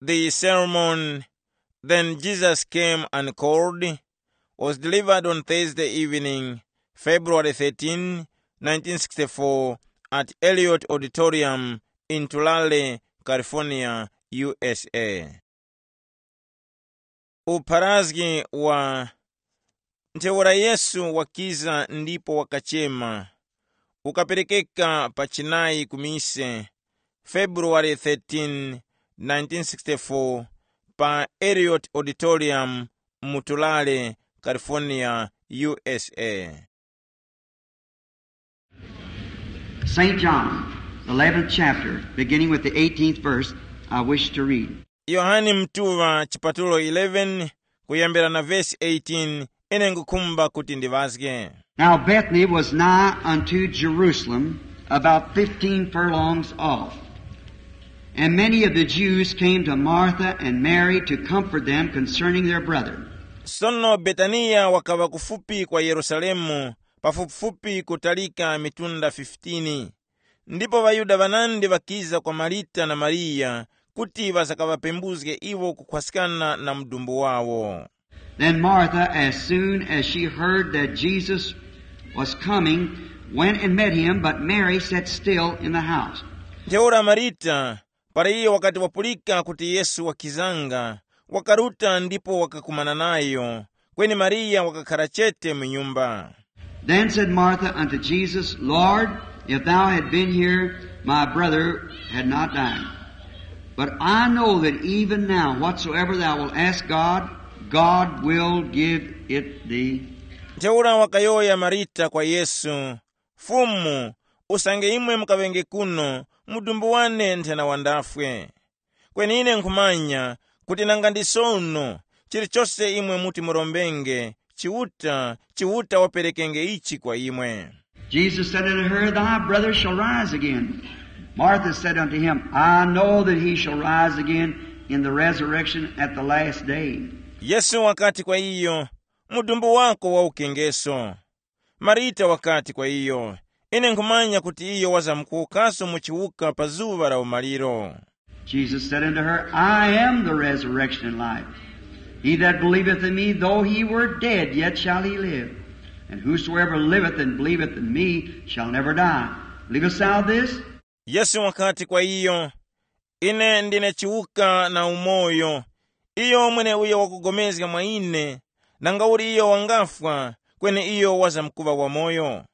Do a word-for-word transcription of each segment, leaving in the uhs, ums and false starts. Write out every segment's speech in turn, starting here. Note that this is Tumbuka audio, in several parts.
The sermon, Then Jesus Came and Called, was delivered on Thursday evening, February thirteen, nineteen sixty-four, at Elliott Auditorium in Tulare, California, U S A. Upharazgi wa Ntheura Yesu wakiza ndipo wakachema, ukaperekeka pa chinayi ku mise, February thirteen, nineteen sixty-four, pa Elliott Auditorium mu Tulare, California, U S A. Saint John, the eleventh chapter, beginning with the eighteenth verse, I wish to read. Yohane Mtuŵa chipatulo eleven, kuyambira na vesi eighteen, ine ngukhumba kuti ndiŵazge. Now Bethany was nigh unto Jerusalem, about fifteen furlongs off. And many of the Jews came to Martha and Mary to comfort them concerning their brother. Sono Betaniya wakaŵa kufupi kwa Yerusalemu, pafupifupi kutalika mitunda fifteen. Ndipo ŵaYuda ŵanandi ŵakiza kwa Marita na Mariya kuti ŵasakaŵapembuzge iwo kukhwaskana na mudumbu wawo. Then Martha, as soon as she heard that Jesus was coming, went and met him, but Mary sat still in the house. Ntheura Marita, para iyo wakati wapulika kuti Yesu wakizanga, wakaruta ndipo wakakumana nayo, kweni Mariya wakakhara chete mu nyumba. Then said Martha unto Jesus, Lord, if thou had been here, my brother had not died. But I know that even now, whatsoever thou wilt ask God, God will give it thee. Ntheura wakayowoya Marita kwa Yesu, Fumu, usange imwe mukaŵenge kuno, mudumbu wane nthena wandafwe. Kweni ine nkhumanya kuti nanga ndi sono, chilichose imwe muti murombenge, Chiuta, Chiuta waperekenge ichi kwa imwe. Jesus said unto her, Thy brother shall rise again. Martha said unto him, I know that he shall rise again in the resurrection at the last day. Yesu wakati kwa iyo, mudumbu wako waukengeso. Marita wakati kwa iyo, ine nkhumanya kuti iyo wazamkuwukaso mu chiwuka pa zuŵa la umaliro. Jesus said unto her, I am the resurrection and life. He that believeth in me, though he were dead, yet shall he live. And whosoever liveth and believeth in me shall never die. Believest thou this? Yesu wakati kwa iyo, ine ndine chiwuka na umoyo. Iyo mweneuyo wakugomezga mwa ine, nangauli iyo wangafwa, kweni iyo wazamkuŵa wamoyo.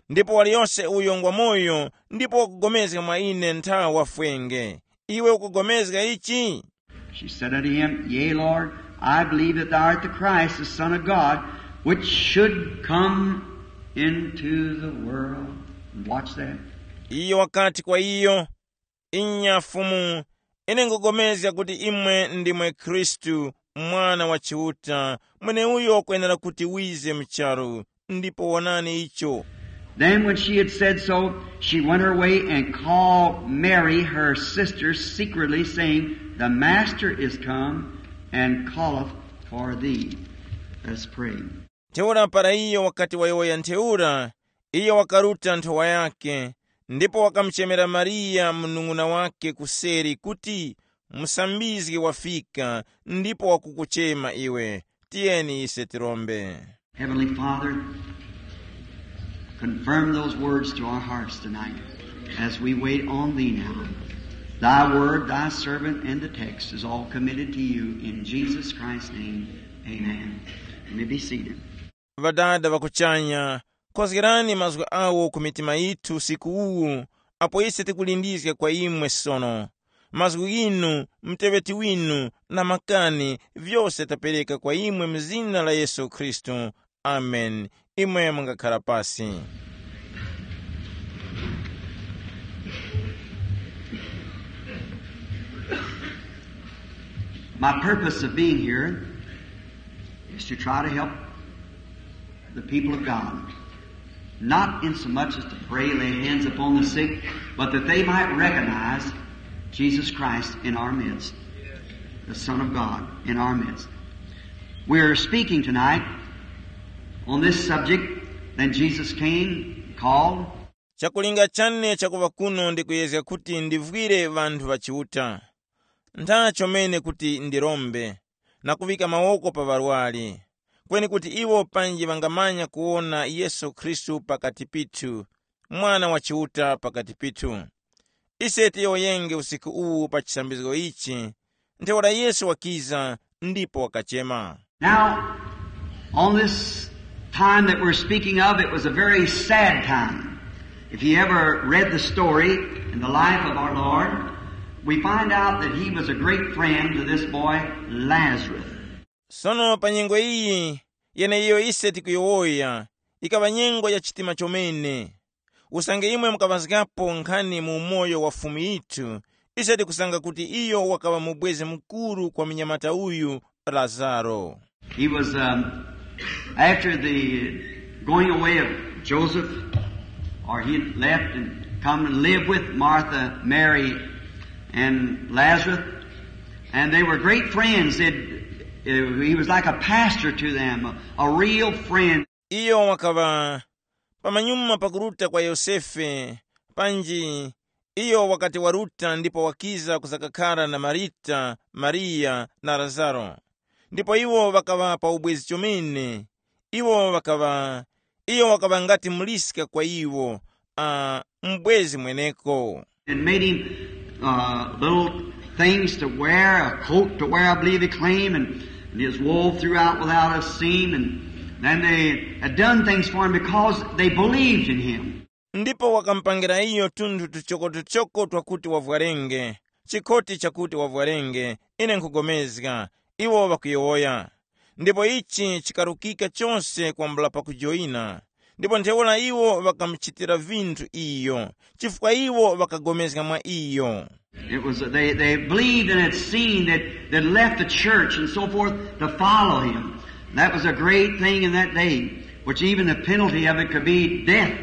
Ndipo waliyose uyo ngwamoyo ndipo wakugomezga mwa ine ntha wafwenge. Iwe ukugomezga ichi? She said unto him, Yea, Lord, I believe that thou art the Christ, the Son of God, which should come into the world. And watch that. Iyo wakati kwa iyo, Inya Fumu, ine ngugomezga kuti imwe ndimwe Khristu, Mwana wa Chiuta, mweneuyo wakwenera kuti wize mu charu, ndipo wonani icho. Then when she had said so, she went her way and called Mary, her sister, secretly, saying, The Master is come and calleth for thee. Let us pray. Ntheura para iyo wakati wayowoya ntheura, iyo wakaruta nthowa yake, ndipo wakamuchemera Mariya munung'una wake kuseri kuti, Musambizgi wafika, ndipo wakukuchema iwe. Tiyeni ise tirombe. Heavenly Father, confirm those words to our hearts tonight as we wait on thee now. Thy word, thy servant, and the text is all committed to you in Jesus Christ's name. Amen. You may be seated. Ŵadada ŵa kuchanya, kozgerani mazgu awo ku mitima yithu usiku uwu, apo ise tikulindizga kwa imwe sono. Mazgu ghinu, muteŵeti winu, na makani, vyose tapereka kwa imwe mu zina la Yesu Khristu. Amen. Imwe mungakhara pasi. My purpose of being here is to try to help the people of God, not in so much as to pray, lay hands upon the sick, but that they might recognize Jesus Christ in our midst, the Son of God in our midst. We're speaking tonight on this subject. Then Jesus came, called. Chakulinga chane chakuŵa kuno ndi kuyezga kuti ndivwire ŵanthu ŵa Chiuta. Ntha chomene kuti ndirombe na kuŵika mawoko pa ŵarwari, kweni kuti iwo panji ŵangamanya kuwona Yesu Khristu pakati pithu, Mwana wa Chiuta pakati pithu. Ise tiyowoyenge usiku uwu pa chisambizgo ichi, ntheura Yesu wakiza ndipo wakachema. Now, on this time that we're speaking of, it was a very sad time. If you ever read the story in the life of our Lord, we find out that he was a great friend to this boy Lazarus. Sono pa nyengo iyi yeneiyo ise tikuyowoya, ikaŵa nyengo ya chitima chomene. Usange imwe mukaŵazgapo nkhani mu umoyo wa Fumu yithu, ise tikusanga kuti iyo wakaŵa mubwezi mukuru kwa munyamata uyu Lazaro. He was, um, after the going away of Joseph, or he left and come and live with Martha, Mary, and Lazarus. And they were great friends. It, it, he was like a pastor to them, a, a real friend. Iyo wakaŵa pamanyuma pakuruta kwa Yosefe, panji iyo wakati waruta ndipo wakiza kuzakakhara na Marita, Mariya na Lazaro. Ndipo iwo ŵakaŵa pa ubwezi chomene. Iwo ŵakaŵa, iyo wakaŵa ngati muliska kwa iwo, a, m'bwezi mweneko. And made him, uh, little things to wear, a coat to wear, I believe he claimed, and, and his wool throughout without a seam. And then they had done things for him because they believed in him. Ndipo wakamupangira iyo tunthu tuchokotuchoko twakuti wavwarenge, chikhoti chakuti wavwarenge, ine nkhugomezga, iwo ŵakuyowoya. Ndipo ichi chikarukika chose kwambula pakujoyina. Ndipo ntheura iwo ŵakamuchitira vinthu iyo, chifukwa iwo ŵakagomezga mwa iyo. It was, they, they believed and had seen that, that left the church and so forth to follow him. That was a great thing in that day, which even the penalty of it could be death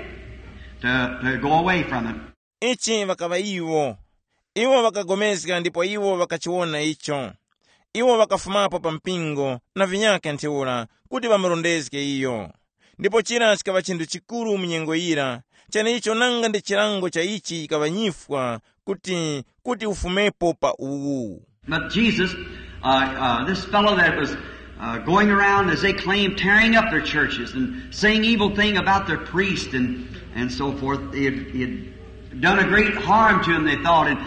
to, to go away from it. Ichi ŵakaŵa iwo. Iwo ŵakagomezga ndipo iwo ŵakachiwona icho. Iwo ŵakafumapo pa mpingo na vinyakhe ntheura kuti ŵamurondezge iyo. Ndipo chira chikaŵa chinthu chikuru mu nyengo yira, cheneicho nanga ndi chilango cha ichi chikaŵa nyifwa kuti, kuti ufumepo pa uwu. But Jesus, uh, uh, this fellow that was, uh, going around, as they claimed, tearing up their churches and saying evil thing about their priest and, and so forth, he had, he had done a great harm to them, they thought. And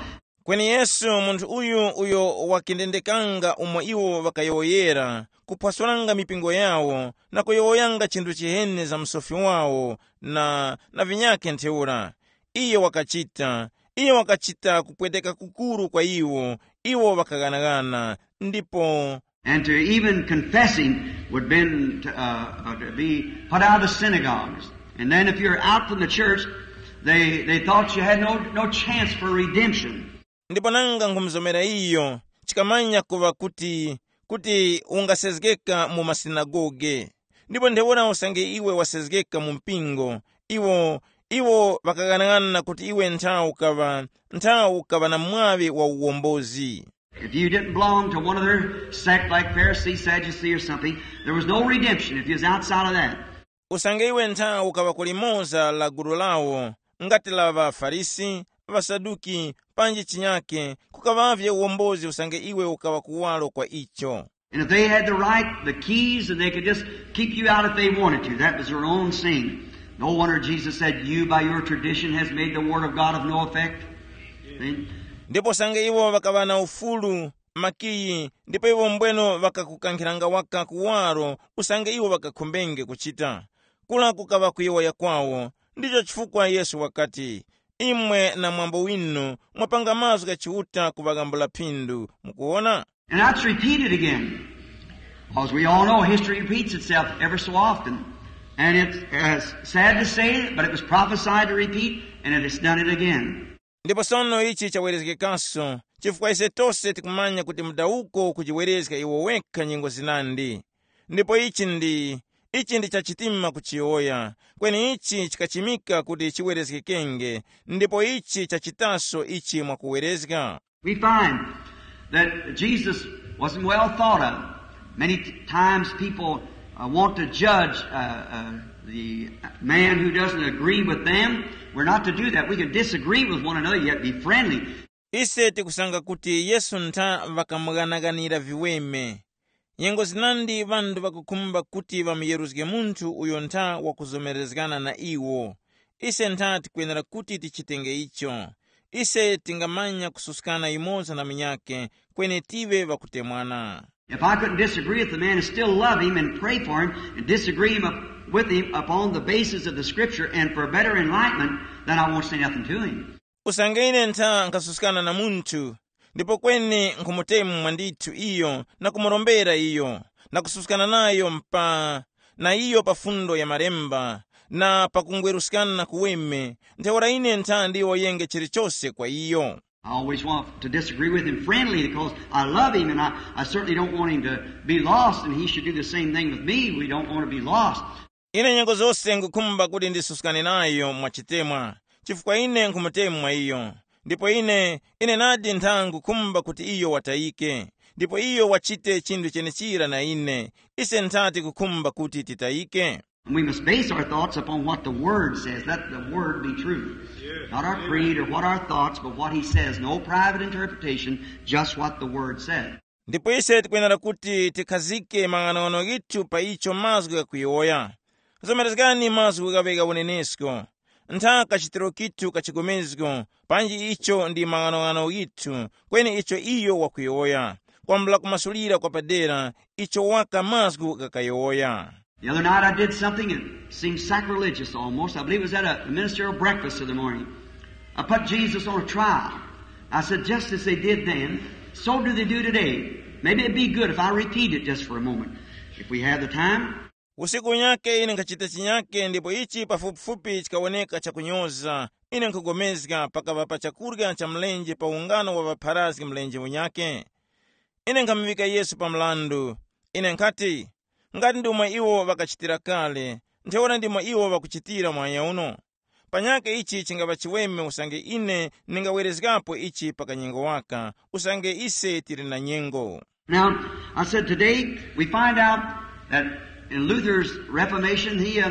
Kweni Yesu, munthu uyu uyo wakendendekanga umo iwo ŵakayowoyera, kuphwasulanga mipingo yawo na kuyowoyanga chinthu chiheni za msofi wawo na, na vinyakhe ntheura. Iye wakachita, iye wakachita kupweteka kukuru kwa iwo, iwo ŵakaghanaghana, ndipo And to even confessing would been to, uh, uh, to be put out of the synagogues. And then if you're out from the church, they, they thought you had no, no chance for redemption. Ndipo nanga nkhumuzomera iyo, chikamanya kuva kuti, kuti ungasezgeka mu masinagoge. Ndipo ntheura usange iwe wasezgeka mu mpingo, iwo, iwo ŵakaghanaghanana kuti iwe nthawi ukaŵa, nthawi ukaŵa na mwaŵi wa uwombozi. If you didn't belong to one of their sect like Pharisee, Sadducee, or something, there was no redemption if you was outside of that. Usange iwe nthawi ukaŵa ku limoza la gulu lawo, ngati la ŵaFarisi, ŵaSaduki, panji chinyake, kukaŵavye uwombozi usange iwe ukaŵa kuwaro kwa icho. And if they had the right, the keys, and they could just kick you out if they wanted to, that was their own sin. No wonder Jesus said, "You by your tradition has made the word of God of no effect." See? Ndipo usange iwo ŵakaŵa na ufulu, makiyi, ndipo iwo mbweno ŵakakukankhiranga waka kuwaro usange iwo ŵakakhumbenge kuchita. Kula kukaŵa kuyowoya kwawo. Ndicho chifukwa Yesu wakati, imwe na mwambo winu mwapanga mazgu gha Chiuta kuŵaghambula phindu. Mukuwona? And that's repeated again. Because we all know history repeats itself ever so often. And it's, uh, sad to say, but it was prophesied to repeat, and it has done it again. Ndipo sono ichi chawerezgekanso, chifukwa ise tose tikumanya kuti mudawuko kujiwerezga iwo wekha nyengo zinandi. Ndipo ichi ndi, ichi ndi chachitima kuchiyowoya, kweni ichi chikachimika kuti chiwerezgekenge, ndipo ichi chachitaso ichi mwakuwerezga. We find that Jesus wasn't well thought of. Many t-, times people, uh, want to judge, uh, uh, the man who doesn't agree with them. We're not to do that. We can disagree with one another, yet be friendly. Ise tikusanga kuti Yesu ntha ŵakamughanaganira viweme. Nyengo zinandi ŵanthu ŵakukhumba kuti ŵamuyeruzge munthu uyo ntha wakuzomerezgana na iwo. Ise ntha tikwenera kuti tichitenge icho. Ise tingamanya kususkana yumoza na munyakhe, kweni tive ŵakutemwana. If I couldn't disagree with the man and still love him and pray for him and disagree him up, with him upon the basis of the scripture and for better enlightenment, then I won't say nothing to him. Usange ine ntha nkhasuskana na munthu, ndipo kweni nkhumutemu mwandithu iyo na kumurombera iyo, na kususkana nayo mpa na iyo pa fundo ya malemba, na pakungweruskana kuweme, ntheura ine ntha ndiwoyenge chilichose kwa iyo. I always want to disagree with him friendly because I love him and I, I certainly don't want him to be lost and he should do the same thing with me. We don't want to be lost. Ine nyengo zose ngukhumba kuti ndisuskane nayo mwachitemwa, chifukwa ine nkhumutemu mwa iyo. Ndipo ine, ine nadi ntha ngukhumba kuti iyo watayike, ndipo iyo wachite chinthu chenechira na ine. Ise nthati kukhumba kuti titayike. And we must base our thoughts upon what the Word says. Let the Word be true. Not our creed or what our thoughts, but what He says. No private interpretation, just what the Word says. Ndipo ise tikwenera kuti tikhazike mang'anong'ano ghithu pa icho mazgu ghakuyowoya. Zomerezgani mazgu ghaŵe gha unenesko. Ntha kachitiro kithu ka chigomezgo, panji icho ndi mang'anong'ano ghithu, kweni icho iyo wakuyowoya, kwambula kumasulira kwa padera icho waka mazgu ghakayowoya. The other night I did something that seemed sacrilegious almost. I believe it was at a ministerial breakfast in the morning. I put Jesus on a trial. I said, just as they did then, so do they do today. Maybe it'd be good if I repeat it just for a moment, if we have the time. Usiku unyake ine nkhachita chinyake ndipo ichi pafupifupi chikawoneka chakunyoza. Ine nkhugomezga pakava pa chakurya cha mlenje pa ungano wa ŵapharazgi mlenje unyake. Ine nkhamuŵika Yesu pa mrandu. Ine nkhati, ngati ndi umo iwo ŵakachitira kale, ntheura ndimo iwo ŵakuchitira muhanya uno. Panyakhe ichi chingapa chiweme usange ine ndingawerezgapo ichi pa kanyengo waka, usange ise tili na nyengo. Now, I said today we find out that in Luther's Reformation, he, uh,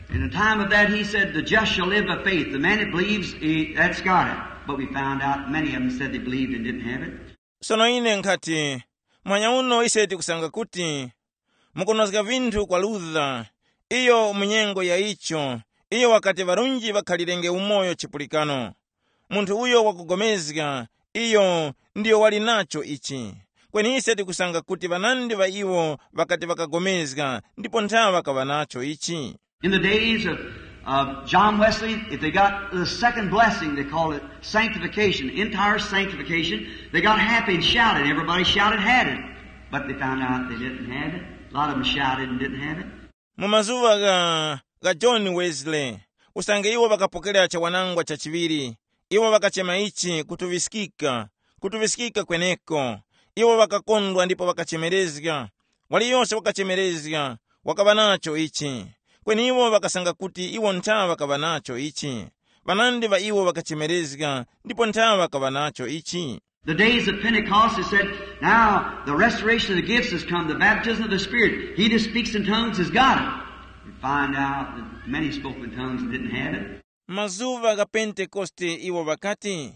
in the time of that, he said, the just shall live by faith. The man that believes, he, that's got it. But we found out many of them said they believed and didn't have it. Sono ine nkhati, mwanya uno ise tikusanga kuti mukunozga vinthu kwa Luther, iyo mu nyengo ya icho, iyo wakati ŵarunji ŵakhalirenge umoyo chipulikano. Munthu uyo wakugomezga, iyo ndiyo wali nacho ichi. Kweni ise tikusanga kuti ŵanandi ŵa iwo ŵakati ŵakagomezga, ndipo ntha ŵakaŵa nacho ichi. In the days of, of John Wesley, if they got the second blessing, they call it sanctification, entire sanctification, they got happy and shouted. Everybody shouted, had it. But they found out they didn't have it. A lot of them shouted and didn't have it. Mu mazuŵa gha, gha John Wesley, usange iwo ŵakapokera chawanangwa cha chiŵiri, iwo ŵakachema ichi kutuŵiskika, kutuŵiskika kweneko. Iwo ŵakakondwa ndipo ŵakachemerezga. Waliyose wakachemerezga, wakaŵa nacho ichi. Kweni iwo ŵakasanga kuti iwo ntha ŵakaŵa nacho ichi. Ŵanandi ŵa iwo ŵakachemerezga, ndipo ntha ŵakaŵa nacho ichi. The days of Pentecost, it said, now the restoration of the gifts has come, the baptism of the Spirit. He that speaks in tongues has got it. You find out that many spoke in tongues and didn't have it. Mazuŵa gha Pentekoste iwo ŵakati,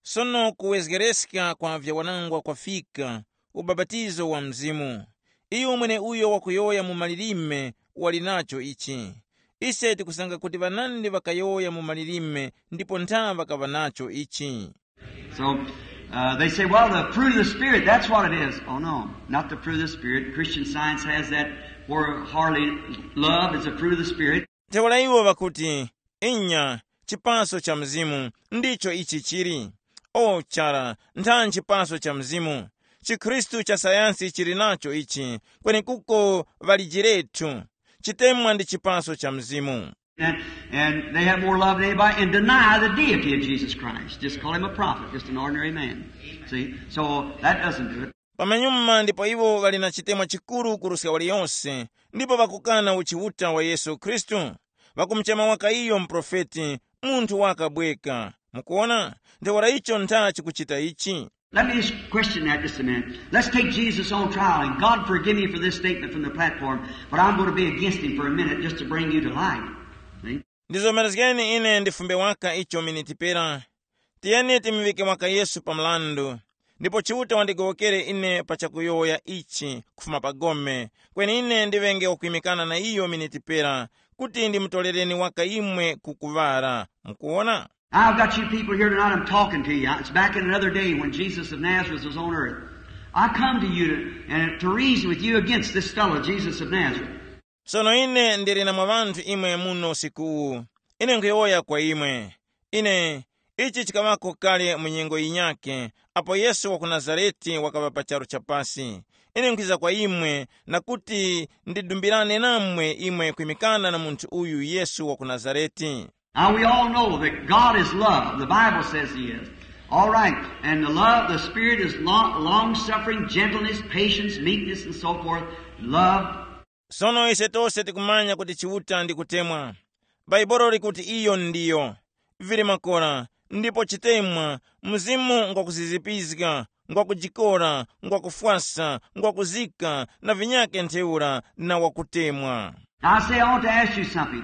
sono kuwezgereska kwa vyawanangwa kwafika, ubapatizo wa Mzimu. Iyo mweneuyo wakuyowoya mu malilime wali nacho ichi. Ise tikusanga kuti ŵanandi ŵakayowoya mu malilime ndipo ntha ŵakaŵa nacho ichi. So uh, they say, well, the fruit of the Spirit, that's what it is. Oh, no, not the fruit of the Spirit. Christian Science has that where hardly love is the fruit of the Spirit. Ntheura iwo ŵakuti, inya, chipaso cha Mzimu ndicho ichi chili. O chara, ntha nchipaso cha Mzimu. Chikhristu cha sayansi chili nacho ichi, kweni kuko ŵalijiretu. Chitemwa ndi chipaso cha Mzimu. And, and they have more love than anybody and deny the deity of Jesus Christ. Just call him a prophet, just an ordinary man. See? So that doesn't do it. Pamanyuma ndipo iwo ŵali na chitemwa chikuru kuruska waliyonse, ndipo ŵakukana uchiuta wa Yesu Khristu. Ŵakumuchema waka iyo muprofeti, munthu wakabweka. Mukuwona? Ntheura icho ntha chikuchita ichi. Let me just question that just a minute. Let's take Jesus on trial, and God forgive me for this statement from the platform, but I'm going to be against him for a minute just to bring you to light. See? Ndizomerezgeni ine ndifumbe waka icho miniti pera. Tiyeni timuŵike mwaka Yesu pa mrandu. Ndipo Chiuta wandigowokere ine pa chakuyowoya ichi kufuma pa gome, kweni ine ndiŵenge wakwimikana na iyo miniti pera, kuti ndimutorereni waka imwe ku kuŵara. Mukuwona? I've got you people here tonight, I'm talking to you. It's back in another day when Jesus of Nazareth was on earth. I come to you to, and to reason with you against this fellow, Jesus of Nazareth. Sono ine ndili na mwa ŵanthu imwe muno usikuwu. Ine nkhuyowoya kwa imwe. Ine, ichi chikaŵako kale mu nyengo yinyakhe, apo Yesu wa ku Nazarete wakaŵa pa charu cha pasi. Ine nkwiza kwa imwe, na kuti ndidumbirane namwe imwe kwimikana na munthu uyu Yesu wa ku Nazarete. Now we all know that God is love. The Bible says he is. All right. And the love, the Spirit is long, long suffering, gentleness, patience, meekness, and so forth. Love. Sono ise tose tikumanya kuti Chiuta ndi kutemwa. Bhaibuli likuti iyo ndiyo. Vili makora, ndipo chitemwa, mzimu ngwakuzizipizga, ngwakujikora, ngwakufwasa, ngwakuzika, na vinyakhe ntheura na wakutemwa. Now, I say, I want to ask you something.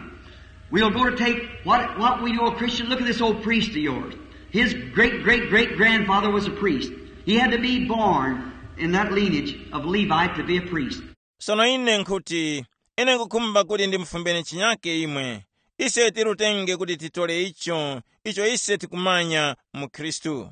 We'll go to take what, what we know a Christian. Look at this old priest of yours. His great, great, great grandfather was a priest. He had to be born in that lineage of Levite to be a priest. Sono ine nkhuti, ine nkukhumba kuti ndimufumbeni chinyake imwe. Ise tirutenge kuti titole icho, icho ise tikumanya mu Khristu.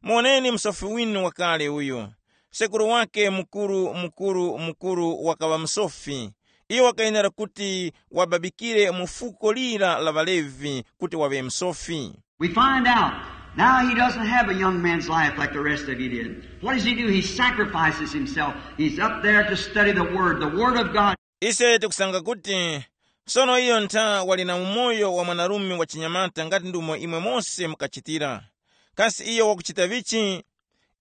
Muoneni msofi winu wakale uyu. Sekuru wake mukuru, mukuru, mukuru wakaŵa msofi. Iyo wakayenera kuti wababikire mu fuko lira la ŵaLevi kuti waŵe msofi. We find out now he doesn't have a young man's life like the rest of you did. What does he do? He sacrifices himself. He's up there to study the Word, the Word of God. Ise tikusanga kuti sono iyo ntha wali na umoyo wa mwanarume wa chinyamata ngati ndumo imwe mose mukachitira. Kasi iyo wakuchita vichi?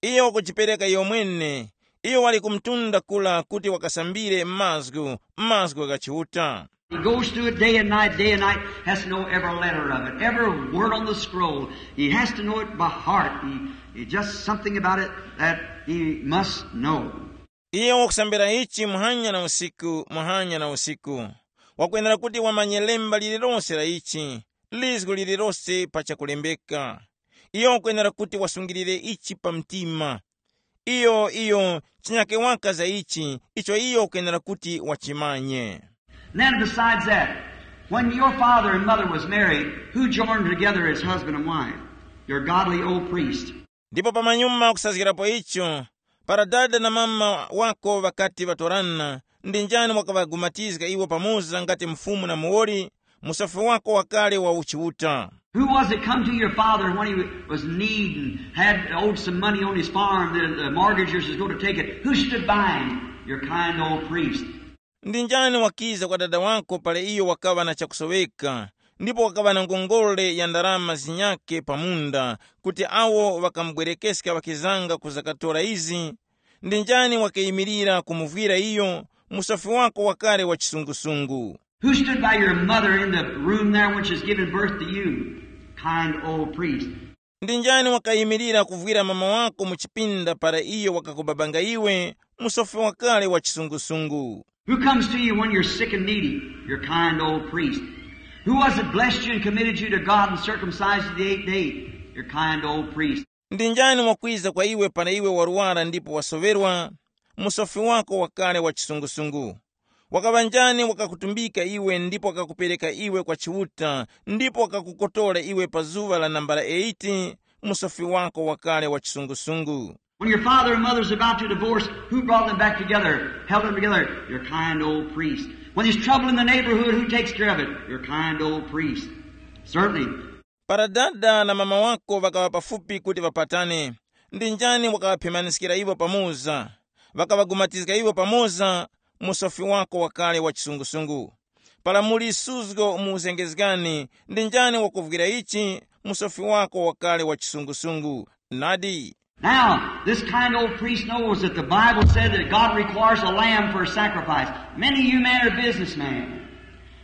Iyo wakujipereka iyo mwene. Iyo wali ku mtunda kula kuti wakasambire mazgu, mazgu gha Chiuta. He goes through it day and night, day and night, has to know every letter of it, every word on the scroll. He has to know it by heart. He, he just something about it that he must know. Iyo wakusambira ichi muhanya na usiku, muhanya na usiku. Wakwenera kuti wamanye lemba lililose la ichi, lizgu lililose pa chakulembeka. Iyo wakwenera kuti wasungilire ichi pa mtima. Iyo, iyo, chinyake waka za ichi, icho iyo wakwenera kuti wachimanye. Then besides that, when your father and mother was married, who joined together as husband and wife? Your godly old priest. Ndipo pamanyuma kusazgirapo icho, para dada na mama wako ŵakati ŵatorana, ndi njani wakaŵagumatizga iwo pamoza ngati mfumu na muwoli, musofi wako wakale wa uchiuta? Who was it come to your father when he was in need and had owed some money on his farm, the, the mortgagers was going to take it? Who stood by him? Your kind old priest. Ndi njani wakiza kwa dada wako pale iyo wakaŵa na chakusoweka, ndipo wakaŵa na ngongole ya ndarama zinyake pa munda, kuti awo ŵakamubwerekeska ŵakizanga kuzakatora izi? Ndi njani wakayimirira kumuvwira iyo, musofi wako wakale wa chisungusungu? Who stood by your mother in the room there when she's giving birth to you? Kind old priest. Ndi njani wakayimirira kuvwira mama wako mu chipinda para iyo wakakubabanga iwe, musofi wakale wa chisungusungu? Who comes to you when you're sick and needy? Your kind old priest. Who was it blessed you and committed you to God and circumcised you the eighth day? Your kind old priest. Ndi njani wakwiza kwa iwe para iwe warwara ndipo wasoŵerwa? Musofi wako wakale wa chisungusungu. Wakaŵa njani wakakutumbika iwe ndipo wakakupereka iwe kwa Chiuta, ndipo wakakukotora iwe pa zuŵa la nambala eighty? Musofi wako wakale wa chisungusungu. When your father and mother's about to divorce, who brought them back together, held them together? Your kind old priest. When there's trouble in the neighborhood, who takes care of it? Your kind old priest. Certainly. Para dada na mama wako ŵakaŵa pafupi kuti ŵapatane, ndi njani wakaŵaphemaniskira iwo pamoza? Ŵakaŵagumatizga iwo pamoza? Musofi wako wakale wa chisungusungu. Para muli suzgo mu uzengezgani, ndi njani wakuvwira ichi? Musofi wako wakale wa chisungusungu. Nadi. Now, this kind old priest knows that the Bible said that God requires a lamb for a sacrifice. Many of you men are businessmen,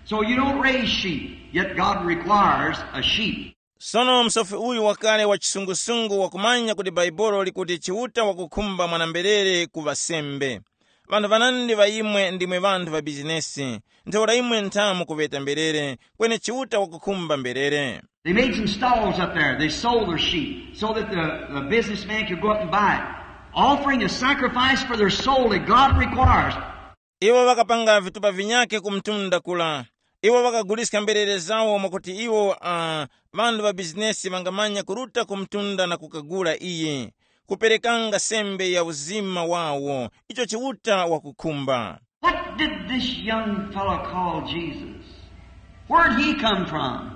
so you don't raise sheep, yet God requires a sheep. Sono msofi uyu wakale wa chisungusungu wakumanya kuti Bhaibuli likuti Chiuta wakukhumba mwanamberere ku ŵasembe. Ŵanthu ŵanandi ŵa imwe ndimwe ŵanthu ŵa bizinesi, ntheura imwe nthamu kuŵeta mberere, kweni Chiuta wakukhumba mberere. They made some stalls up there. They sold their sheep so that the, the businessman could go up and buy it, offering a sacrifice for their soul that God requires. Iwo ŵakapanga vitupa vinyakhe ku mtunda kula. Iwo ŵakaguliska mberere zawo mwakuti iwo uh, ŵanthu ŵa bizinesi ŵangamanya kuruta ku mtunda na kukagula iyi, kuperekanga sembe ya uzima wawo icho Chiuta wakukhumba. What did this young fellow call Jesus? Where'd he come from?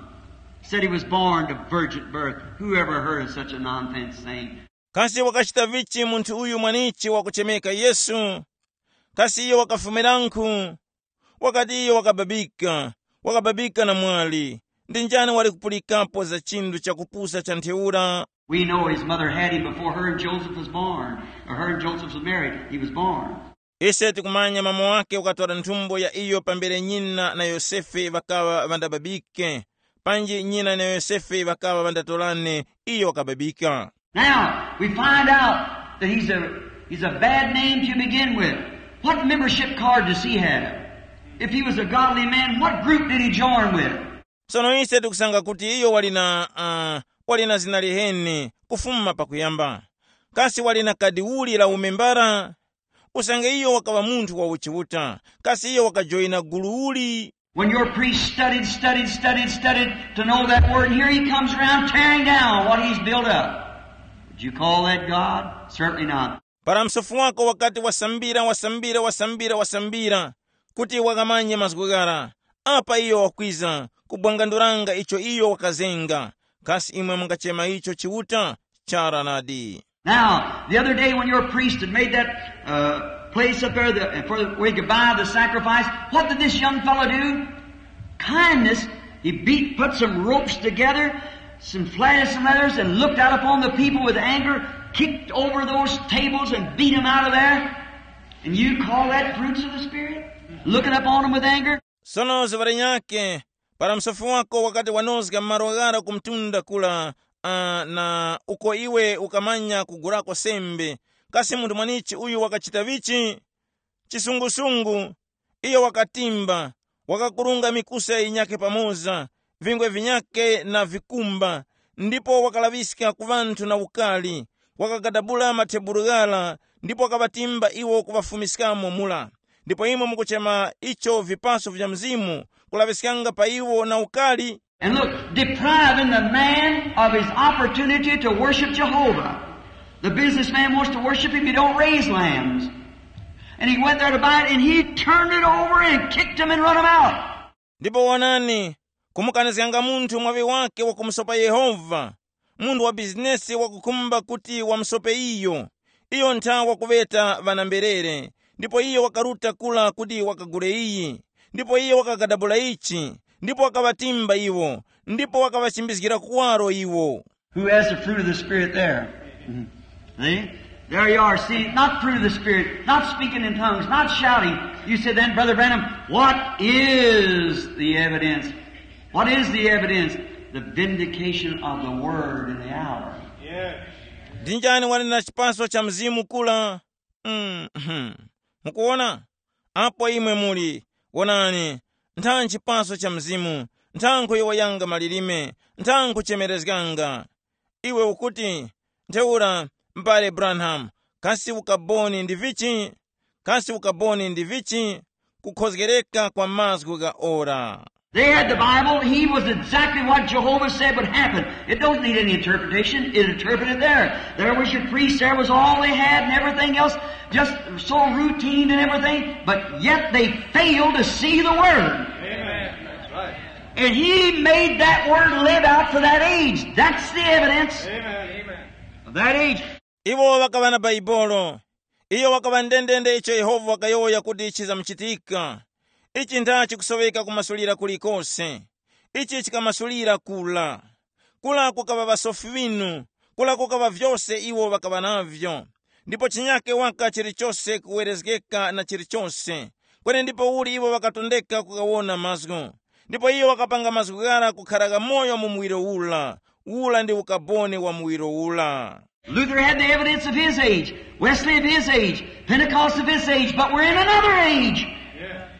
Said he was born to virgin birth. Whoever heard of such a nonsense thing? Kasi wakachita vichi munthu uyu mwanichi wakuchemeka Yesu? Kasi iyo wakafumiranku? Wakati iyo wakababika, wakababika na mwali. Ndi njani wali kupulikapo za chinthu chakupusa cha ntheura? We know his mother had him before her and Joseph was born, or her and Joseph was married, he was born. Ise tikumanya mama wake wakatwala nthumbo ya iyo pambere nyina na Yosefe ŵakaŵa ŵandababike, panji nyina na Yosefe ŵakaŵa ŵandatorane, iyo wakababika. Now, we find out that he's a, he's a bad name to begin with. What membership card does he have? If he was a godly man, what group did he join with? Sono ise tikusanga kuti iyo wali na uh, wali na zina liheni kufuma pakuyamba. Kasi wali na kadi uli la umembara? Usange iyo wakaŵa munthu wa uchiuta, kasi iyo wakajoyina gulu uli? When your priest studied, studied, studied, studied to know that word, and here he comes around tearing down what he's built up. Would you call that God? Certainly not. Para msofu wako wakati wasambira wasambira wasambira wasambira kuti wakamanye mazgu ghara, apa iyo wakwiza kubwanganduranga icho iyo wakazenga. Kasi imwe mungachema icho Chiuta? Chara nadi. Now, the other day when your priest had made that uh, place up there the, for where you could buy the sacrifice, what did this young fellow do? Kindness, he beat, put some ropes together, some flat some letters, and looked out upon the people with anger, kicked over those tables and beat them out of there. And you call that fruits of the Spirit? Looking upon them with anger? Sono ziŵa linyakhe, para msofi wako wakati wanozga malo ghara ku mtunda kula, uh, na uko iwe ukamanya kugurako sembe, kasi munthu mwanichi uyu wakachita vichi? Chisungusungu, iyo wakatimba, wakakurunga mikusa yinyakhe pamoza, vingwe vinyakhe na vikumba, ndipo wakalaŵiska ku ŵanthu na ukali, wakagadabula mathebulu ghara, ndipo wakaŵatimba iwo kuŵafumiskamo mura. Ndipo imwe mukuchema icho vipaso vya Mzimu, kulaŵiskanga pa iwo na ukali? And look, depriving the man of his opportunity to worship Jehovah. The businessman wants to worship him, he don't raise lambs. And he went there to buy it, and he turned it over and kicked him and run him out. Ndipo wonani, kumukanizganga munthu mwaŵi wake wakumusopa Yehova, munthu wa bizinesi wakukhumba kuti wamusope iyo. Iyo ntha wakuŵeta ŵanamberere, ndipo iyo wakaruta kula kuti wakagule iyi. Ndipo iyo wakagadabula ichi, ndipo wakaŵatimba iwo, ndipo wakaŵachimbizgira kuwaro iwo. Who has the fruit of the Spirit there? Mhm. See? There you are. See, not fruit of the Spirit, not speaking in tongues, not shouting. You said, "Then, Brother Branham, what is the evidence?" What is the evidence? The vindication of the word in the hour. Ndi njani wali na chipaso cha Mzimu kula? Mm-hmm. Mukuona? Apo imwe muli, wonani, ntha nchipaso cha Mzimu, ntha nkhuyowoyanga malilime, ntha nkhuchemerezganga. Iwe ukuti, ntheura, m'bale Branham, kasi ukaboni ndi vichi? Kasi ukaboni ndi vichi? Kukhozgereka kwa mazgu gha ora. They had the Bible. He was exactly what Jehovah said would happen. It don't need any interpretation. It interpreted there. There was your priest. There was all they had and everything else. Just so routine and everything. But yet they failed to see the Word. Amen. That's right. And he made that Word live out for that age. That's the evidence. Amen. Of that age. Iwo ŵakaŵa na Baibolo. Iyo wakaŵa ndendende icho Yehova wakayowoya kuti chizamuchitika. Ichi ntha chikusoweka kumasulira kulikose. Ichi chikamasulira kula. Kula kukaŵa ŵasofi ŵinu, kula kukaŵa vyose iwo ŵakaŵa navyo. Ndipo chinyake waka chilichose kuwerezgeka na chilichose. Kweni ndipo uli iwo ŵakatondeka kukawona mazgu. Ndipo iyo wakapanga mazgu ghara kukhara ghamoyo mu muwiro ula. Ula ndi ukaboni wa muwiro ula. Luther had the evidence of his age, Wesley of his age, Pentecost of his age, but we're in another age.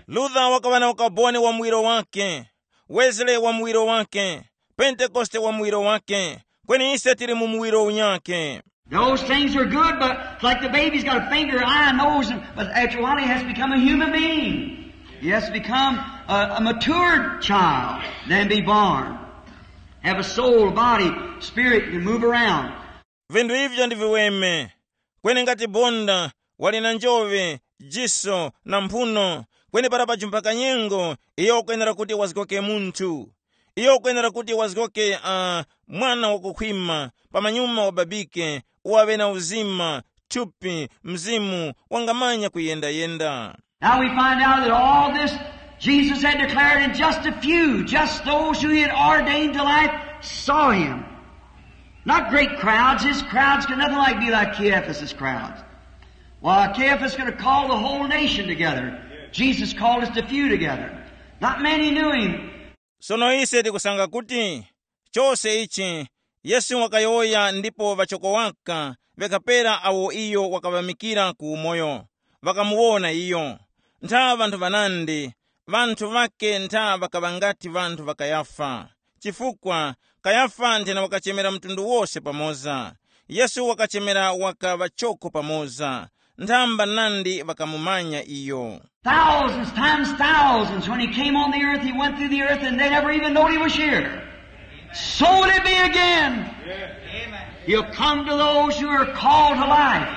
Luther wakaŵa na ukaboni wa muwiro wake, Wesley wa muwiro wake, Pentekoste wa muwiro wake, kweni ise tili mu muwiro unyakhe. Those things are good, but it's like the baby's got a finger, eye, nose, and, but after a while he has to become a human being. He has to become a, a matured child, then be born. Have a soul, body, spirit, and move around. Vinthu ivyo ndi viweme, kweni ngati bonda wali na njoŵe, jiso na mphuno, kweni para pajumpa kanyengo, iyo ukwenera kuti wazgoke munthu. Iyo ukwenera kuti wazgoke uh, mwana wakukhwima, pamanyuma wababike, uwaŵe na uzima, thupi, mzimu, wangamanya kuyenda-yenda. Now we find out that all this Jesus had declared, and just a few, just those who he had ordained to life, saw him. Not great crowds. His crowds could nothing like be like Caiaphas's crowds. Why, Caiaphas could have called the whole nation together. Jesus called just a few together. Not many knew him. Sono ise tikusanga kuti chose ichi Yesu wakayowoya, ndipo ŵachoko waka ŵakapera awo iyo wakaŵamikira ku umoyo, ŵakamuwona iyo. Ntha ŵanthu ŵanandi, ŵanthu ŵake ntha ŵakaŵa ngati ŵanthu ŵa Kayafa. Chifukwa Kayafa nthena wakachemera mtundu wose pamoza. Yesu wakachemera waka ŵachoko pamoza. Nthamba nandi ŵakamumanya iyo. Thousands times thousands, when he came on the earth, he went through the earth, and they never even knowed he was here. So will it be again. He'll come to those who are called to life.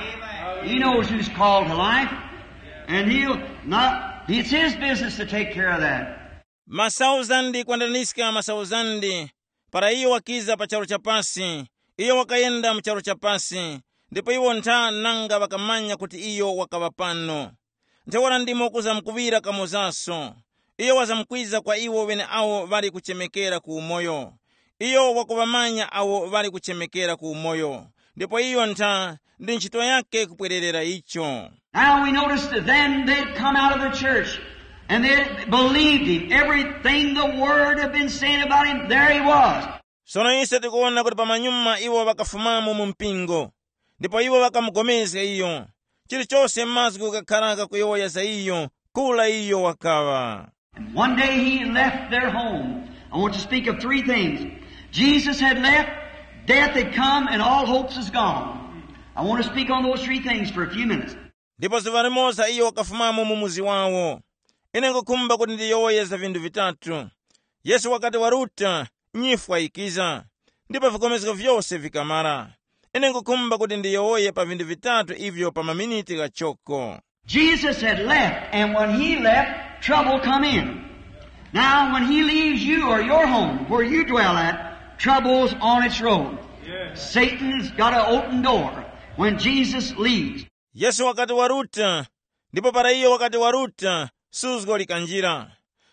He knows who's called to life. And he'll not, it's his business to take care of that. Masauzandi kwandaniska masauzandi, para iyo wakiza pa charu cha pasi, iyo wakayenda mu charu cha pasi, ndipo iwo ntha nanga ŵakamanya kuti iyo wakaŵa pano. Ntheura ndimo kuzamkuŵira kamozaso. Iyo wazamkwiza kwa iwo ŵeneawo ŵali kuchemekera ku umoyo. Iyo wakuŵamanya awo ŵali kuchemekera ku umoyo, ndipo iyo ntha ndi ntchito yake kupwererera icho. Now we notice that then they'd come out of the church and they believed him. Everything the word had been saying about him, there he was. Sono ise tikuwona kuti pamanyuma iwo ŵakafumamo mu mpingo, ndipo iwo ŵakamugomezga iyo. Chilichose mazgu ghakharaka kuyowoya za iyo, kura iyo wakaŵa. And one day he left their home. I want to speak of three things. Jesus had left, death had come, and all hopes is gone. I want to speak on those three things for a few minutes. Ndipo zuŵa limoza iyo wakafumamo mu muzi wawo. Ine nkukhumba kuti ndiyowoye za vinthu vitatu. Yesu wakati waruta, nyifwa yikiza, ndipo vikomezgo vyose vikamara. Ine nkukhumba kuti ndiyowoye pa vinthu vitatu ivyo pa maminiti ghachoko. Jesus had left, and when he left, trouble come in. Now, when he leaves you or your home, where you dwell at, trouble's on its road. Satan's got an open door when Jesus leaves. Yesu wakati waruta, ndipo para iyo wakati waruta, suzgo likanjira.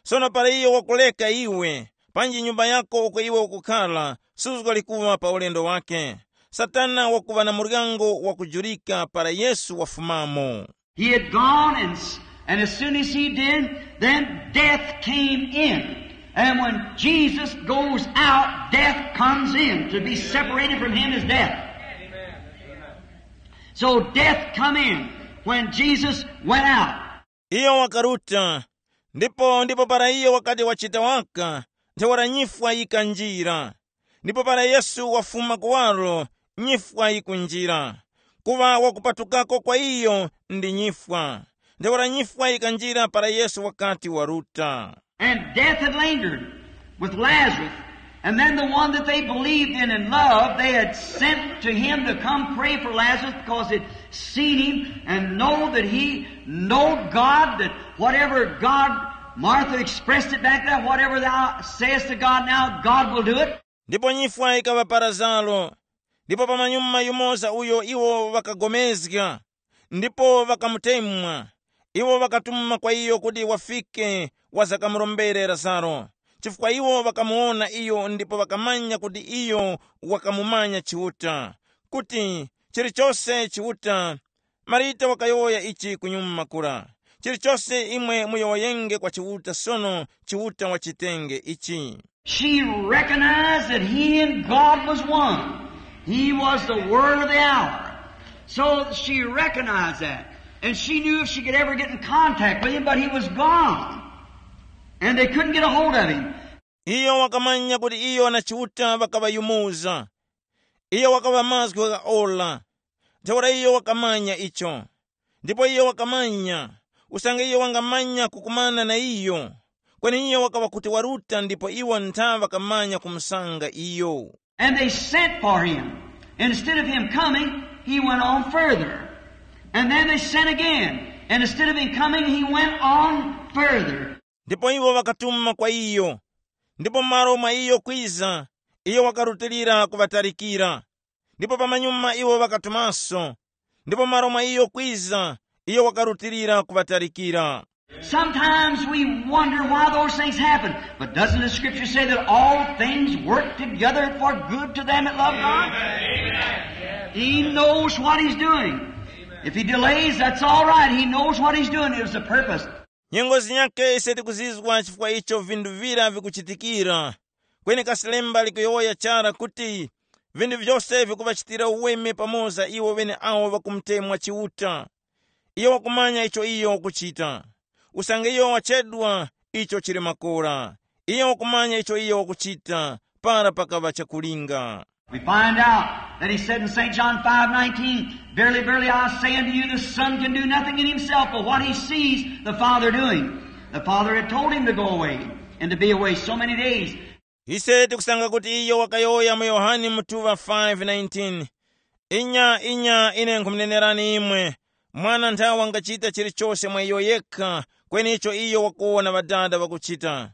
Sono para iyo wakuleka iwe, panji nyumba yako uko iwe ukukhara, suzgo likuŵa pa ulendo wake. Satana wakuŵa na muryango wakujurika para Yesu wafumamo. He had gone, and, s- and as soon as he did, then death came in. And when Jesus goes out, death comes in. To be separated from him is death. So death come in when Jesus went out. Iyo wakaruta, ndipo ndipo para iyo wakati wachita waka, ntheura nyifwa yikanjira. Ndipo para Yesu wafuma kuwaro, nyifwa yikunjira. Kuŵa wakupatukako kwa iyo ndi nyifwa. Ntheura nyifwa yikanjira para Yesu wakati waruta. And death had lingered with Lazarus. And then the one that they believed in and loved, they had sent to him to come pray for Lazarus because they'd seen him and know that he knowed God, that whatever God, Martha expressed it back there, "Whatever thou sayest to God now, God will do it." Ndipo nyifwa ikaŵa pa Lazaro, ndipo pamanyuma yumoza uyo iwo ŵakagomezga, ndipo ŵakamutemwa. Iwo ŵakatuma kwa iyo kuti wafike wazakamurombere Lazaro, chifukwa iwo ŵakamuwona iyo ndipo ŵakamanya kuti iyo wakamumanya Chiuta, kuti chilichose Chiuta. Marita wakayowoya ichi kunyuma kura, chilichose imwe muyowoyenge kwa Chiuta sono, Chiuta wachitenge ichi. She recognized that he and God was one. He was the word of the hour. So she recognized that. And she knew if she could ever get in contact with him, but he was gone. And they couldn't get a hold of him. Iyo wakamanya kuti iyo na Chiuta ŵakaŵayumuza. Iyo wakaŵa mazgu gha ora. Ntheura iyo wakamanya icho. Ndipo iyo wakamanya, usange iyo wangamanya kukumana na iyo, kweni iyo wakaŵa kuti waruta ndipo iwo ntha ŵakamanya kumusanga iyo. And they sent for him. Instead of him coming, he went on further. And then they sent again. And instead of him coming, he went on further. Ndipo iwo ŵakatuma kwa iyo. Ndipo malo mwa iyo kwiza, iyo wakarutilira kuŵatalikira. Ndipo pamanyuma iwo ŵakatumaso. Ndipo malo mwa iyo kwiza, iyo wakarutilira kuŵatalikira. Sometimes we wonder why those things happen. But doesn't the scripture say that all things work together for good to them that love God? He knows what he's doing. If he delays, that's all right. He knows what he's doing. It was a purpose. Nyengo zinyakhe ise tikuzizwa chifukwa icho vinthu vira vikuchitikira. Kweni kasi lemba likuyowoya chara kuti vinthu vyose vikuŵachitira uweme pamoza iwo ŵeneawo ŵakumutemwa Chiuta. Iyo wakumanya icho iyo wakuchita. Usange iyo wachedwa, icho chili makora. Iyo wakumanya icho iyo wakuchita para pakaŵa chakulinga. We find out that he said in Saint John five nineteen, "Verily, verily, I say unto you, the Son can do nothing in himself but what he sees the Father doing." The Father had told him to go away and to be away so many days. Ise tikusanga kuti iyo wakayowoya mu Yohane mutuŵa five nineteen, "Inya, inya, ine nkhumunenerani imwe, Mwana nthawe wangachita chilichose mwa iyo yekha, kweni icho iyo wakuwona Ŵadada ŵakuchita."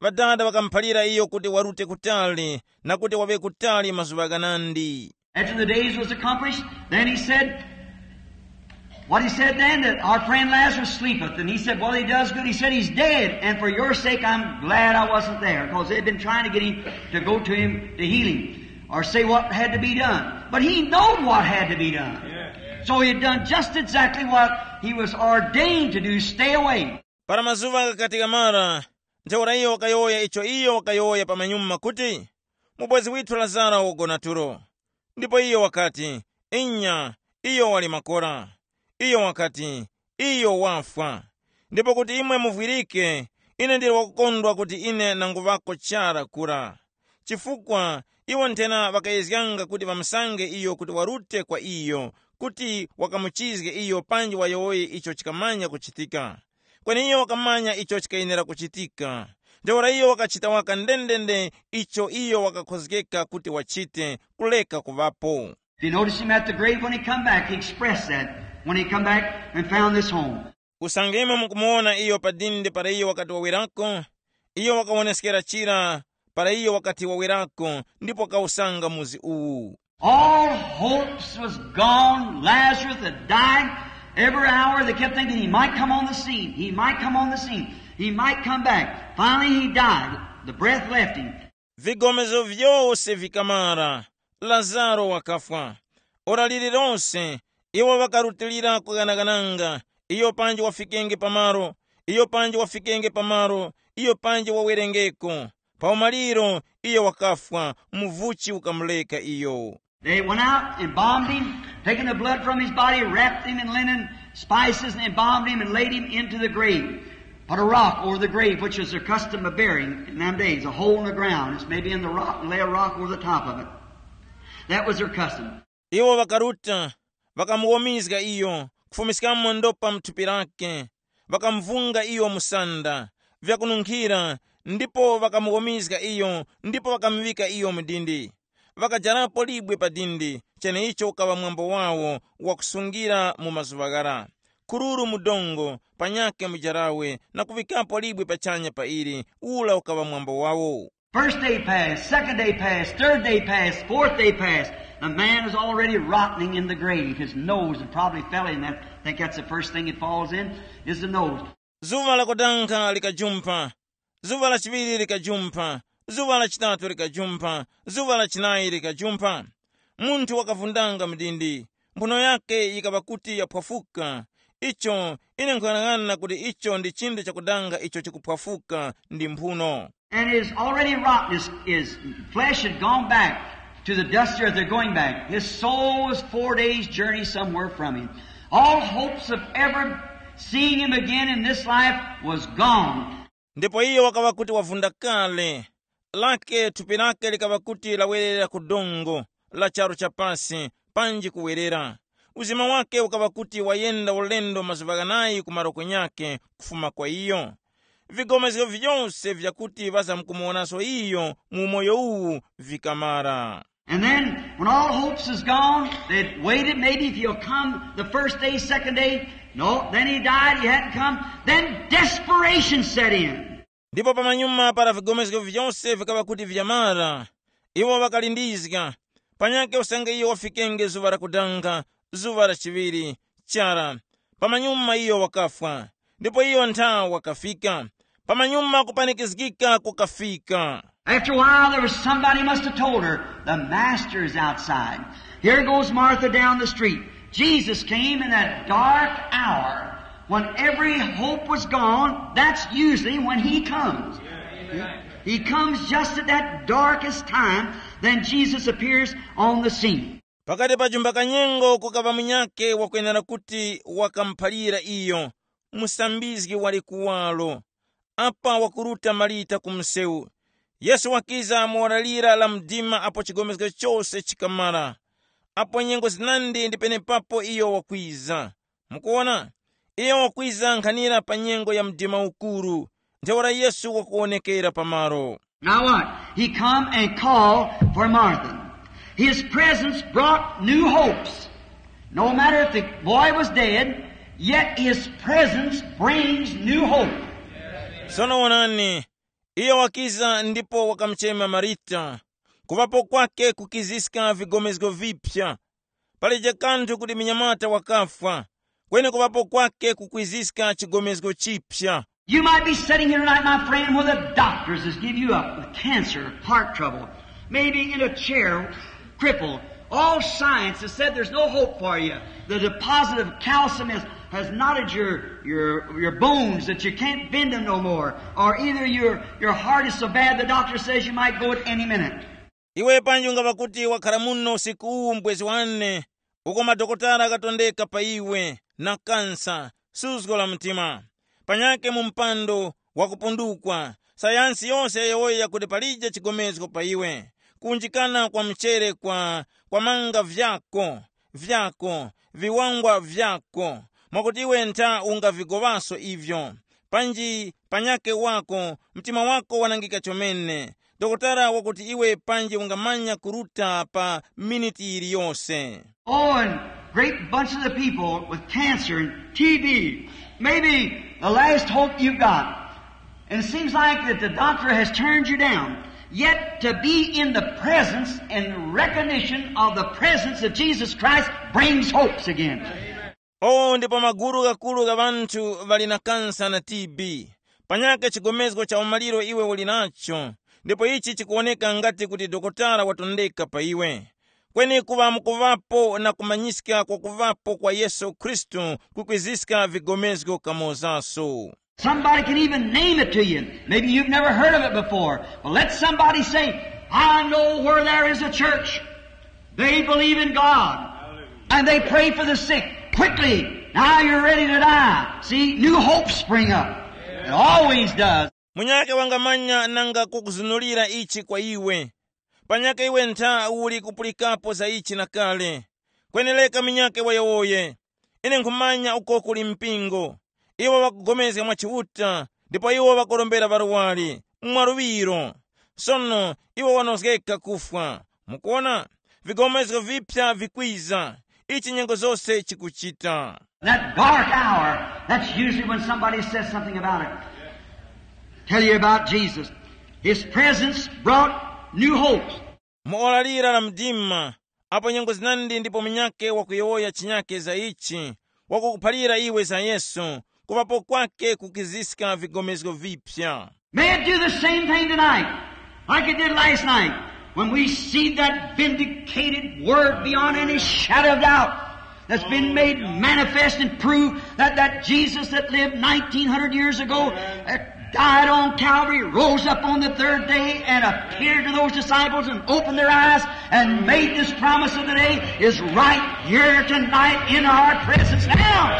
Ŵadada ŵakamuphalira iyo kuti warute kutali, na kuti waŵe kutali mazuŵa ghanandi. After the days was accomplished, then he said, what he said then, that our friend Lazarus sleepeth. And he said, "Well, he does good." He said, "He's dead, and for your sake I'm glad I wasn't there," because they'd been trying to get him to go to him to heal him or say what had to be done. But he knowed what had to be done. So he had done just exactly what he was ordained to do. Stay away. Para mazuŵa ghakati ghamara, ntheura iyo wakayowoya icho iyo wakayowoya pamanyuma kuti, "Mubwezi withu Lazaro wagona tulo." Ndipo iyo wakati, "Inya, iyo wali makora." Iyo wakati, "Iyo wafwa. Ndipo kuti imwe muvwirike, ine ndili wakukondwa kuti ine nanguŵako chara kura." Chifukwa iwo nthena ŵakayezganga kuti ŵamusange iyo kuti warute kwa iyo, kuti wakamuchizge iyo panji wayowoye icho chikamanya kuchitika. Kweni iyo wakamanya icho chikayenera kuchitika. Ntheura iyo wakachita waka ndendende icho iyo wakakhozgeka kuti wachite, kuleka kuŵapo. If you notice him at the grave when he come back, he expressed that when he come back and found this home. Usange imwe mukumuwona iyo pa dindi para iyo wakati wawerako, iyo wakawoneskera chira para iyo wakati wawerako ndipo wakawusanga muzi uwu. All hopes was gone. Lazarus had died. Every hour they kept thinking he might come on the scene. He might come on the scene. He might come back. Finally he died. The breath left him. Vigomezo vyose vikamara. Lazaro wakafwa. Ora lililonse iwo ŵakarutilira kughanaghananga, iyo panji wafikenge pamaro, iyo panji wafikenge pamaro, iyo panji wawerengeko. Pa umaliro iyo wakafwa, muvuchi ukamureka iyo. They went out, embalmed him, taking the blood from his body, wrapped him in linen spices, and embalmed him and laid him into the grave. Put a rock over the grave, which was their custom of burying in them days, a hole in the ground. It's maybe in the rock, and lay a rock over the top of it. That was their custom. Iwo ŵakaruta, ŵakamuwomizga iyo, kufumiskamo ndopa mu thupi lake, ŵakamuvunga iyo msanda, vyakununkhira, ndipo ŵakamuwomizga iyo, ndipo ŵakamuŵika iyo mu dindi. Ŵakajarapo libwe pa dindi, cheneicho ukaŵa mwambo wawo wakusungira mu mazuŵa ghara. Kururu mu dongo, panyakhe mujarawe, na kuŵikapo libwe pachanya pa ili, ula ukaŵa mwambo wawo. First day passed, second day passed, third day passed, fourth day passed. The man is already rotting in the grave. His nose had probably fell in that. I think that's the first thing it falls in, is the nose. Zuŵa lakudanga likajumpha, zuŵa lachiŵiri likajumpha, zuŵa lachitatu likajumpha, zuŵa lachinayi likajumpha. Munthu wakavundanga mdindi, mphuno yake yikaŵa kuti yaphwafuka. Icho ine nkhuyang'ana kuti icho ndi chinthu chakudanga icho chikuphwafuka ndi mphuno. And is already rotten. His, his flesh had gone back to the dust earth. They're going back. His soul was four days' journey somewhere from him. All hopes of ever seeing him again in this life was gone. Ndipo iyo wakaŵa kuti wavunda kale, lake thupi lake likaŵa kuti lawerera ku dongo la charu cha pasi, panji kuwerera. Uzima wake ukaŵa kuti wayenda ulendo mazuŵa ghanayi ku maroko nyakhe kufuma kwa iyo. Vigomezgo vyose vyakuti ŵazamkumuwonaso iyo mu umoyo uwu vikamara. And then, when all hopes is gone, they waited maybe if he'll come the first day, second day. No, then he died, he hadn't come. Then desperation set in. Ndipo pamanyuma para vigomezgo vyose vikaŵa kuti vyamara, iwo ŵakalindizga. Panyakhe usange iyo wafikenge zuŵa lakudanga, zuŵa la chiŵiri, chara, pamanyuma iyo wakafwa. Ndipo iyo ntha wakafika. Pamanyuma kupanikizgika kukafika. After a while, there was somebody must have told her, "The master is outside." Here goes Martha down the street. Jesus came in that dark hour when every hope was gone. That's usually when he comes. He comes just at that darkest time, then Jesus appears on the scene. Pakati pa jumba kanyengo kukaŵa munyakhe wakwenera kuti wakamuphalira iyo, musambizgi wali kuwaro. Apa wakuruta Marita ku msewu. Yesu wakiza mu ora lira la mdima apo chigomezgo chose chikamara. Apo nyengo zinandi ndi penepapo iyo wakwiza. Mukuwona? Iyo wakwiza nkhanira pa nyengo ya mdima ukuru. Ntheura Yesu wakuwonekera pamalo. Now what? He come and called for Martha. His presence brought new hopes. No matter if the boy was dead, yet his presence brings new hope. Sono wonani, iyo wakiza ndipo wakamuchema Marita. Kuŵapo kwake kukiziska vigomezgo vipya. Palije kanthu kuti munyamata wakafwa, kweni kuŵapo kwake kukwiziska chigomezgo chipya. You might be sitting here tonight, my friend, where the doctors has give you up with cancer, heart trouble, maybe in a chair, crippled. All science has said there's no hope for you. The deposit of calcium has, has knotted your, your, your bones that you can't bend them no more. Or either your, your heart is so bad the doctor says you might go at any minute. Iwe panji ungava kuti wakhala muno usiku uwu mbwezi wane, uko madokotala akatondeka pa iwe na kansa, suzgo la mtima. Panyake mu mpando wakupundukwa, sayansi yose yayowoya kuti palije chigomezgo pa iwe. Kunjikana kwa mchere kwa, kwa manga vyako, vyako, viwangwa vyako, mwakuti iwe ntha ungavigoŵaso ivyo. Panji panyake wako, mtima wako wanangika chomene. Dokotala wakuti iwe panji ungamanya kuruta pa miniti yiliyose. Oh, and great bunch of the people with cancer and T B, maybe the last hope you've got. And it seems like that the doctor has turned you down. Yet to be in the presence and recognition of the presence of Jesus Christ brings hopes again. Oh, ndipo magulu gakulu ga ŵanthu ŵali na kansa na T B. Panyake chigomezgo cha umaliro iwe uli nacho, ndipo ichi chikuwoneka ngati kuti dokotala watondeka pa iwe. Kweni kuŵa mukuŵapo na kumanyiska kwa kuŵapo kwa Yesu Khristu kukwiziska vigomezgo kamozaso. Somebody can even name it to you. Maybe you've never heard of it before. But let somebody say, "I know where there is a church. They believe in God. And they pray for the sick. Quickly, now you're ready to die." See, new hopes spring up. It always does. Munyake wangamanya nanga kukuzunulira ichi kwa iwe. Panyake iwe ntha uli kupulikapo za ichi na kale. Kwenereka munyake wayowoye. Ine nkhumanya uko kuli mpingo. Iwo ŵakugomezga mwa Chiuta, ndipo iwo ŵakurombera ŵarwari mwa luŵiro. Sono iwo wanozgeka kufwa. Mukuona? Vigomezgo vipya vikwiza. Ichi nyengo zose chikuchita. That dark hour, that's usually when somebody says something about it. Tell you about Jesus. His presence brought new hope. Mu ora lira la mdima, apo nyengo zinandi ndipo munyake wakuyowoya chinyake za ichi, wakukuphalira iwe za Yesu, kupapo kwake kukiziska vigomezgo vipya. May it do the same thing tonight, like it did last night, when we see that vindicated word beyond any shadow of doubt that's been made manifest and proved that that Jesus that lived nineteen hundred years ago, that died on Calvary, rose up on the third day, and appeared to those disciples and opened their eyes and made this promise of the day is right here tonight in our presence now.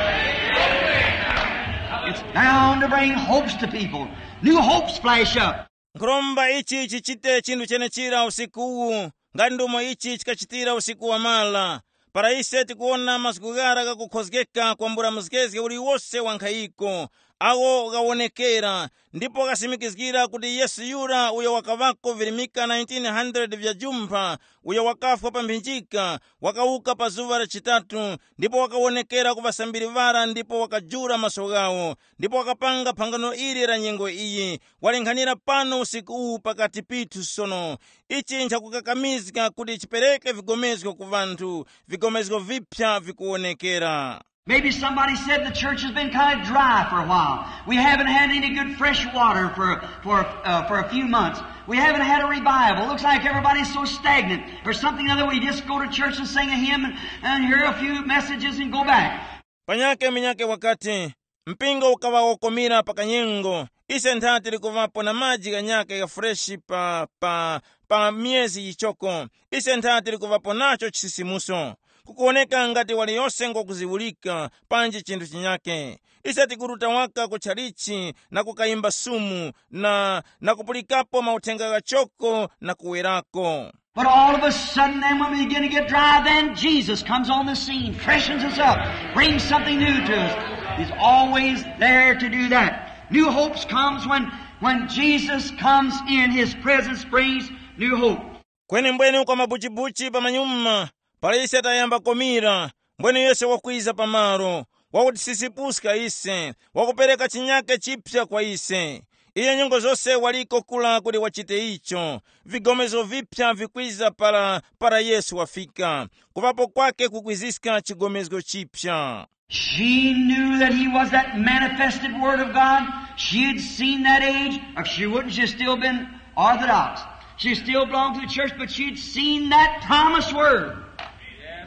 It's bound to bring hopes to people. New hopes flash up. Nkhuromba ichi chichite chinthu chenechira usiku uwu, nga ndi umo ichi chikachitira usiku wamara, para ise tikuwona mazgu ghara ghakukhozgeka kwambula mzgezge uliwose wa nkhayiko, agho ghawonekera, ndipo ghasimikizgira kuti Yesu yura uyo wakaŵako virimika nineteen hundred vya jumpha, uyo wakafwa pa mphinjika, wakawuka pa zuŵa la chitatu, ndipo wakawonekera ku ŵasambiri ŵara ndipo wakajula maso ghawo, ndipo wakapanga phangano ili la nyengo iyi, walinghanira pano usiku uwu pakati pithu sono. Ichi nchakukakamizga kuti chipereke vigomezgo ku vanthu, vigomezgo vipya vikuwonekera. Maybe somebody said the church has been kind of dry for a while. We haven't had any good fresh water for, for, uh, for a few months. We haven't had a revival. Looks like everybody's so stagnant. Or something or other, we just go to church and sing a hymn and, and hear a few messages and go back. Panyake minyake wakati, mpingo ukaŵa wokomera pa kanyengo, ise ntha tili kuŵapo na maji ghanyake gha freshi pa, pa, pa myezi yichoko, ise ntha tili kuŵapo nacho chisisimuso. Kukuwoneka ngati waliyose ngokuziwulika panji chinthu chinyake. Ise tikuruta waka ku chalichi na kukayimba sumu na, na kupulikapo mauthenga ghachoko na kuwerako. But all of a sudden, then, when we begin to get dry, then Jesus comes on the scene, freshens us up, brings something new to us. He's always there to do that. New hopes comes when, when Jesus comes in, his presence brings new hope. Kweni mbwene kwa mabuchibuchi pamanyuma, para ise tayamba komira, mbwene Yesu wakwiza pamalo, wakutisisipuska ise, wakupereka chinyake chipya kwa ise. Iyo nyengo zose waliko kula kuti wachite icho. Vigomezo vipya vikwiza para, para Yesu wafika. Kupapo kwake kukwiziska chigomezgo chipya. She knew that he was that manifested Word of God. She had seen that age. If she wouldn't, she'd still been Orthodox. She still belonged to the church, but she'd seen that promised Word.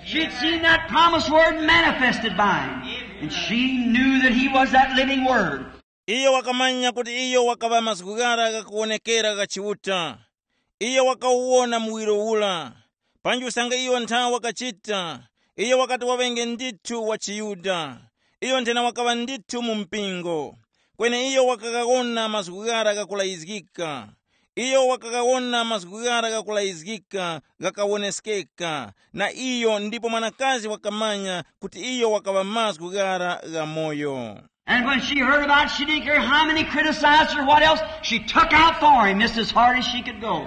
She'd seen that promised Word manifested by him. And she knew that he was that living Word. Iyo wakamanya kuti iyo wakaŵa mazgu ghara ghakuwonekera gha Chiuta. Iyo wakawuwona muwiro ura. Panji usange iyo ntha wakachita, iyo wakati waŵenge ndithu wa chiYuda. Iyo nthena wakaŵa ndithu mu mpingo. Kweni iyo wakaghawona mazgu ghara ghakulayizgika. Iyo wakaghawona mazgu ghara ghakulayizgika ghakawoneskeka na iyo, ndipo mwanakazi wakamanya kuti iyo wakaŵa mazgu ghara ghamoyo. And when she heard about it, she didn't care how many criticized her or what else, she took out for him just as hard as she could go.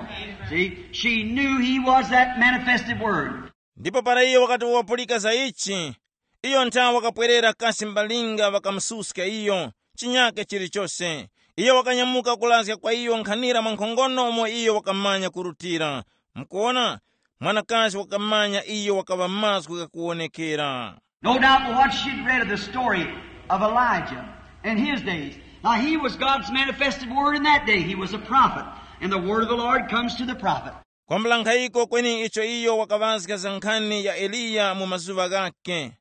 See, she knew he was that manifested Word. Ndipo para iyo wakati wapulika za ichi, iyo ntha wakapwerera kasi mbalinga ŵakamususka iyo, chinyake chilichose. Iyo wakanyamuka kulazga kwa iyo nkhanira mwa nkhongono umo iyo wakamanya kurutira. Mukuwona, mwanakazi wakamanya iyo wakaŵa mazgu ghakuwonekera. No doubt what she'd read of the story of Elijah in his days. Now, he was God's manifested word in that day. He was a prophet, and the word of the Lord comes to the prophet. Kwambula nkhayiko kweni icho iyo wakaŵazga za nkhani ya Eliya mu mazuŵa ghakhe.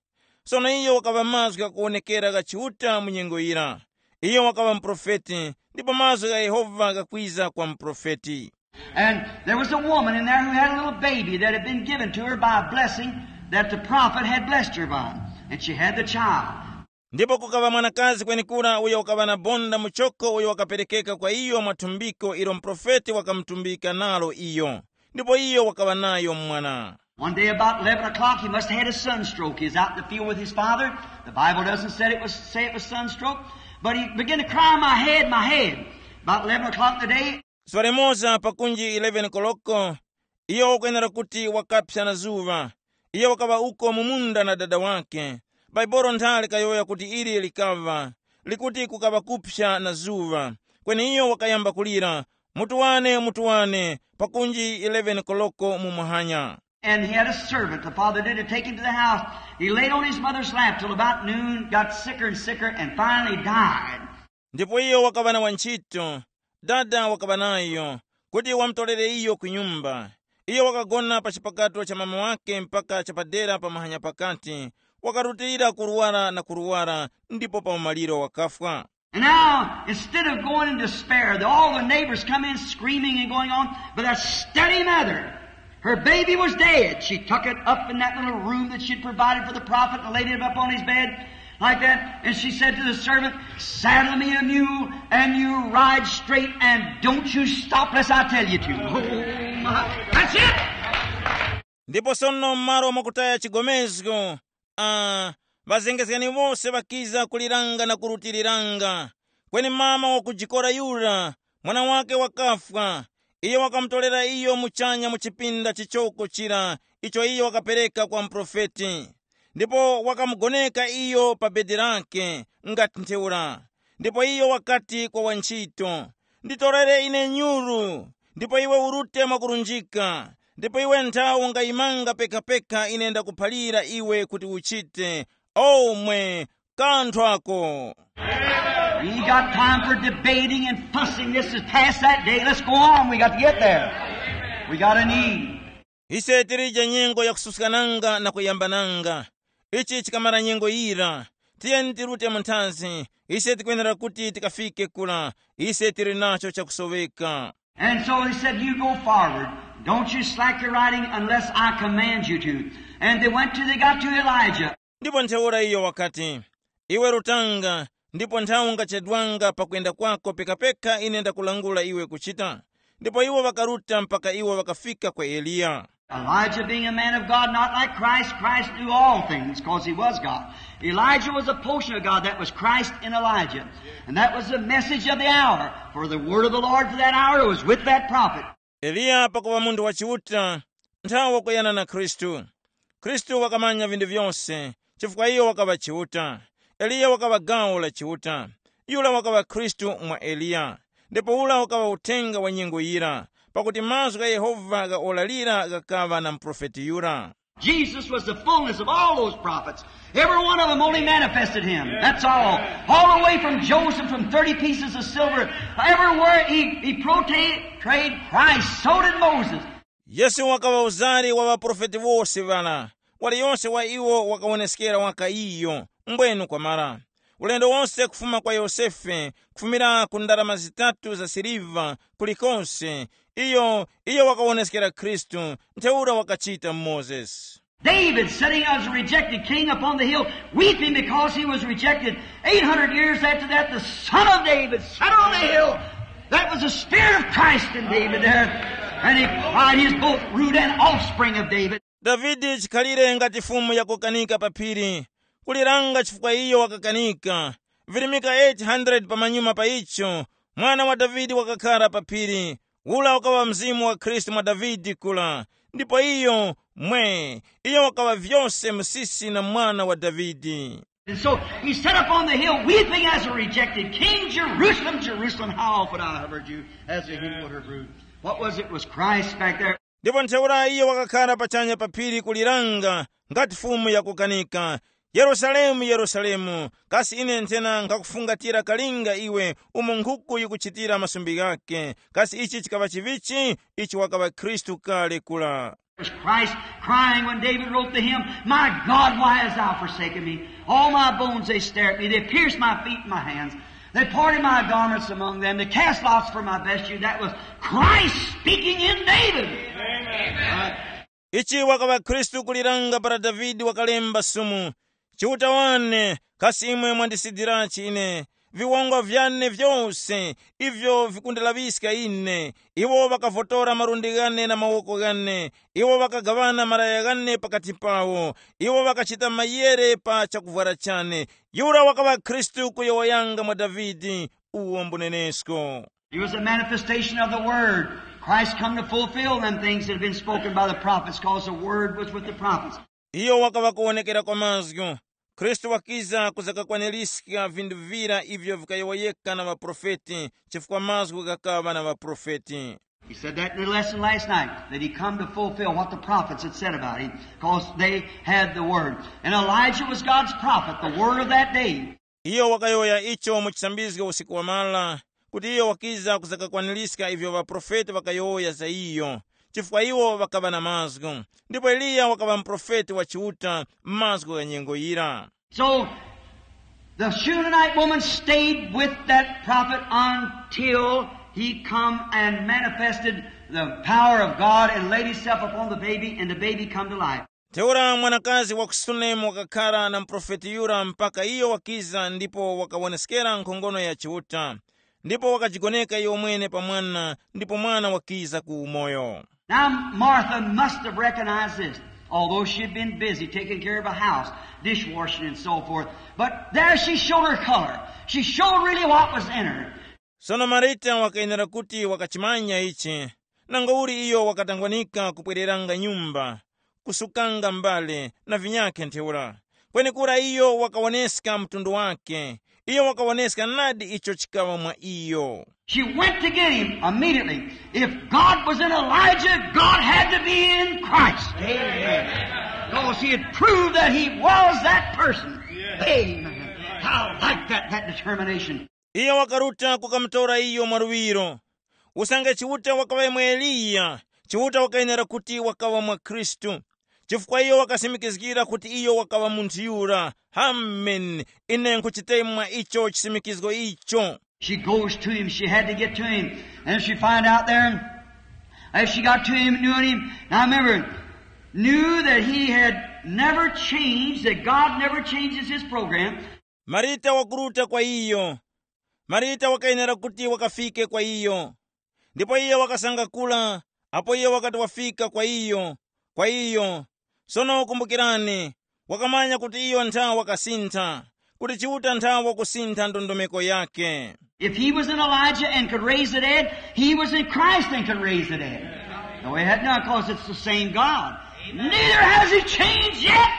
Sono iyo wakaŵa mazgu ghakuwonekera gha Chiuta mu nyengo yira. Iyo wakaŵa muprofeti, ndipo mazgu gha Yehova ghakwiza kwa muprofeti. And there was a woman in there who had a little baby that had been given to her by a blessing that the prophet had blessed her by. And she had the child. Ndipo kukaŵa mwanakazi kwenekura uyo wakaŵa na bonda muchoko uyo wakaperekeka kwa iyo mwa thumbiko ilo muprofeti wakamutumbika nalo iyo, ndipo iyo wakaŵa nayo mwana. One day about eleven o'clock, he must have had a sunstroke. He was out in the field with his father. The Bible doesn't say it was, say it was sunstroke, but he began to cry, "My head, my head." About eleven o'clock in the day, Zuŵa limoza pakunji eleven koloko, iyo wakwenera kuti wakapsa na zuŵa. Iyo wakaŵa uko mu munda na dada wakhe. Baibolo nthali likayowoya kuti ili likaŵa, likuti kukaŵa kupsa na zuŵa. Kweni iyo wakayamba kulira, "Mutu wane, mutu wane," pakunji eleven koloko mu muhanya. And he had a servant, the father did, to take him to the house. He laid on his mother's lap till about noon, got sicker and sicker, and finally died. Ndipo iyo wakaŵa na wantchito, dada wakaŵa nayo, kuti wamutolere iyo ku nyumba. Iyo wakagona pa chipakato cha mama wake mpaka chapadera pa mahanya pakati, wakarutilira kurwara na kurwara, ndipo pa umaliro wakafwa. And now, instead of going in despair, the, all the neighbors come in screaming and going on, but that steady mother, her baby was dead. She took it up in that little room that she'd provided for the prophet and laid it up on his bed. Like that. And she said to the servant, "Saddle me a mule and you ride straight and don't you stop lest I tell you to." Oh, my. That's it. Ndipo sono m'malo mwakutaya chigomezgo, uh, ŵazengezgani wose ŵakiza kuliranga na kurutiriranga. Kweni mama wakujikora yura, mwana wake wakafwa, iyo wakamutorera iyo muchanya mu chipinda chichoko chira icho iyo wakapereka kwa muprofeti, ndipo wakamugoneka iyo pa bedi lake ngati ntheura. Ndipo iyo wakati kwa wantchito, "Nditorere ine nyuru, ndipo iwe urute mwakurunjika, ndipo iwe nthawi ungayimanga pekapeka ine ndakuphalira iwe kuti uchite. Omwe, kanthu ako." We got time for debating and fussing. This is past that day. Let's go on. We got to get there. We got a need. Ise tilije nyengo yakususkananga na kuyambananga. Ichi chikamara nyengo yira, tiyeni tirute mu nthazi. Ise tikwenera kuti tikafike kula. Ise tili nacho chakusoweka. And so he said, "You go forward. Don't you slack your riding unless I command you to." And they went to, they got to Elijah. Ndipo ntheura iyo wakati, "Iwe rutanga, ndipo nthawi ungachedwanga pakuyenda kwako pekapeka ine ndakulangula iwe kuchita." Ndipo iwo ŵakaruta mpaka iwo ŵakafika kwa Eliya. Elijah being a man of God, not like Christ, Christ knew all things because he was God. Elijah was a portion of God. That was Christ in Elijah. And that was the message of the hour. For the word of the Lord for that hour was with that prophet. Eliya pakuŵa munthu wa Chiuta, nthawi wakuyana na Khristu. Khristu wakamanya vinthu vyose, chifukwa iyo wakaŵa Chiuta. Eliya wakaŵa gawo la Chiuta. Yura wakaŵa Khristu mwa Eliya. Ndipo ura wakaŵa uthenga wa nyengo yira, pakuti mazgu gha Yehova ghaolalira ghakaŵa na muprofeti yura. Jesus was the fullness of all those prophets. Every one of them only manifested him. That's all. All the way from Joseph, from thirty pieces of silver, everywhere he, he portrayed Christ, so did Moses. Yesu wakaŵa uzari wa ŵaprofeti wose ŵara, waliyonse wa iwo wakawoneskera waka iyo, mbwenu kwamara. Ulendo wonse kufuma kwa Yosefe, kufumira ku ndarama zitatu za siliva, kulikonse, iyo, iyo wakawoneskera Khristu, ntheura wakachita Mozesi. David sitting as a rejected king upon the hill, weeping because he was rejected. Eight hundred years after that, the son of David sat on the hill. That was the spirit of Christ in David there. And he cried, he is both root and offspring of David. Davide chikhalire ngati fumu yakukanika pa phiri, kuliranga chifukwa iyo wakakanika. Virimika eight hundred pamanyuma pa icho, mwana wa Davide wakakhara pa phiri. Ula ukaŵa mzimu wa Khristu mwa Davide kula, ndipo iyo mwe, iyo wakaŵa vyose msisi na mwana wa Davide. And so he sat up on the hill weeping as a rejected king. "Jerusalem, Jerusalem, how oft would I have heard you as a hen would her brood." What was it? It was Christ back there. Ndipo ntheura iyo wakakhala pachanya pa phiri kuliranga ngati fumu yakukanika, "Yerusalemu, Yerusalemu, kasi ine nthena nkhakufungatira kalinga iwe umo nkhuku yikuchitira masumbi ghake? Kasi ichi chikaŵa chivichi?" Ichi wakaŵa Khristu kale kula. It was Christ crying when David wrote to him, "My God, why hast thou forsaken me? All my bones they stare at me, they pierced my feet and my hands, they parted my garments among them, they cast lots for my vesture." That was Christ speaking in David. Amen. Ichi wakaŵa Khristu kuliranga para Davide wakalemba sumu, "Chiuta wane, kasi imwe mwandisidirachi ine? Viwongwa vyane vyose ivyo vikundalaŵiska ine. Iwo ŵakavotora malundi ghane na mawoko ghane, iwo ŵakagaŵana malaya ghane pakati pawo, iwo ŵakachita mayere pa chakuvwara chane." Yura wakaŵa Khristu kuyowoyanga mwa Davide uwo mbunenesko. He was a manifestation of the Word. Christ come to fulfill them things that had been spoken by the prophets, because the Word was with the prophets. Iyo wakaŵa kuwonekera kwa mazgu. Khristu wakiza kuzakakwaniska vinthu vira ivyo vikayowoyeka na ŵaprofeti, chifukwa mazgu ghakaŵa na ŵaprofeti. He said that in the lesson last night, that he come to fulfill what the prophets had said about him, because they had the Word. And Elijah was God's prophet, the Word of that day. Iyo wakayowoya icho mu chisambizgo usiku wamara, kuti iyo wakiza kuzakakwaniska ivyo ŵaprofeti ŵakayowoya za iyo, chifukwa iwo ŵakaŵa na mazgu. Ndipo Eliya wakaŵa muprofeti wa Chiuta m'mazgu gha nyengo yira. So, the Shunammite woman stayed with that prophet until he come and manifested the power of God and laid himself upon the baby, and the baby come to life. Ntheura mwanakazi wa ku Sunemu wakakhara na muprofeti yura mpaka iyo wakiza ndipo wakawoneskera nkhongono ya Chiuta, ndipo wakajigoneka iyo mwene pa mwana, ndipo mwana wakiza ku umoyo. Now, Martha must have recognized this, although she had been busy taking care of a house, dishwashing and so forth. But there she showed her color. She showed really what was in her. Sono Marita wakayenera kuti wakachimanya ichi, nangauli iyo wakatangwanika kupwereranga nyumba, kusukanga mbale na vinyakhe ntheura. Kwenekura iyo wakawoneska mtundu wake, iyo wakawoneska nadi icho chikaŵa mwa iyo. She went to get him immediately. If God was in Elijah, God had to be in Christ. Amen. Because he had proved that he was that person. Amen. I like that, that determination. Iyo wakaruta kukamutora iyo mwaluŵiro. Usange Chiuta wakaŵa mwa Eliya, Chiuta wakayenera kuti wakaŵa mwa Khristu, chifukwa iyo wakasimikizgira kuti iyo wakaŵa munthu yura. Amen. Ine nkhuchitemwa icho chisimikizgo icho. She goes to him. She had to get to him. And she find out there, as she got to him, knew him. Now remember, knew that he had never changed, that God never changes his program. Marita wakuruta kwa iyo. Marita wakayenera kuti wakafike kwa iyo. Ndipo iyo wakasanga kula, apo iyo wakati wafika kwa iyo, kwa iyo. Sono kumbukirani, wakamanya kuti iyo nthawa wakasintha, kuti Chiuta nthawa wakusintha ndondomeko yake. If he was in Elijah and could raise the dead, he was in Christ and could raise the dead. No, he had not, because it's the same God. Neither has he changed yet.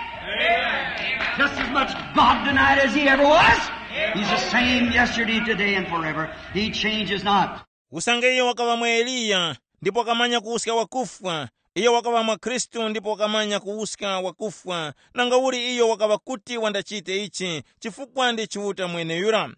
Just as much God tonight as he ever was. He's the same yesterday, today, and forever. He changes not. Usange iyo wakaŵa mwa Eliya, ndipo wakamanya kuwuska wakufwa, iyo wakaŵa mwa Khristu ndipo wakamanya kuwuska wakufwa, nangauli iyo wakaŵa kuti wandachite ichi, chifukwa ndi Chiuta mweneyura.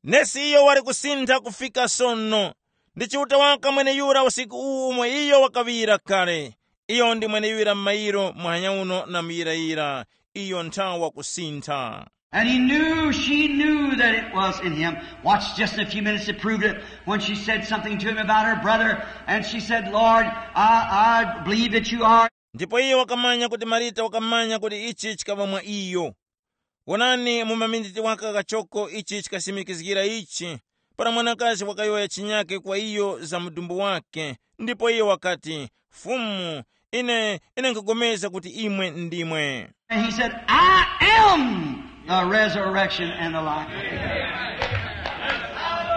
Nesi iyo wali kusintha kufika sono. Ndi Chiuta waka mweneyura usiku uwu umo iyo wakaŵira kale. Iyo ndi mweneyura m'mayiro muhanya uno na muyirayira. Iyo nthawa kusintha. And he knew, she knew that it was in him. Watch just a few minutes to prove it. When she said something to him about her brother, and she said, Lord, I, I believe that you are. Ndipo iye wakamanya kuti Marita wakamanya kuti ichi chikaŵa mwa iyo. Wonani, mu maminiti waka kachoko ichi chikasimikizgira ichi, para mwanakazi wakayowoya chinyake kwa iyo za mudumbu wake, ndipo iyo wakati, Fumu, ine, ine nkhupulikana kuti imwe ndimwe. And he said, I am the resurrection and the life.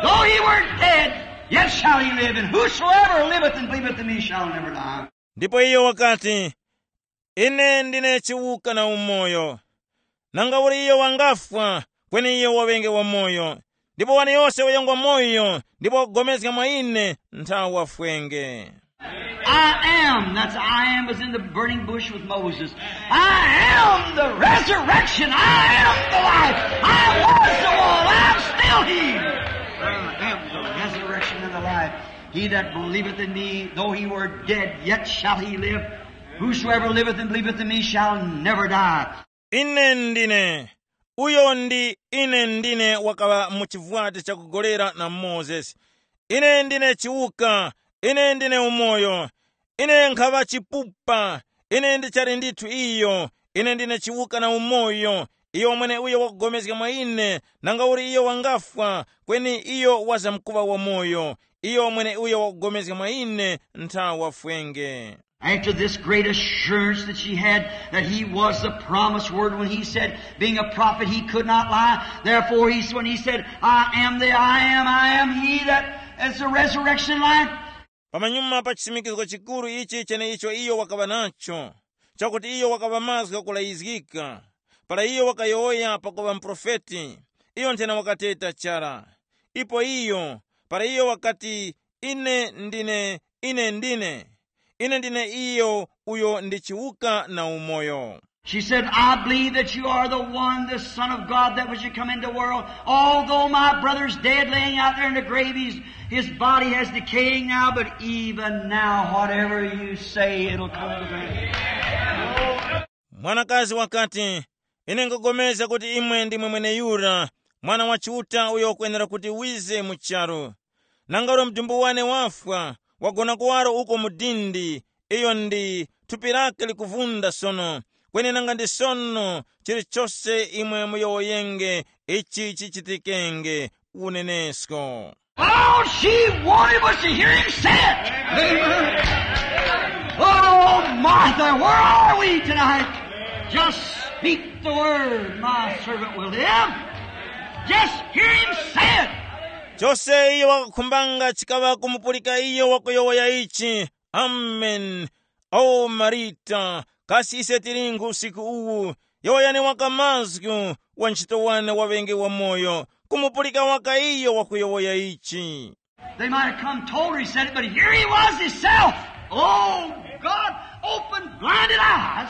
Though he were dead, yet shall he live, and whosoever liveth and believeth in me shall never die. Ndipo iyo wakati, ine ndine chiwuka na umoyo. Nanga uli iyo wangafwa, kweni iyo waŵenge wamoyo. Ndipo wani yose uyo ngwa moyo ndipo wakupulikana mwa ine, nthawa wafwenge. I am. That's I am was in the burning bush with Moses. I am the resurrection. I am the life. I was the one. I'm still he. I am the resurrection and the life. He that believeth in me, though he were dead, yet shall he live. Whosoever liveth and believeth in me shall never die. Ine ndine. Uyo ndi ine ndine wakaŵa mu chivwati chakugolera na Mozesi. Ine ndine chiwuka, ine ndine umoyo. Ine nkhaŵa chipupa, ine ndichali ndithu iyo. Ine ndine chiwuka na umoyo. Iyo mweneuyo wakupulikana mwa ine, nanga uli iyo wangafwa, kweni iyo wazamkuŵa wamoyo. Iyo mweneuyo wakupulikana mwa ine, nthawa wafwenge. After this great assurance that she had that he was the promised word when he said, being a prophet, he could not lie. Therefore, he, when he said, I am the I am, I am he that is the resurrection life. Pamanyuma pa chisimikizgo chikuru ichi cheneicho iyo wakaŵa nacho, chakuti iyo wakaŵa mazgu ghakulayizgika, para iyo wakayowoya pakuŵa muprofeti, iyo nthena wakateta chara. Ipo iyo, para iyo wakati, ine ndine, ine ndine, ine ndine iyo uyo ndi chiwuka na umoyo. She said, I believe that you are the one, the Son of God, that was to come into the world. Although my brother's dead, laying out there in the grave, he's, his body has decaying now, but even now, whatever you say, it'll come to pass. Mwanakazi wakati, ine nkupulikana kuti imwe ndimwe mweneyura, Mwana wa Chiuta uyo ukwenera kuti wize mu charu. Nanga uli mudumbu wane wafwa, wagona kuwaro uko mu dindi, Iyo ndi thupi lake likuvunda sono, kweni nanga ndi sono chilichose imwe muyowoyenge ichi chichitikenge unenesko. All she wanted was to hear him say it. Amen. Oh, Martha, where are we tonight? Just speak the word, my servant will live. Just hear him say it. Chose iyo wakakhumbanga chikaŵa kumupulika iyo wakuyowoya ichi. Amen. O Marita, kasi ise tilingu usiku uwu? Yowoyani waka mazgu, wa ntchito wane waŵenge wamoyo, kumupulika waka iyo wakuyowoya ichi. They might have come told her he said it, but here he was himself. Oh, God, open blinded eyes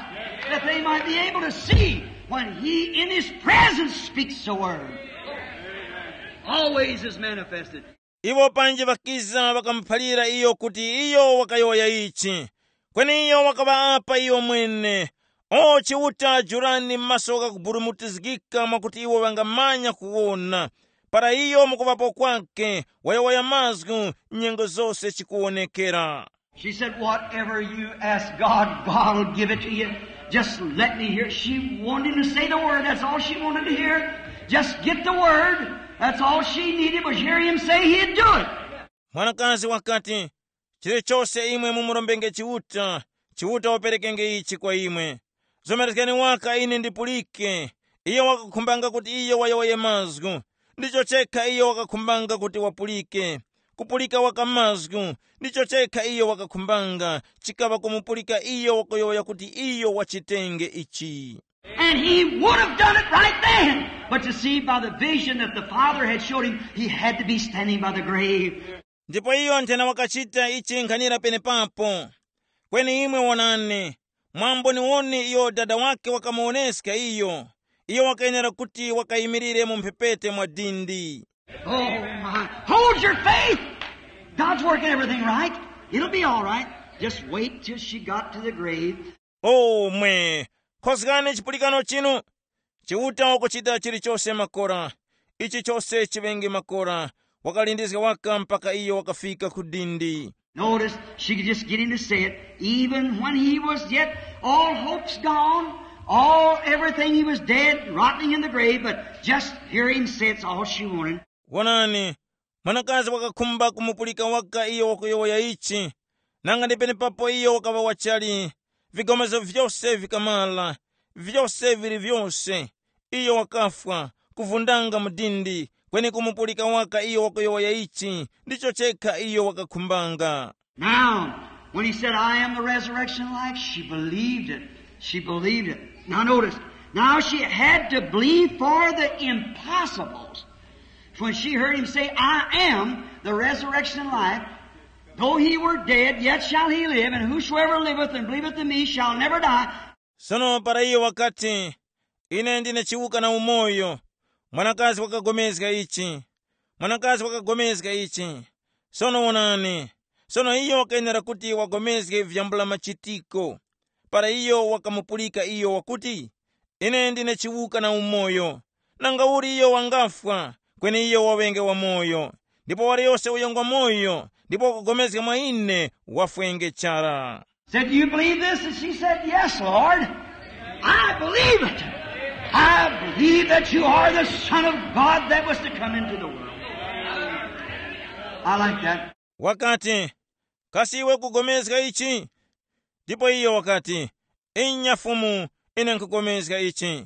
that they might be able to see when he in his presence speaks a word. Always is manifested. Iwo panji ŵakiza ŵakamuphalira iyo kuti iyo wakayowoya ichi, kweni iyo wakaŵaapa iyo mwene. O Chiuta, jurani maso ghakuburumutizgika mwakuti iwo ŵangamanya kuwona. Para iyo mukuŵapo kwake wayowoya mazgu, nyengo zose chikuwonekera. She said, whatever you ask God, God will give it to you. Just let me hear. She wanted him to say the word. That's all she wanted to hear. Just get the word. That's all she needed was hear him say he'd do it. Mwanakazi wakati, chilichose imwe mumurombenge Chiuta, Chiuta waperekenge ichi kwa imwe. Zomerezgani waka ine ndipulike. Iyo wakakhumbanga kuti iyo wayowoye mazgu. Ndicho chekha iyo wakakhumbanga kuti wapulike. Kupulika waka mazgu, ndicho chekha iyo wakakhumbanga, chikaŵa kumupulika iyo wakuyowoya kuti iyo wachitenge ichi. And he would have done it right then. But you see, by the vision that the Father had showed him, he had to be standing by the grave. Ndipo iyo nthena wakachita ichi nkhanira penepapo. Kweni imwe wonani, mwamboniwoni iyo dada wake wakamuwoneska iyo, iyo wakayenera kuti wakayimirire mu mphepete mwa dindi. Oh, my. Hold your faith. God's working everything right. It'll be all right. Just wait till she got to the grave. O mwe, khozgani chipulikano chinu. Chiuta wakuchita chilichose makora. Ichi chose chiŵenge makora. Wakalindizga waka mpaka iyo wakafika ku dindi. Notice, she could just get him to say it. Even when he was yet all hopes gone, all everything, he was dead, rotting in the grave, but just hear him say it's all she wanted. Wonani, mwanakazi wakakhumba kumupulika waka iyo wakuyowoya ichi. Nanga ndi penepapo iyo wakaŵa wachali, vigomezo vyose vikamala, vyose vili vyose. Iyo wakafwa, kuvundanga mu dindi, kweni kumupulika waka iyo wakuyowoya ichi, ndicho chekha iyo wakakhumbanga. Now, when he said, I am the resurrection and life, she believed it. She believed it. Now notice, now she had to believe for the impossibles. When she heard him say, I am the resurrection and life, though he were dead, yet shall he live, and whosoever liveth and believeth in me shall never die. Sono para iyo wakati, ine ndine chiwuka na umoyo, mwanakazi wakagomezga ichi. Mwanakazi wakagomezga ichi. Sono wonani, sono iyo wakayenera kuti wagomezge vyambula machitiko. Para iyo wakamupulika iyo wakuti, ine ndine chiwuka na umoyo. Nangauli iyo wangafwa, kweni iyo waŵenge wamoyo. Ndipo waliyose uyo ngwamoyo ndipo wakugomezga mwa ine, wafwenge chara. Said, do you believe this? And she said, yes, Lord. I believe it. I believe that you are the Son of God that was to come into the world. I like that. Wakati, kasi iwe kugomezga ichi? Ndipo iyo wakati, inya Fumu, ine nkugomezga ichi.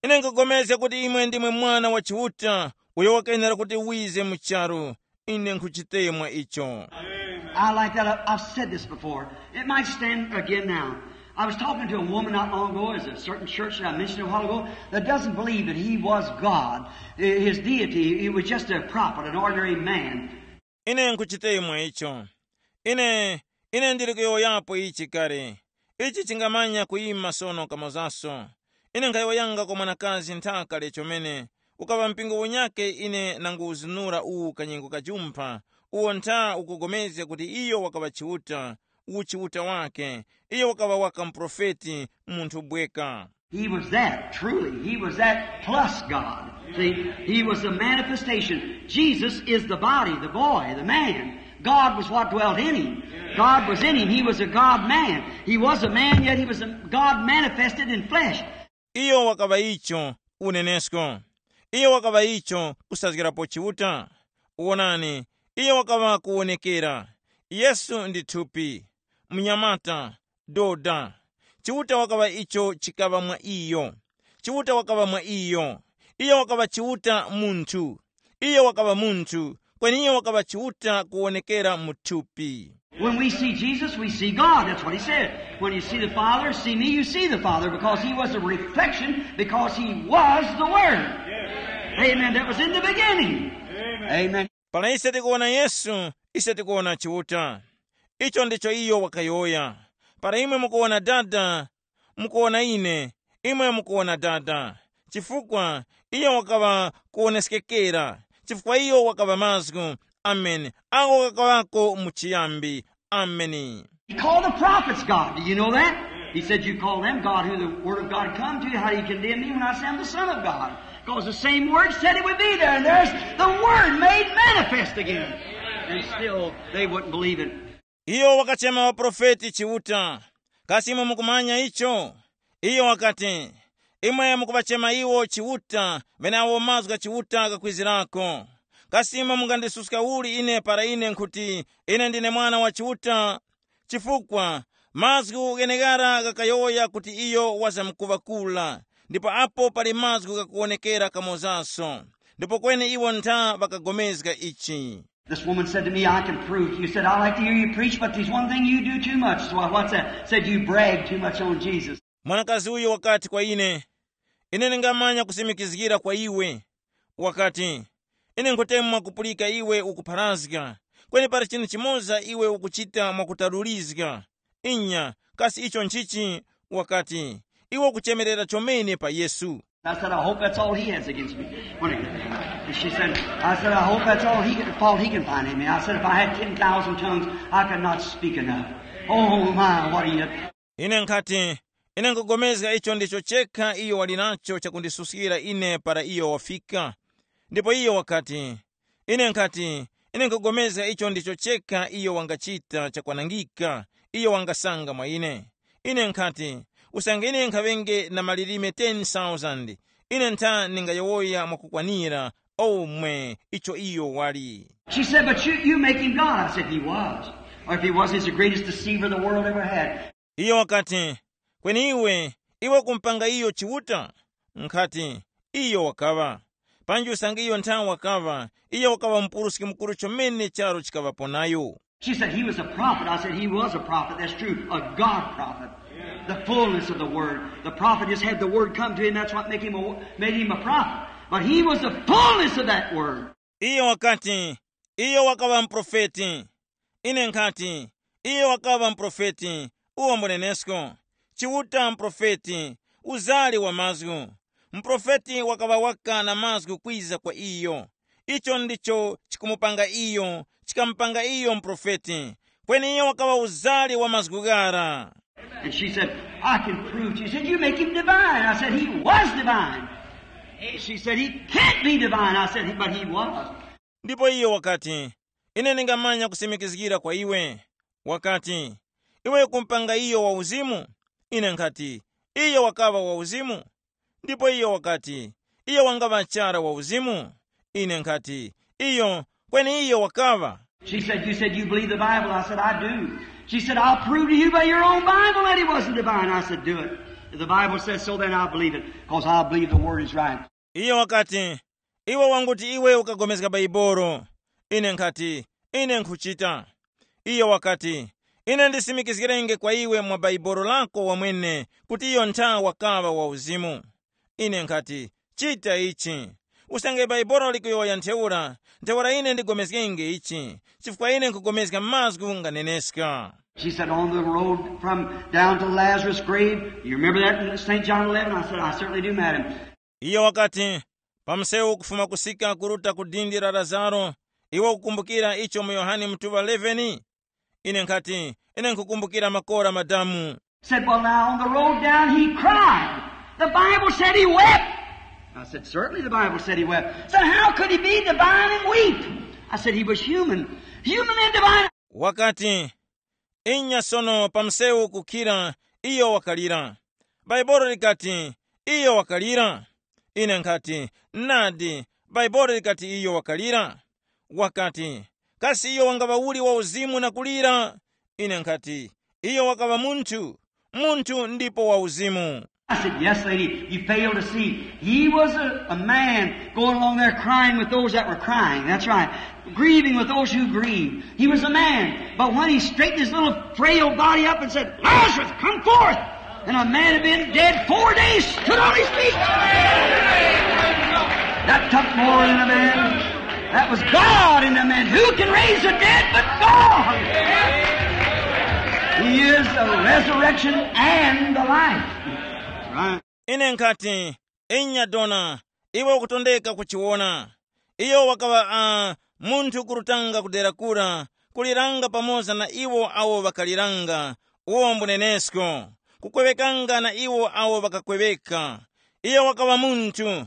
Ine nkugomezga kuti imwe ndimwe Mwana wa Chiuta, uyo wakayenera kuti wize mu charu. Ine nkhuchitemwa icho. I like that. I- I've said this before. It might stand again now. I was talking to a woman not long ago, as a certain church that I mentioned a while ago, that doesn't believe that he was God, i- his deity. He was just a prophet, an ordinary man. Ine nkhuchitemwa icho. Ine, ine ndili kuyowoyapo ichi kale. Ichi chingamanya kuyima sono kamozaso. Ine nkhayowoyanga kwa mwanakazi nthaka lechomene, ukaŵa mpingo unyake ine nanguwuzinura uwu kanyengo kajumpha, uwo ntha ukugomezga kuti iyo wakaŵa Chiuta, uwu Chiuta wake, iyo wakaŵa waka muprofeti, munthu bweka. He was that, truly. He was that plus God. See, he was the manifestation. Jesus is the body, the boy, the man. God was what dwelt in him. God was in him. He was a God man. He was a man, yet he was a God manifested in flesh. Iyo wakaŵa icho unenesko. Iyo wakaŵa icho kusazgirapo Chiuta. Wonani, iyo wakaŵa kuwonekera. Yesu ndi thupi, mnyamata, doda. Chiuta wakaŵa icho chikaŵa mwa iyo. Chiuta wakaŵa mwa iyo. Iyo wakaŵa Chiuta munthu. Iyo wakaŵa munthu, kweni iyo wakaŵa Chiuta kuwonekera mu thupi. When we see Jesus, we see God. That's what he said. When you see the Father, see me, you see the Father, because he was a reflection, because he was the Word. Amen. That was in the beginning. Amen. Para ise tikuwona Yesu, ise tikuwona Chiuta. Icho ndicho iyo wakayowoya. Para imwe mukuwona Dada, mukuwona ine, imwe mukuwona Dada. Chifukwa iyo wakaŵa kuwoneskekera, chifukwa iyo wakaŵa mazgu. Ameni. Ako kakaŵako mu chiyambi. Ameni. He called the prophets God. Do you know that? He said, "You call them God, who the word of God come to you. How do you condemn me when I say I'm the Son of God?" Because the same word said it would be there, and there's the word made manifest again. And still they wouldn't believe it. Iyo wakachema ŵaprofeti Chiuta. Kasi imwe mukumanya icho? Iyo wakati, imwe mukuŵachema iwo Chiuta, ŵeneawo mazgu gha Chiuta ghakwizirako. Kasi imwe mungandisuska uli ine para ine nkhuti ine ndine Mwana wa Chiuta? Chifukwa mazgu gheneghara ghakayowoya kuti iyo wazamkuŵa kura, ndipo apo pali mazgu ghakuwonekera kamozaso. Ndipo kweni iwo ntha ŵakagomezga ichi. This woman said to me, "I can prove to you." Said, "I like to hear you preach, but there's one thing you do too much." So I, what's that? Said, "You brag too much on Jesus." Mwanakazi uyu wakati kwa ine, ine ndingamanya kusimikizgira kwa iwe. Wakati, ine nkhutemwa kupulika iwe ukupharazga, kweni pali chinthu chimoza iwe ukuchita mwakutalulizga. Inya, kasi icho nchichi? Wakati, iwe ukuchemerera chomene pa Yesu. I said, "I hope that's all he has against me." When he, she said, I said, "I hope that's all he, fault he can find in me." I said, "If I had ten thousand tongues, I could not speak enough." Oh my, what are you? Ine nkhati, ine nkugomezga icho ndicho chekha iyo wali nacho chakundisuskira ine para iyo wafika. Ndipo iyo wakati, ine nkhati, ine nkugomezga icho ndicho chekha iyo wangachita chakwanangika, iyo wangasanga mwa ine. Ine nkhati, usange ine nkhaŵenge na malilime ten thousand, ine ntha ningayowoya mwakukwanira omwe icho iyo wali. She said, "But you, you make him God." I said, "He was. Or if he was, he's the greatest deceiver the world ever had." Iyo wakati, kweni iwe, iwe kumpanga iyo Chiuta? Nkhati, iyo wakaŵa. Panji usange iyo nthawe wakaŵa, iyo wakaŵa mupuruski mukuru chomene charo chikaŵapo nayo. She said, "He was a prophet." I said, "He was a prophet. That's true. A God prophet. The fullness of the word. The prophet just had the word come to him. That's what make him a, made him a prophet. But he was the fullness of that word." Iyo wakati, iyo wakaŵa muprofeti. Ine nkhati, iyo wakaŵa muprofeti, uwo mbunenesko. Chiuta muprofeti, uzali wa mazgu. Muprofeti wakaŵa waka na mazgu kwiza kwa iyo. Icho ndicho chikumupanga iyo, chikamupanga iyo muprofeti. Kweni iyo wakaŵa uzali wa mazgu ghara. And she said, "I can prove to you." She said, "You make him divine." I said, "He was divine." She said, "He can't be divine." I said, "But he was." Ndipo iyo wakati, ine ndingamanya kusimikizgira kwa iwe. Wakati, iwe kumpanga iyo wa uzimu? Ine nkhati, iyo wakaŵa wa uzimu. Ndipo iyo wakati, iyo wangaŵa chara wa uzimu? Ine nkhati, iyo, kweni iyo wakaŵa. She said, "You said you believe the Bible." I said, "I do." She said, "I'll prove to you by your own Bible that he wasn't divine." I said, "Do it. If the Bible says so, then I'll believe it, because I believe the word is right." Iyo wakati, iwe wanguti iwe ukagomezga Baibolo. Ine nkhati, ine nkhuchita. Iyo wakati, ine ndisimikizgirenge kwa iwe mwa Baibolo lako wamwene kuti iyo ntha wakaŵa wa uzimu. Ine nkhati, chita ichi. Usange Baibolo likuyowoya ntheura, ntheura ine ndigomezgenge ichi, chifukwa ine nkugomezga mazgu nganeneska. She said, "On the road from down to Lazarus' grave, you remember that in Saint John eleven?" I said, "I certainly do, madam." Iyo wakati, pa msewu kufuma kusika kuruta ku dindi la Lazaro, iwe ukukumbukira icho mu Yohane mutuŵa eleven? Ine nkhati, ine nkhukumbukira makora madamu. Said, "Well, now, on the road down, he cried. The Bible said he wept." I said, "Certainly the Bible said he wept." Said, "How could he be divine and weep?" I said he was human. Human and divine. Wakati, "Inya sono pa msewu kukhira, iyo wakalira." Bhaibuli likati, "Iyo wakalira?" Ine nkhati, "Nadi, Bhaibuli likati iyo wakalira." Wakati, "Kasi iyo wangaŵa uli wa uzimu na kulira?" Ine nkhati, "Iyo wakaŵa munthu, munthu ndipo wa uzimu." I said, "Yes, lady, you fail to see. He was a, a man going along there crying with those that were crying. That's right. Grieving with those who grieved. He was a man. But when he straightened his little frail body up and said, 'Lazarus, come forth.' And a man had been dead four days stood on his feet. That took more than a man. That was God in a man. Who can raise the dead but God? He is the resurrection and the life." Right. Ine nkhati, "Inya dona, iwe ukutondeka kuchiwona." Iyo wakaŵa uh, munthu kurutanga kudera kura, kuliranga pamoza na iwo awo ŵakaliranga, uwo mbunenesko, kukwewekanga na iwo awo ŵakakweweka. Iyo wakaŵa munthu,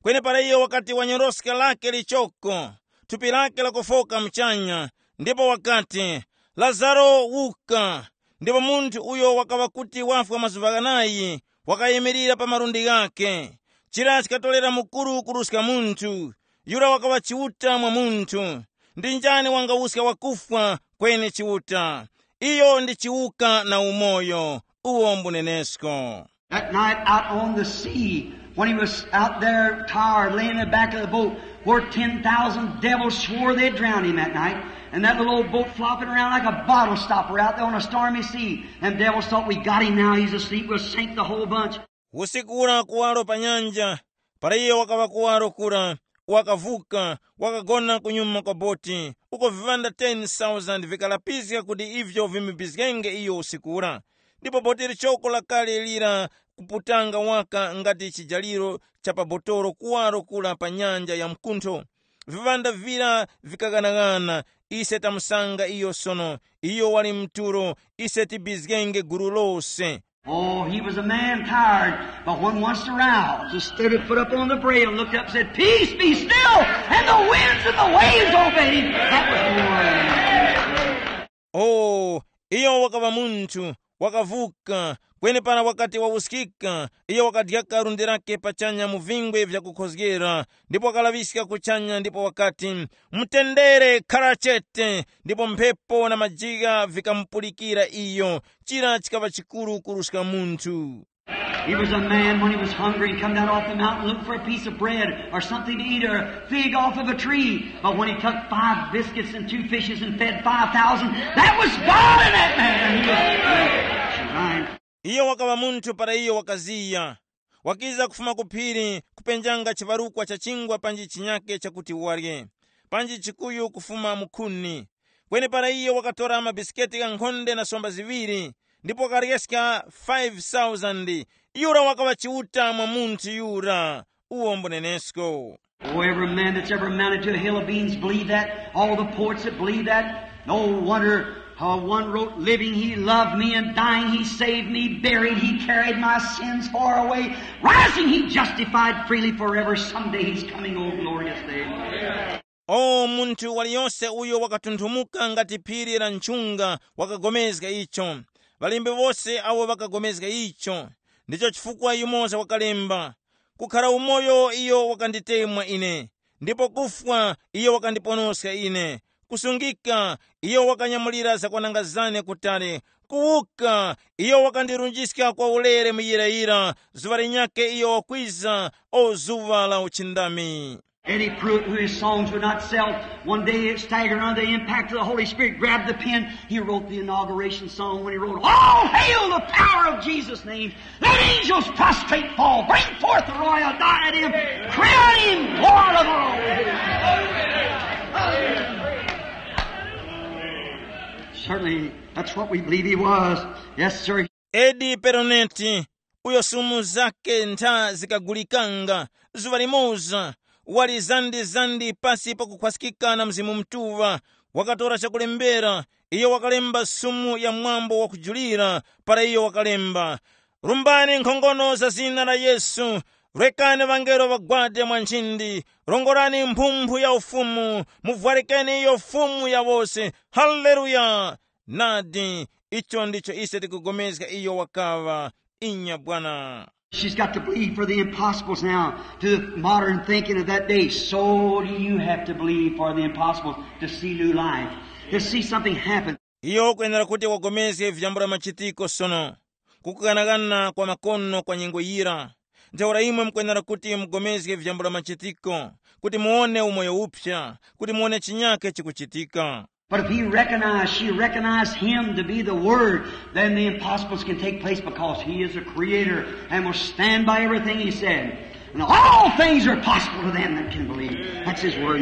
kwenepara iyo wakati wanyoroska lake lichoko, thupi lake lakufoka muchanya, ndipo wakati, "Lazaro, wuka." Ndipo munthu uyo wakaŵa kuti wafwa mazuŵa ghanayi wakayimirira pa malundi ghakhe. Chira chikatorera mukuru kuruska munthu. Yura wakaŵa Chiuta mwa munthu. Ndi njani wangawuska wakufwa kweni Chiuta? Iyo ndi chiwuka na umoyo, uwo mbunenesko. That night out on the sea, when he was out there tired, laying in the back of the boat, where ten thousand devils swore they'd drown him that night, and that little old boat flopping around like a bottle stopper out there on a stormy sea, and devils thought, "We got him now, he's asleep, we'll sink the whole bunch." Usiku ura kuwaro pa nyanja, para iyo wakaŵa kuwaro kura, wakavuka, wakagona kunyuma kwa boti, uko viŵanda ten thousand vikalapiska kuti ivyo vimubizgenge iyo usiku ura. Ndipo boti lichoko lakale lira kuputanga waka ngati chijaliro cha pa botolo kuwaro kura pa nyanja ya mkuntho. Viŵanda vira vikaghanagana, ise tamusanga iyo sono, iyo wali mtulo, ise tibizgenge gulu lose. Oh, he was a man tired, but when once aroused, just stood his foot up on the brail, looked up, said, "Peace, be still," and the winds and the waves obeyed him. That was the word. Oh, iyo wakaŵa munthu, wakavuka, kwenepara wakati wawuskika, iyo wakadyaka lundi lake pachanya mu vingwe vyakukhozgera, ndipo wakalaŵiska kuchanya ndipo wakati, "Mutendere, khara chete," ndipo mphepo na majigha vikamupulikira iyo. Chira chikaŵa chikuru kuruska munthu. He was a man when he was hungry and come down off the mountain looking for a piece of bread or something to eat or a fig off of a tree. But when he took five biscuits and two fishes and fed five thousand, that was God in that man. He was Right. Iyo wakaŵa munthu para iyo wakaziya. Wakiza kufuma ku phiri kupenjanga chiŵarukwa cha chingwa panji chinyake chakuti warye, panji chikuyu kufuma mu khuni. Kweni para iyo wakatora mabisiketi ghankhonde na somba ziŵiri, ndipo wakaryeska five thousand, yura wakaŵa Chiuta mwa munthu yura, uwo mbunenesko. Oh, every man that's ever mounted to a hill of beans believe that. All the poets that believe that. No wonder how one wrote, "Living he loved me, and dying he saved me, buried he carried my sins far away, rising he justified freely forever, someday he's coming, oh glorious day." O munthu waliyose uyo wakatunthumuka ngati phiri la nchunga wakagomezga icho. Ŵalembi wose awo ŵakagomezga icho. Ndicho chifukwa yumoza wakalemba, "Kukhara umoyo iyo wakanditemwa ine, ndipo kufwa iyo wakandiponoska ine. Kusungika iyo wakanyamulira zakwananga zane kutali. Kuwuka iyo wakandirunjiska kwa ulere muyirayira. Zuŵa linyakhe iyo wakwiza, o zuŵa la uchindami." Eddie Pruitt, who his songs would not sell, one day staggered under the impact of the Holy Spirit, grabbed the pen. He wrote the inauguration song when he wrote, "All hail the power of Jesus' name. Let angels prostrate fall. Bring forth the royal diadem. Crown him Lord of all." Certainly, that's what we believe he was. Yes, sir. Edi Peroneti, uyo sumu zake ntha zikagulikanga, zuŵa limoza, wali zandi-zandi pasi pakukhwaskika na Mzimu Mutuŵa, wakatora chakulembera, iyo wakalemba sumu ya mwambo wakujulira, para iyo wakalemba, "Rumbani nkhongono za zina la Yesu, Rekani ŵangelo ŵagwade mwa nchindi, rongorani mphumphu ya ufumu, muvwarikeni iyo fumu ya wose. Haleluya! Nadi, icho ndicho ise tikupulikana iyo wakaŵa. Inya bwana. She's got to believe for the impossibles now to the modern thinking of that day. So do you have to believe for the impossibles to see new life, to see something happen. Iyo kwenera kuti wagomezge vyambula machitiko sono, kukukanakana kwa makono kwa nyengo yira. Ntheura imwe mukwenera kuti mugomezge vyambula machitiko, kuti muwone umoyo uphya, kuti muwone chinyake chikuchitika. But if he recognized, she recognized him to be the Word, then the impossibles can take place because he is a creator and will stand by everything he said. And all things are possible to them that can believe. That's his word.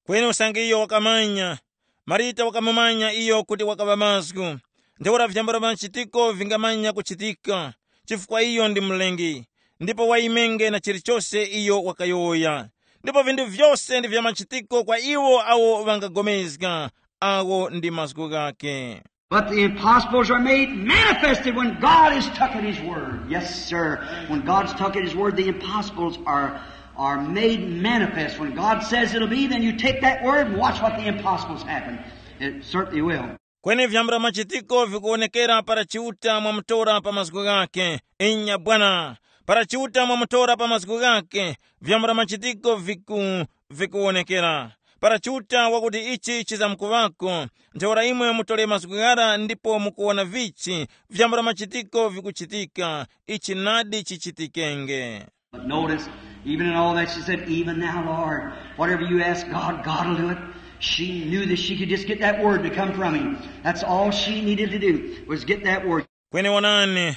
Kweni usange iyo wakamanya, Marita wakamumanya iyo kuti wakaŵa mazgu. Ntheura vyambula machitiko vingamanya kuchitika, chifukwa iyo ndi mlengi, ndipo waimenge na chilichose iyo wakayowoya. Ndipo vinthu vyose ndi vya machitiko kwa iwo awo ŵangagomezga, awo ndi mazgu ghake. But the impossibles are made manifested when God has tuck at his word. Yes, sir. When God's tuck at his word, the impossibles are, are made manifest. When God says it'll be, then you take that word and watch what the impossibles happen. It certainly will. Kweni vyambula machitiko vikuwonekera para Chiuta mwamutora pa mazgu ghake. Inya bwana, para Chiuta mwamutora pa mazgu ghake, vyambula machitiko viku vikuwonekera. Para Chiuta wakuti ichi chizamkuŵako, ntheura imwe mutore mazgu ghara ndipo mukuwona vichi vyambula machitiko vikuchitika. Ichi nadi chichitikenge. But notice, even in all that, she said, "Even now, Lord, whatever you ask God, God will do it." She knew that she could just get that word to come from him. That's all she needed to do, was get that word. Kweni wonani,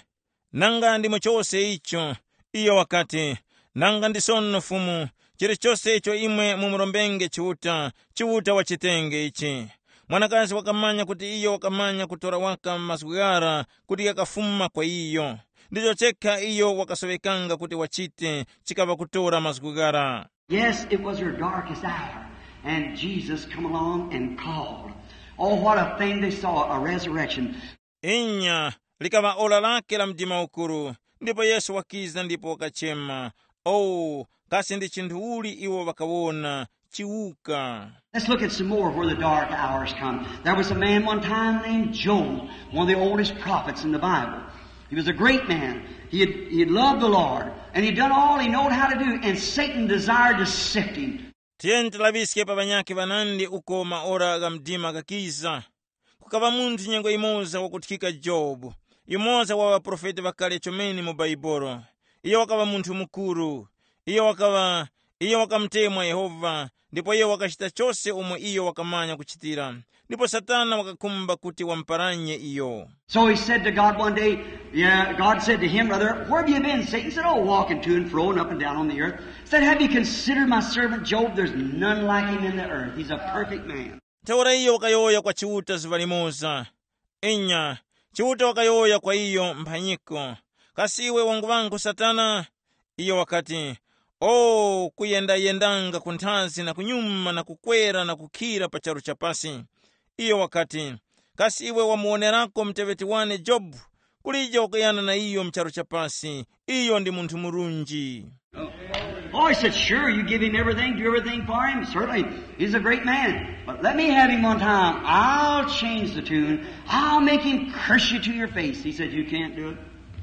nanga ndimo chose icho. Iyo wakati, "Nanga ndi sono Fumu, chilichose icho imwe mumurombenge Chiuta, Chiuta wachitenge ichi." Mwanakazi wakamanya kuti iyo wakamanya kutora waka mazgu ghara kuti ghakafuma kwa iyo. Ndicho chekha iyo wakasoŵekanga kuti wachite, chikaŵa kutora mazgu ghara. Yes, it was her darkest hour. And Jesus come along and called. Oh, what a thing they saw, a resurrection. Inya, likaŵa ora lake la mdima ukuru, ndipo Yesu wakiza ndipo wakachema. Oh, kasi ndi chinthu uli iwo ŵakawona? Chiwuka. Let's look at some more where the dark hours come. There was a man one time named Job, one of the oldest prophets in the Bible. He was a great man. He had, he had loved the Lord, and he'd done all he knowed how to do, and Satan desired to sift him. Tiyeni tilaŵiske pa ŵanyakhe ŵanandi uko maora gha mdima ghakiza. Kukaŵa munthu nyengo yimoza wakuthikika Jobu, yumoza wa ŵaprofeti ŵakale chomene mu Baibolo. Iyo wakaŵa munthu mukuru. Iyo wakaŵa, iyo wakamutemwa Yehova, ndipo iyo wakachita chose umo iyo wakamanya kuchitira. Ndipo Satana wakakhumba kuti wamuparanye iyo. So he said to God one day, yeah, God said to him, rather, "Where have you been, Satan?" He said, "Oh, walking to and fro and up and down on the earth." Said, "Have you considered my servant Job? There's none like him in the earth. He's a perfect man." Ntheura iyo wakayowoya kwa Chiuta zuŵa limoza. Inya, Chiuta wakayowoya kwa iyo mphanyiko, "Kasi iwe wangu ŵangu Satana?" Iyo wakati, "O, kuyendayendanga kunthazi na kunyuma na kukwera na kukhira pa charu cha pasi." Iyo wakati, "Kasi iwe wamuwonerako muteŵeti wane Jobu? Kulije wakuyana na iyo mu charu cha pasi. Iyo ndi munthu murunji." Oh, he said, "Sure, you give him everything, do everything for him. Certainly, he's a great man. But let me have him one time. I'll change the tune. I'll make him curse you to your face." He said, "You can't do it."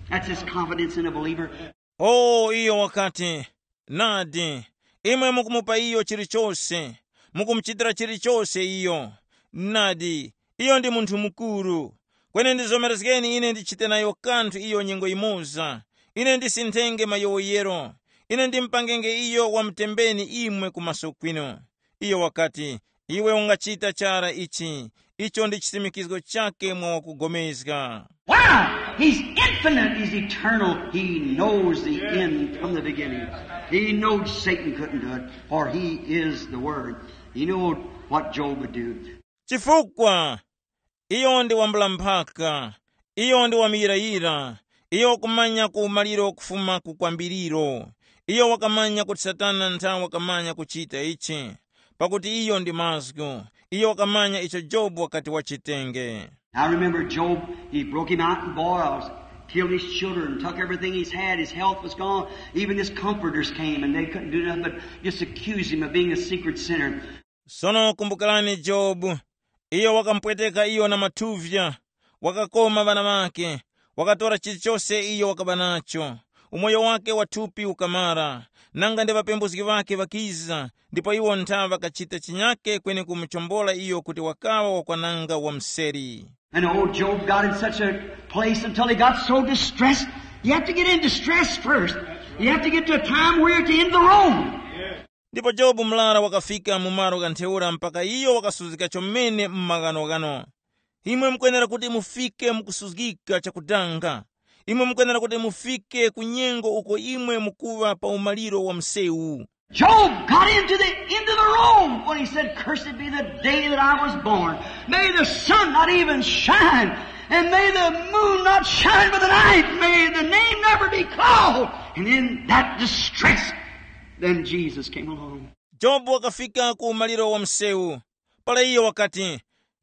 That's his confidence in a believer. O iyo wakati, "Nadi, imwe mukumupa iyo chilichose, mukumuchitira chilichose iyo. Nadi, iyo ndi munthu mukuru. Kweni ndizomerezgeni ine ndichite nayo kanthu iyo nyengo yimoza. Ine ndisinthenge mayowoyero. Ine ndimupangenge iyo wamutembeni imwe ku maso kwinu." Iyo wakati, "Iwe ungachita chara ichi. Icho ndi chisimikizgo chake mwa wakugomezga." Why? He's infinite, he's eternal, he knows the end from the beginning. He knowed Satan couldn't do it, for he is the Word. He knew what Job would do. Chifukwa iyo ndi wambula mphaka, iyo ndi wamuyirayira, iyo wakumanya ku umaliro kufuma ku kwambiriro. Iyo wakamanya kuti Satana nthawi wakamanya kuchita ichi, pakuti iyo ndi mazgu. Iyo wakamanya icho Jobu wakati wachitenge. Now remember Job, he broke him out in boils. Killed his children, took everything he's had. His health was gone. Even his comforters came, and they couldn't do nothing but just accuse him of being a secret sinner. Sono kumbukirani Jobu. Iyo wakamupweteka iyo na mathuvya, wakakoma ŵana ŵake, wakatora chilichose iyo wakaba nacho. Umoyo wake wa thupi ukamara, nanga ndi ŵapembuzgi ŵake ŵakiza, ndipo iwo ntha ŵakachita chinyake kweni kumuchombola iyo kuti wakaŵa wakwananga wa mseri. And old Job got in such a place until he got so distressed. You have to get in distress first. You have to get to a time where you're at the end of the road. Ndipo Jobu murara wakafika mu malo gha ntheura mpaka iyo wakasuzgika chomene mu maghanoghano. Imwe mukwenera kuti mufike mu kusuzgika chakudanga. Imwe mukwenera kuti mufike ku nyengo uko imwe mukuŵa pa umaliro wa msewu. Job got into the end of the road when he said, "Cursed be the day that I was born. May the sun not even shine, and may the moon not shine by the night. May the name never be called." And in that distress, then Jesus came along. Jobu wakafika ku umaliro wa msewu. Para iyo wakati,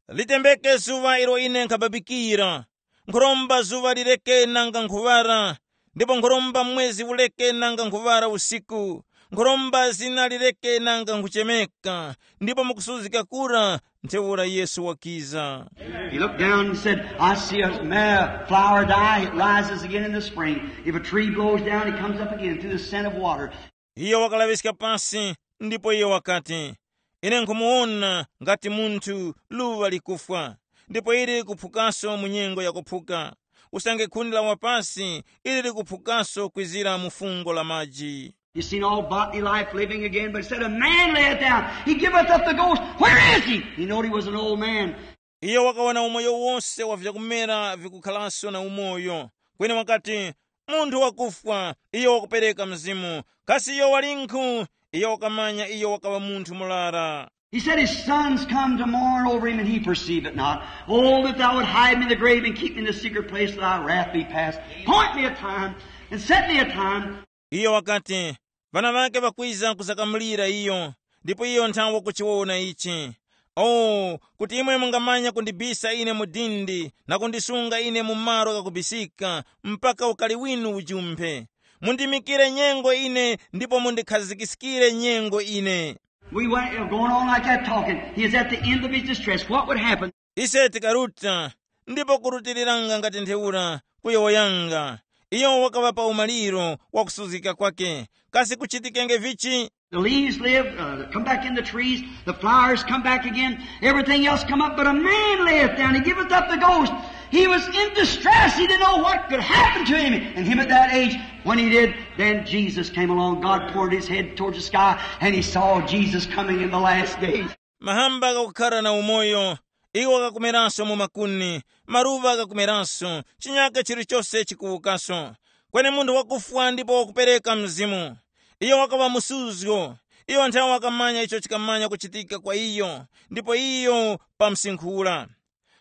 "Litembeke zuŵa ilo ine nkhababikira. Nkhuromba zuŵa lireke nanga nkhuŵara, ndipo nkhuromba mwezi ureke nanga nkhuŵara usiku. Nkhuromba zina lireke nanga nkhuchemeka." Ndipo mukusuzgika kura, ntheura Yesu wakiza. He looked down and said, "I see a ma-, flower die, it rises again in the spring. If a tree blows down, it comes up again through the scent of water." Iyo wakalaŵiska pasi, ndipo iyo wakati, "Ine nkhumuwona ngati munthu luŵa likufwa, ndipo ili likuphukaso mu nyengo yakuphuka. Usange khuni lawa pasi, ili likuphukaso kwizira mu fungo la maji." You seen all bodily life living again, but it said, "A man layeth down. He giveth up the ghost. Where is he?" He knowed he was an old man. Iyo wakawona umoyo wose wa vyakumera vikukhalanso na umoyo. Kweni wakati, "Munthu wakufwa, iyo wakupereka mzimu. Kasi iyo walinkhu?" Iyo wakamanya iyo wakaŵa munthu murara. He said, "His son's come to mourn over him, and he perceive it not. Oh, that thou would hide me in the grave and keep me in the secret place till thy wrath be past. Point me a time, and set me a time." Iyo wakati, "Ŵana ŵake ŵakwiza kuzakamulira iyo, ndipo iyo nthawe kuchiwona ichi. Oh, kuti imwe mungamanya kundibisa ine mu dindi na kundisunga ine mu malo ghakubisika, mpaka ukari winu ujumphe. Mundimikire nyengo ine ndipo mundikhazikiskire nyengo ine." We went, uh, going on like that talking. He is at the end of his distress. What would happen? Ise tikaruta, ndipo kurutiriranga ngati ntheura kuyowoyanga. Iyo wakaŵa pa umaliro wa kusuzgika kwake. Kasi kuchitikenge vichi? The leaves live, uh, come back in the trees. The flowers come back again. Everything else come up, but a man layeth down. He giveth up the ghost. He was in distress. He didn't know what could happen to him. And him at that age, when he did, then Jesus came along. God poured his head towards the sky, and he saw Jesus coming in the last days. Mahamba ghakukhara na umoyo, iwo ghakumeranso mu makuni, maluŵa ghakumeranso, chinyake chilichose chikuwukaso. Kweni munthu wakufwa ndipo wakupereka mzimu. Iyo wakaŵa musuzgo. Iyo nthawe wakamanya icho chikamanya kuchitika kwa iyo, ndipo iyo pamsinkhula.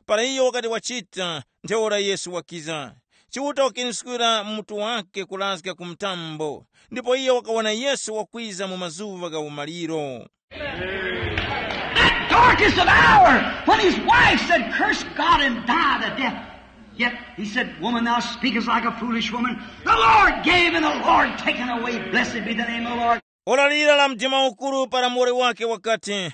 Para iyo wakati wachita, ntheura Yesu wakiza. Chiuta wakiniskira mutu wake kurazga ku mtambo, ndipo iyo wakawona Yesu wakwiza mu mazuŵa gha umaliro. That darkest of hour, when his wife said, "Curse God and die the death." Yet he said, "Woman, thou speakest like a foolish woman. The Lord gave and the Lord taken away. Blessed be the name of the Lord." Ora lira la mdima ukuru para muwoli wake wakati,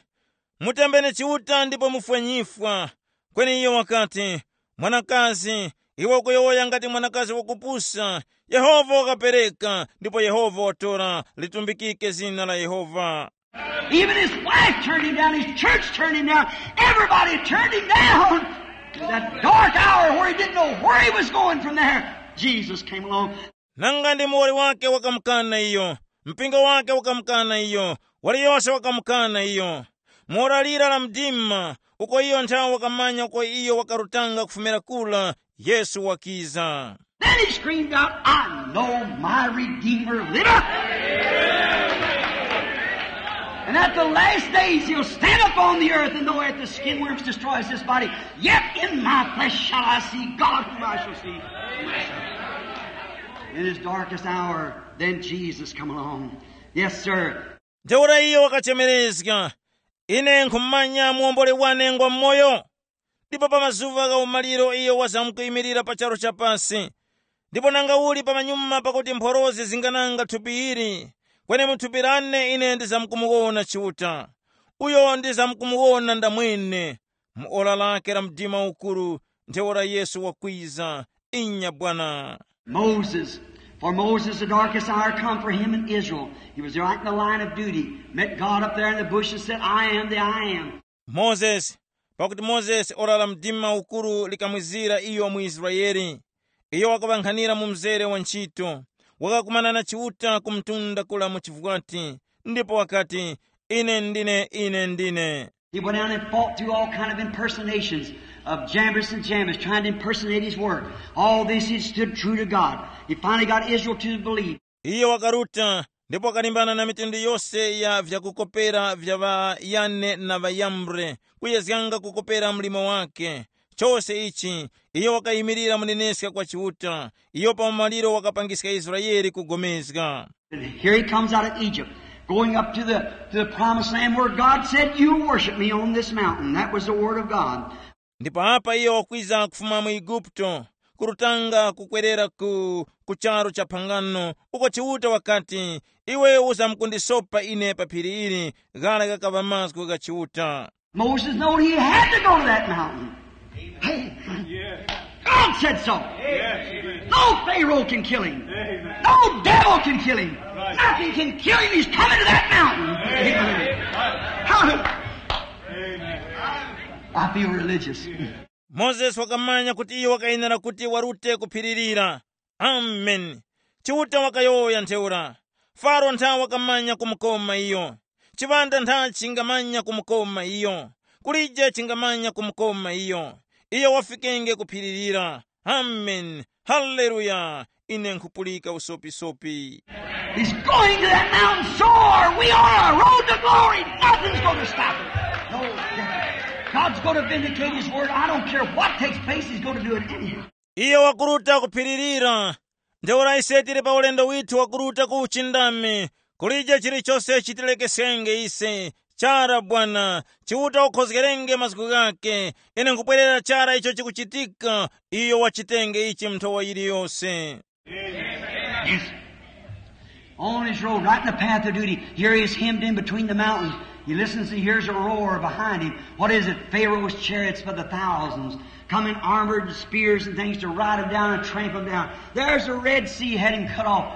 "Mutembeni Chiuta ndipo mufwe nyifwa." Kweni iyo wakati, "Mwanakazi, iwe ukuyowoya ngati mwanakazi wakupusa. Yehova wakapereka, ndipo Yehova watora. Litumbikike zina la Yehova." Even his wife turned him down, his church turned him down, everybody turned him down. That dark hour where he didn't know where he was going from there, Jesus came along. Nanga ndi muwoli wake wakamukana iyo, mpingo wake wakamukana iyo, waliyose wakamukana iyo. Mora lira la mdima, uko iyo nthawe wakamanya uko iyo wakarutanga kufumira kura, Yesu wakiza. Then he screamed out, "I know my Redeemer liveth. And at the last days he'll stand upon the earth, and though at the skin worms destroys this body, yet in my flesh shall I see God whom I shall see." In his darkest hour, then Jesus come along. Yes, sir. Ntheura iyo wakachemerezga, "Ine nkhumanya muwomboli wane ngwa moyo." Ndipo pa mazuŵa gha umaliro iyo wazamkuyimirira pa charu cha pasi. Ndipo nanga uli pamanyuma pakuti mphorozi zingananga thupi ili, kweni mu thupi lane ine ndizamkumuwona Chiuta, uyo ndizamkumuwona ndamwene, mu ora lake la mdima ukuru, ntheura Yesu wakwiza. Inya bwana. Moses. For Moses, the darkest hour come for him in Israel. He was right in the line of duty. Met God up there in the bush and said, "I am the I am." Mozesi. Pakuti Mozesi ora la mdima ukuru likamwizira iyo mu Israeli. Iyo wakaŵankhanira mu mzere wa ntchito, wakakumana na Chiuta ku mtunda kula mu chivwati, ndipo wakati, "Ine ndine, ine ndine." He went down and fought through all kind of impersonations of Jambres and Jambres, trying to impersonate his work. All this he stood true to God. He finally got Israel to believe. Iye wakaruta ndipo wakalimbana na mitundu yose ya vyakukopera vya ŵa Yane na ŵa Yambre, kuyezganga kukopera mlimo wake. Chose ichi, iyo wakayimirira muneneska kwa Chiuta, iyo pa umaliro wakapangiska Israeli kugomezga. And here he comes out of Egypt, going up to the, to the promised land where God said, "You worship me on this mountain." That was the word of God. Ndipo apa iyo wakwiza kufuma mu Eguputo, kurutanga kukwerera ku, ku charu cha phangano, uko Chiuta wakati, "Iwe uzamkundisopa ine pa phiri ili." Ghara ghakaŵa mazgu gha Chiuta. Moses knowed he had to go to that mountain. Hey, God said so. No Pharaoh can kill him. No devil can kill him. Nothing can kill him. He's coming to that mountain. Hallelujah. I feel religious. Mozesi wakamanya kuti iyo wakayenera kuti warute kuphiririra. Amen. Chiuta wakayowoya ntheura. Faro ntha wakamanya kumukoma iyo. Chiŵanda ntha chingamanya kumukoma iyo. Kulije chingamanya kumukoma iyo. Iyo wafikenge kuphiririra. Amen. Haleluya. Ine nkhupulika usopisopi. He's going to that mountain so hard. We are on a road to glory. Nothing's going to stop it. No, God's going to vindicate his word. I don't care what takes place, he's going to do it anyhow. Iye wakuruta kuphiririra. Ntheura ise tili pa ulendo withu wakuruta ku uchindami. Kulije chilichose chitilekesenge ise. Chara bwana, Chiuta ukhozgerenge mazgu ghake. Ine nkubwerera chara icho chikuchitika. Iyo wachitenge ichi mnthowa yiliyose. Yes. On his road, right in the path of duty, here he is hemmed in between the mountains. He listens and hears a roar behind him. What is it? Pharaoh's chariots by the thousands, coming armored with spears and things to ride him down and tramp him down. There's the Red Sea had him cut off.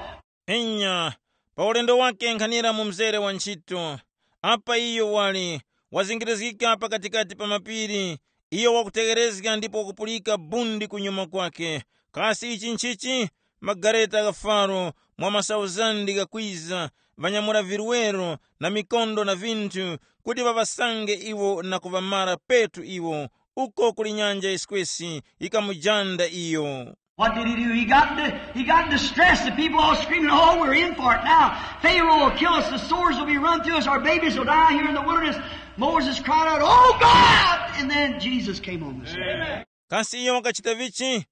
Inya, pa ulendo wake nkhanira mu mzere wa ntchito. Apa iyo wali wazingirizgika pakatikati pa mapiri, iyo wakutegherezga ndipo wakupulika bundi kunyuma kwake. Kasi ichi nchichi? Magareta gha Faro mwa masauzandi ghakwiza, ŵanyamula virwero na mikondo na vinthu, kuti ŵaŵasange iwo na kuŵamara petu iwo. Uko kuli nyanja yiskwesi yikamujanda iyo. What did he do? He got, di- he got distressed. The people all screaming, "Oh, we're in for it now. Pharaoh will kill us. The sores will be run through us. Our babies will die here in the wilderness." Moses cried out, "Oh, God!" And then Jesus came on the scene. Kasi iyo wakachita vichi?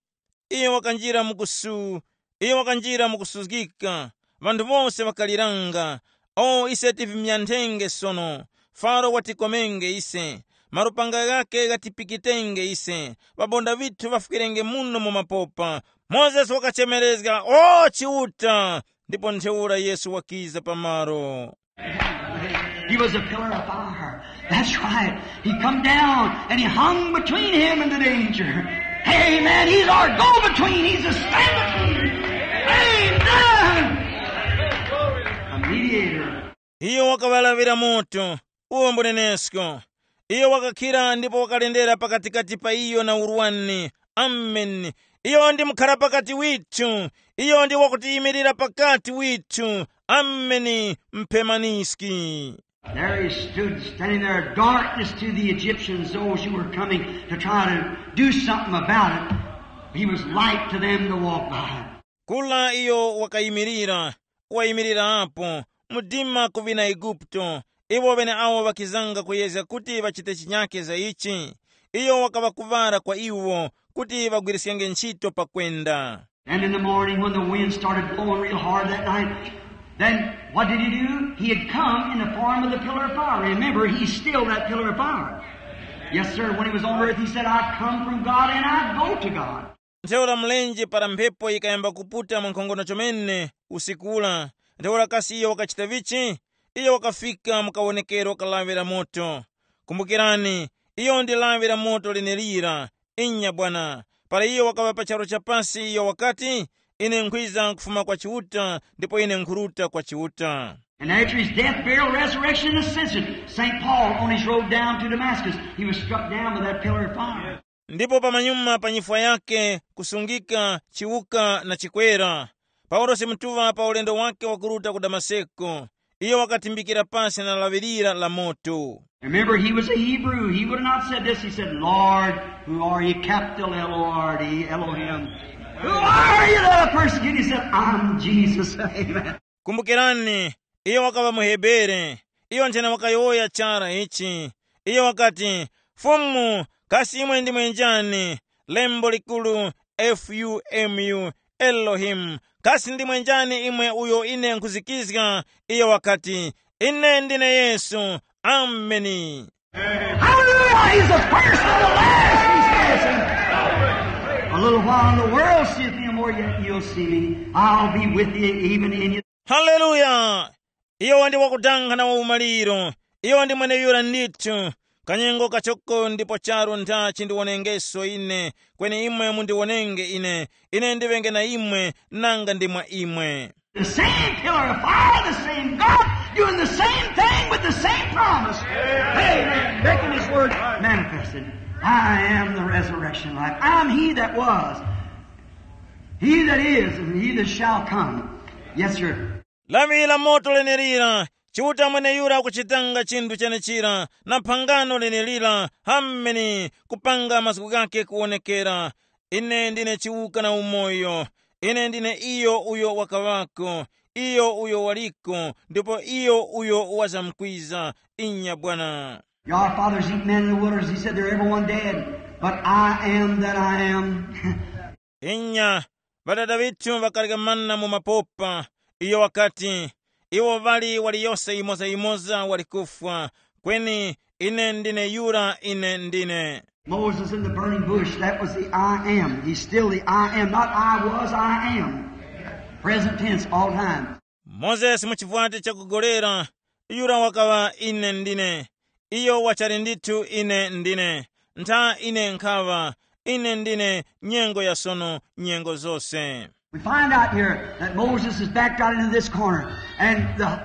Iyo wakanjira mukusu, iyo wakanjira mukusuzgika. Vanthu vose ŵakaliranga, "O, ise tivimyanthenge sono. Faro watikomenge ise. Malupanga ghake ghatipikitenge ise. Ŵabonda vithu ŵafwirenge muno mu mapopa." Mozesi wakachemerezga, "O Chiuta!" Ndipo ntheura Yesu wakiza pamaro. He was a pillar of fire. That's right. He come down and he hung between him and the danger. Amen. He's our go-between. He's a stand-between. Amen. A mediator. Iyo wakaŵalaŵira moto, uwo mbunenesko. Iyo wakakhira ndipo wakalendera pakatikati pa iyo na urwani. Ameni. Iyo ndi mukhara pakati withu. Iyo ndi wakutiyimirira pakati withu. Ameni. Mpemaniski. There he stood, standing there, darkness to the Egyptians, those who were coming to try to do something about it. He was light to them to walk by. Kula iyo wakayimirira, wayimirira apo, mdima ku ŵina Eguputo, iwo ŵeneawo ŵakizanga kuyezga kuti ŵachite chinyake za ichi. Iyo wakaŵakuŵara kwa iwo kuti ŵagwiriskenge ntchito pakwenda. And in the morning, when the wind started blowing real hard that night, then what did he do? He had come in the form of the pillar of fire. Remember, he's still that pillar of fire. Yes, sir. When he was on earth, he said, "I come from God and I go to God." Ntheura mlenje para mphepo yikayamba kuputa mwankhongono chomene usiku ura, ntheura kasi iyo wakachita vichi? Iyo wakafika mu kawonekero ka lawi la moto. Kumbukirani, iyo ndi lawi la moto lenelira. Inya bwana, para iyo wakaŵa pa charu cha pasi iyo wakati, ine nkhwiza kufuma kwa Chiuta ndipo ine nkhuruta kwa Chiuta. And after his death, burial, resurrection, and ascension, Saint Paul on his road down to Damascus, he was struck down by that pillar of fire. Ndipo pamanyuma pa nyifwa yake kusungika, chiwuka na chikwera, Paulosi mutuŵa pa ulendo wake wakuruta ku Damaseko, iyo wakatimbikira pasi na laŵirira la moto. Remember, he was a Hebrew. He would have not said this. He said, "Lord, who are you?" Capital L O R D, Elohim. "Who are you that are persecuting?" He said, "I'm Jesus." Amen. Kumbukirani, iyo wakaŵa muHebere. Iyo nthena wakayowoya chara ichi. Iyo wakati, "Fumu, kasi imwe ndimwe njani?" Lembo likulu, F U M U, Elohim. "Kasi ndimwe njani imwe uyo ine nkhuzikizga?" Iyo wakati, "Ine ndine Yesu." Ameni. Hallelujah! He's the first and the last. He's passing. A little while and the world seeth me, more yet you'll see me. I'll be with you even in your Haleluya! Iyo ndi wakudanga na waumaliro. Iyo ndi mweneyura ndithu. Kanyengo kachoko ndipo charu ntha chindiwonengeso ine, kweni imwe mundiwonenge ine. Ine ndiŵenge na imwe, nanga ndi mwa imwe. The same pillar of fire, the same God, doing the same thing with the same promise. Amen. Making his word manifested. "I am the resurrection life. I'm he that was, he that is, and he that shall come." Yes, sir. Lawi la moto lenelira, Chiuta mweneyura kuchitanga chinthu chenechira, na phangano lenelira, hameni, kupanga mazgu ghake kuwonekera. Ine ndine chiwuka na umoyo. Ine ndine iyo uyo wakaŵako, iyo uyo waliko, ndipo iyo uyo wazamkwiza. Inya bwana. Your fathers eat men in the wilderness. He said, "They're everyone dead. But I am that I am." Inya, ŵadada ŵithu ŵakarya mana mu mapopa. Iyo wakati, iwo ŵali waliyose yimoza-yimoza wali kufwa, kweni ine ndine yura ine ndine. Moses in the burning bush, that was the I am. He's still the I am. Not "I was," "I am." Present tense all time. Mozesi mu chivwati chakugolera, yura wakaŵa ine ndine. Iyo wachali ndithu ine ndine. Ntha ine nkhaŵa, ine ndine nyengo ya sono, nyengo zose. We find out here that Moses is backed out into this corner, and the,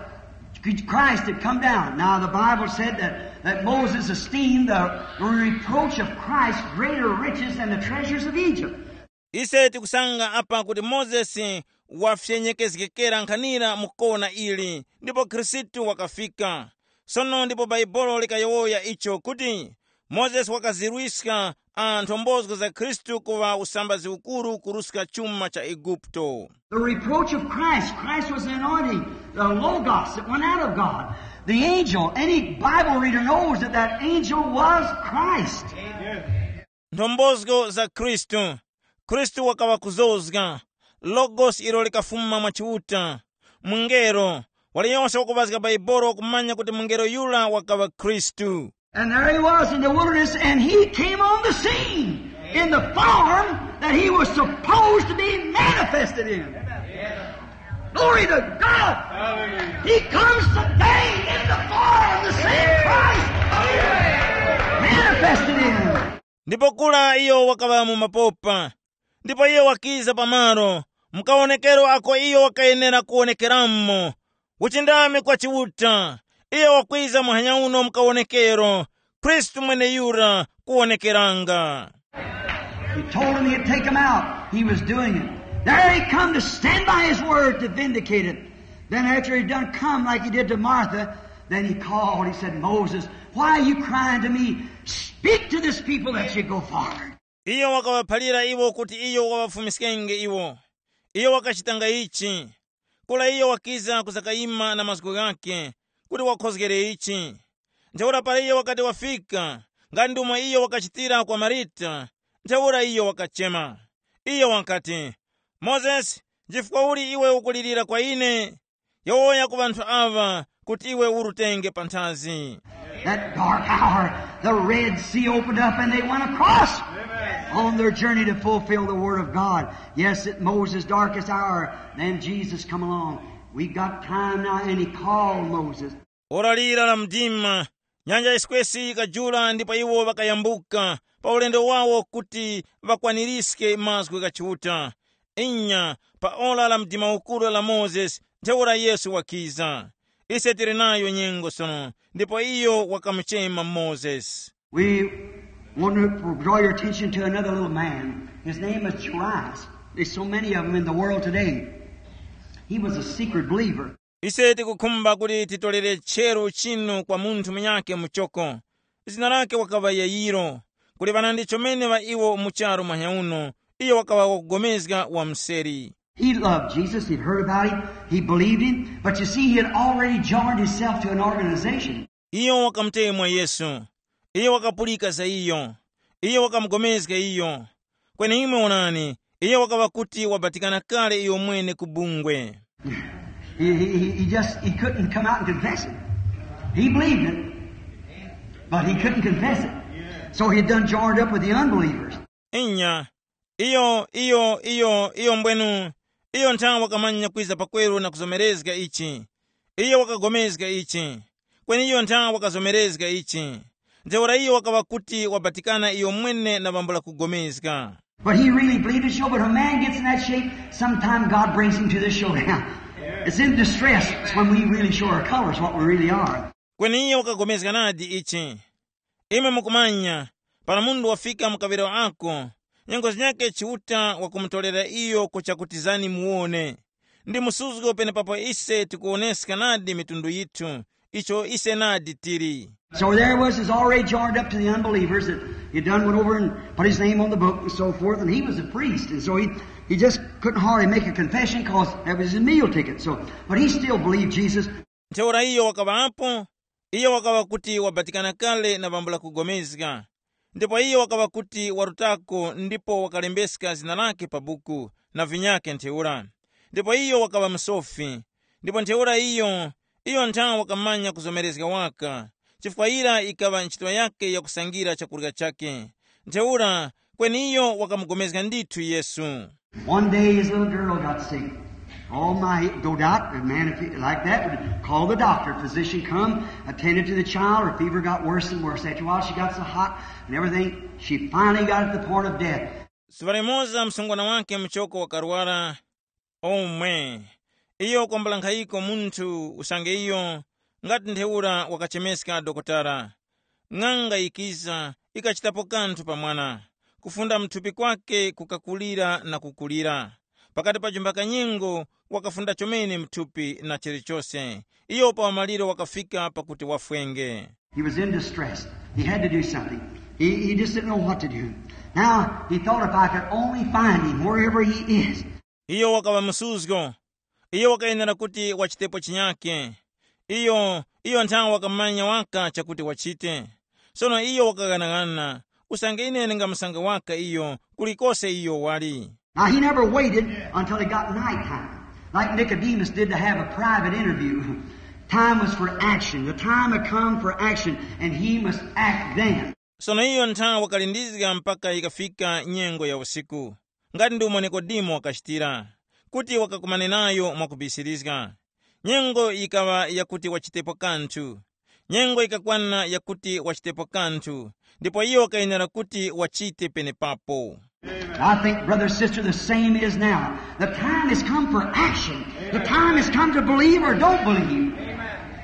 Christ had come down. Now, the Bible said that, that Moses esteemed the reproach of Christ greater riches than the treasures of Egypt. Ise tikusanga apa kuti Mozesi wafyenyekezgekera nkhanira mu kona ili, ndipo Khristu wakafika. Sono ndipo Bhaibuli likayowoya icho kuti, Mozesi wakazirwiska a nthombozo za Khristu kuŵa usambazi ukuru kuruska chuma cha Eguputo. The reproach of Christ. Christ was the anointing, the Logos that went out of God. The angel, any Bible reader knows that that angel was Christ. Nthombozo za Khristu. Khristu wakaŵa kuzozga. Logos ilo likafuma mwa Chiuta. Mungelo. Waliyonse wakuŵazga Bhaibuli wakumanya kuti mungelo yura wakaŵa Khristu. And there he was in the wilderness, and he came on the scene in the form that he was supposed to be manifested in. Glory to God! He comes today in the form, the same Christ manifested in him. Ndipo kula iyo wakaŵa mu mapopa, ndipo iyo wakiza pamalo, mukawonekero ako iyo wakayenera kuwonekeramo. Uchindami kwa Chiuta, iyo wakwiza muhanya uno mukawonekero, Khristu mweneyura kuwonekeranga. He told him he'd take him out. He was doing it. There he come to stand by his word to vindicate it. Then after he'd done come like he did to Martha, then he called. He said, "Moses, why are you crying to me? Speak to this people that you go forward." Iyo wakawaphalira iwo kuti iyo waŵafumiskenge iwo. Iyo wakachitanga ichi. Kula iyo wakiza kuzakayima na mazgu ghakhe kuti wakhozgere ichi. Ntheura para iyo wakati wafika, nga ndumo iyo wakachitira kwa Marita, ntheura iyo wakachema. Iyo wakati, "Mozesi, nchifukwa uli iwe ukulirira kwa ine? Yowoya ku ŵanthu aŵa kuti iwe urutenge panthazi." That dark hour, the Red Sea opened up and they went across. On their journey to fulfill the word of God. Yes, at Moses' darkest hour, then Jesus come along. We got time now, and he called Moses. Ora lira la mdima, nyanja yiskwesi yikajula ndipo iwo ŵakayambuka pa ulendo wawo kuti ŵakwaniske mazgu gha Chiuta. Inya, pa ora la mdima ukuru la Mozesi, ntheura Yesu wakiza. Ise tili nayo nyengo sono, ndipo iyo wakamuchema Mozesi. We want to draw your attention to another little man. His name is Jairus. There's so many of them in the world today. He was a secret believer. Ise tikukhumba kuti titolere tcheru chinu kwa munthu munyakhe muchoko. Zina lake wakaŵa Yayiro. Kuli ŵanandi chomene ŵa iwo mu charu mwanya uno, iyo wakaŵa wakugomezga wa mseri. He loved Jesus. He'd heard about him. He believed him. But you see, he had already joined himself to an organization. Iyo wakamutemwa Yesu. Iyo wakapulika za iyo. Iyo wakamugomezga iyo. Kweni imwe onani, iyo wakaŵa kuti wabatikana kale iyo mwene ku bungwe. He, he, he- he just he couldn't come out and confess it. He believed it, but he couldn't confess it. So he done joined up with the unbelievers. Inya, iyo iyo iyo iyo mbwenu, iyo nthawe wakamanya kwiza pakweru na kuzomerezga ichi. Iyo wakagomezga ichi. Kweni iyo nthawe wakazomerezga ichi. Ntheura iyo wakaŵa kuti wabatikana iyo mwene na bambo la kugomezga. But he really believed it, show. But when a man gets in that shape, sometime God brings him to this showdown. It's in distress. It's when we really show our colors, what we really are. Kweni iye wakagomezga nadi ichi. Imwe mukumanya, para munthu wafika mu kaŵiro ako, nyengo zinyakhe Chiuta wakumutolera iyo ku chakuti zani muwone. Ndi msuzgo penepapo ise tikuwoneska nadi mitundu yithu, icho ise nadi tili. So there was, is already joined up to the unbelievers that he done went over and put his name on the book and so forth, and he was a priest, and so he, he just couldn't hardly make a confession because that was his meal ticket. So, but he still believed Jesus. Ntheura iyo wakaŵapo, iyo wakaŵa kuti wabatikana kale na bambo la kugomezga. Ndipo iyo wakaŵa kuti warutako ndipo wakalembeska zina lake pa buku na vinyakhe ntheura. Ndipo iyo wakaŵa msofi. Ndipo ntheura iyo, iyo nthawe wakamanya kuzomerezga waka, chifukwa yira yikaŵa ntchito yakhe yakusangira chakurya chakhe. Ntheura kweni iyo wakamugomezga ndithu Yesu. One day his little girl got sick. Oh my, no doubt, a man if he, like that would call the doctor. Physician come, attended to the child. Her fever got worse and worse. After a while, she got so hot and everything, she finally got at the point of death. Zuŵa limoza msungwana wake muchoko wakarwara. Omwe, iyo kwambula nkhayiko munthu usange iyo ngati ntheura wakachemeska dokotala. Ng'anga yikiza, ikachitapo kanthu pa mwana, kufunda mthupi kwake kukakulira na kukulira. Pakati pa jumba kanyengo wakafunda chomene mthupi na chilichose. Iyo pa umaliro wakafika pakuti wafwenge. He was in distress. He had to do something. He, he just didn't know what to do. Now, he thought, if I could only find him wherever he is. Iyo wakaŵa msuzgo. Iyo wakayenera kuti wachitepo chinyake. Iyo iyo nthawe wakamanya waka chakuti wachite. Sono iyo wakaghanaghananga, usange ine ndingamusanga waka iyo kulikose iyo wali. Now, he never waited until it got nighttime, like Nicodemus did to have a private interview. Time was for action. The time had come for action, and he must act then. Sono iyo nthawe wakalindizga mpaka yikafika nyengo ya usiku, ngati ndi umo Nikodemo wakachitira, kuti wakakumane nayo mwakubisirizga. Nyengo yikaŵa yakuti wachitepo kanthu. Nyengo yikakwana yakuti wachitepo kanthu, ndipo iyo wakayenera kuti wachite penepapo. I think, brother, sister, the same is now. The time has come for action. The time has come to believe or don't believe.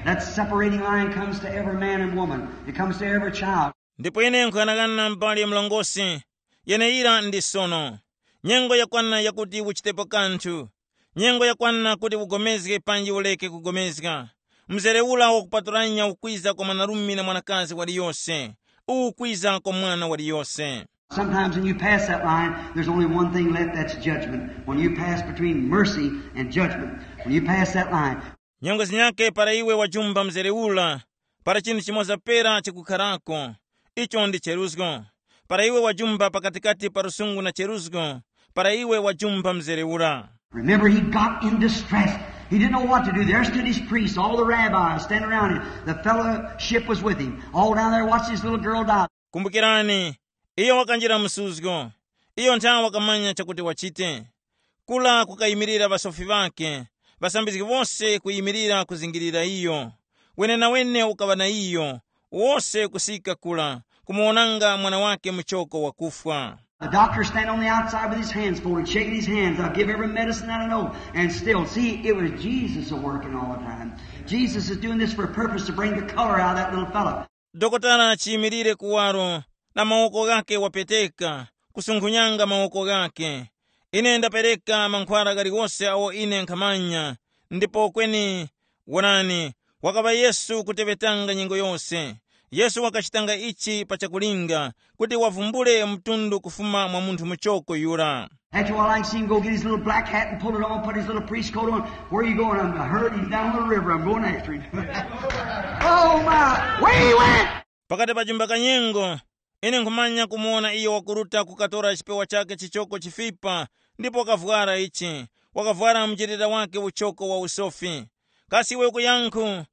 That separating line comes to every man and woman. It comes to every child. Ndipo ine nkuyang'ana mbali ya mlongosi, yeneyira ndi sono. Nyengo yakwana yakuti uchitepo kanthu. Nyengo yakwana kuti ugomezge panji uleke kugomezga. Mzere ura wakupatulanya ukwiza kwa mwanarume na mwanakazi waliyose. Uwu ukwiza kwa mwana waliyose. Sometimes when you pass that line, there's only one thing left, that's judgment. When you pass between mercy and judgment, when you pass that line, Nyengo zinyakhe para iwe wajumba mzere ura, para chinthu chimoza pera chikukharako, icho ndi cheruzgo. Para iwe wajumba pakatikati pa lusungu na cheruzgo, para iwe wajumba mzere ura. Remember, he got in distress. He didn't know what to do. There stood his priests, all the rabbis standing around him. The fellowship was with him. All down there watched his little girl die. Kumbukirani, Iyo wakanjira msuzgo. Iyo nthawe wakamanya chakuti wachite. Kula kukayimirira ŵasofi ŵakhe, ŵasambizgi wose kuyimirira kuzingirira iyo. Wenenawene ukaŵa na iyo, wose kusika kula, kumuwonanga mwana wake muchoko wakufwa. The doctor standing on the outside with his hands folded, shaking his hands. "I'll give every medicine that I know." And still, see, it was Jesus a working all the time. Jesus is doing this for a purpose to bring the color out of that little fellow. Dokotala chiyimirire kuwaro na mawoko ghake wapeteka, kusunkhunyanga mawoko ghake. Ine ndapereka mankhwala ghaliwose awo ine nkhamanya, ndipo kweni, wonani, wakaŵa Yesu kuteŵetanga nyengo yose. Yesu wakachitanga ichi pa chakulinga, kuti wavumbule mtundu kufuma mwa munthu muchoko yura. After a while, I can see him go get his little black hat and pull it on, put his little priest coat on. "Where you going?" "I'm hurt. He's down the river. I'm going after him." Oh, my. Where he went? Pakati pa chumba kanyengo, ine nkhumanya kumuwona iyo wakuruta kukatora chipewa chake chichoko chifipa, ndipo wakavwara ichi, wakavwara mchitira wake uchoko wa usofi. Kasi iwe kuyankhu?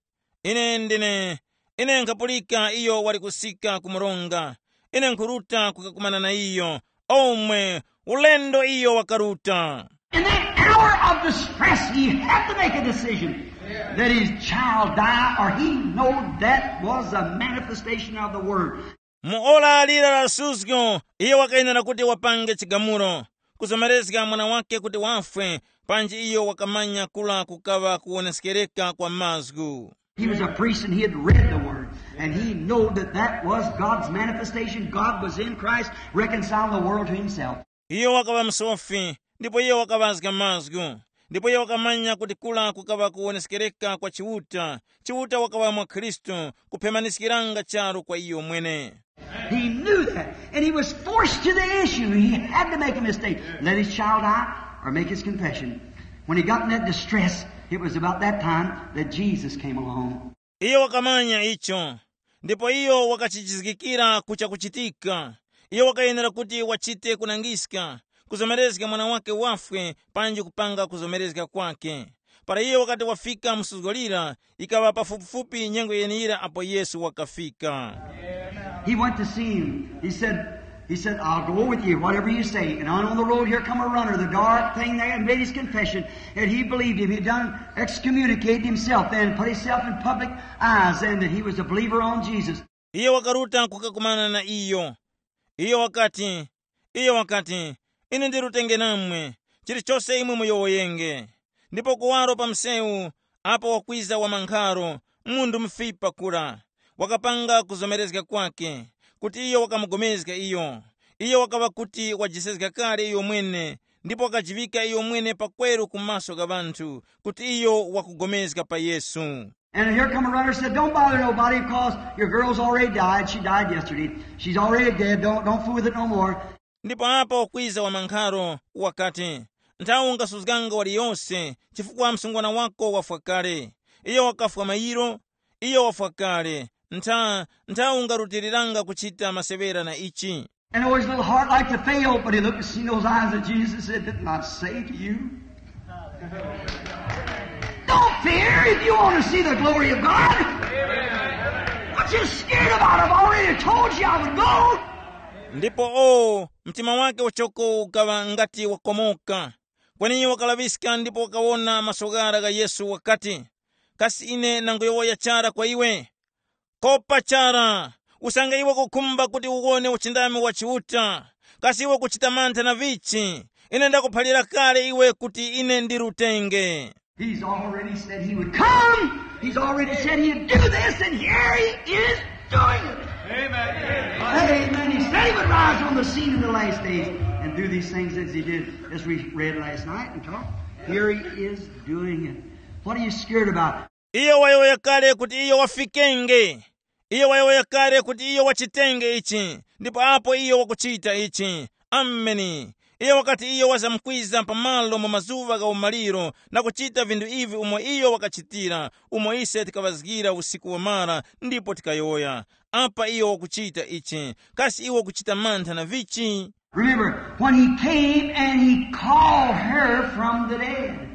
Ine ndine, ine nkhapulika iyo wali kusika ku mronga. Ine nkhuruta kukakumana na iyo. Omwe, ulendo iyo wakaruta. In that hour of distress, he had to make a decision. Let his child die, or he knowed that was a manifestation of the word. Mu ora lira la suzgo, iyo wakayenera kuti wapange chigamulo, kuzomerezga mwana wake kuti wafwe, panji iyo wakamanya kula kukaŵa kuwoneskereka kwa mazgu. He was a priest and he had read the word. And he knew that that was God's manifestation. God was in Christ, reconciling the world to himself. Iyo wakaŵa msofi, ndipo iyo wakaŵazga mazgu, ndipo iyo wakamanya kuti kula kukaŵa kuwoneskereka kwa Chiuta. Chiuta wakaŵa mwa Khristu, kuphemaniskiranga charu kwa iyo mwene. He knew that, and he was forced to the issue. He had to make a mistake. Let his child die or make his confession. When he got in that distress, it was about that time that Jesus came along. Iyo wakamanya icho, ndipo iyo wakachijizgikira ku chakuchitika. Iyo wakayenera kuti wachite kunangiska, kuzomerezga mwana wake wafwe panji kupanga kuzomerezga kwake. Para iyo wakati wafika mu suzgo lira, ikaŵa pafupifupi nyengo yeneyira apo Yesu wakafika. He went to see him. He said, he said, "I'll go with you, whatever you say." And on, on the road, here come a runner, the dark thing there, and made his confession. And he believed him. He done excommunicated himself then, put himself in public eyes, and that he was a believer on Jesus. Iye wakaruta kukakumana na iyo. Iyo wakati, iyo wakati, "Ine ndirutenge namwe, chilichose imwe muyowoyenge." Ndipo kuwaro pa msewu, apo wakwiza wamankharo, munthu mufipa kura, wakapanga kuzomerezga kwake, kuti iyo wakamugomezga iyo. Iyo wakaŵa kuti wajisezga kale iyo mwene, ndipo wakajiŵika iyo mwene pakweru ku maso gha ŵanthu, kuti iyo wakugomezga pa Yesu. And here come a runner, said, "Don't bother nobody, 'cause your girl's already died. She died yesterday. She's already dead. Don't, don't fool with it no more." Ndipo apo wakwiza wamankharo wakati, "Nthawe ungasuzganga waliyose, chifukwa msungwana wako wafwa kale. Iyo wakafwa mayiro, iyo wafwa kale. Ntha, nthawe ungarutiriranga kuchita maseŵera na ichi." And oh, his little heart like to fail, but he looked and seen those eyes of Jesus and said, "Didn't I say to you? Don't fear if you want to see the glory of God. What you scared about? I've already told you I would go." Ndipo o, mtima wake uchoko ukaŵa ngati wakomoka. Kweni wakalaŵiska ndipo wakawona masoghara gha Yesu wakati, "Kasi ine nanguyowoya chara kwa iwe? Kopa chara, usange iwe ukukhumba kuti uwone uchindami wa Chiuta, kasi iwe ukuchita mantha na vichi? Ine ndakuphalira kale iwe kuti ine ndi rutenge." He's already said he would come. He's already said he'd do this, and here he is doing it. Amen. Amen. He said he would rise on the scene in the last days and do these things as he did, as we read last night and talked. Here he is doing it. What are you scared about? Iyo wayowoya kale kuti iyo wafikenge. Iyo wayowoya kale kuti iyo wachitenge ichi, ndipo apo iyo wakuchita ichi. Ameni. Iyo wakati iyo wazamkwiza pamalo mu mazuŵa gha umaliro na kuchita vinthu ivi umo iyo wakachitira, umo ise tikaŵazgira usiku wamara ndipo tikayowoya, "Apa iyo wakuchita ichi, kasi iwe ukuchita mantha na vichi?" Remember, when he came and he called her from the dead.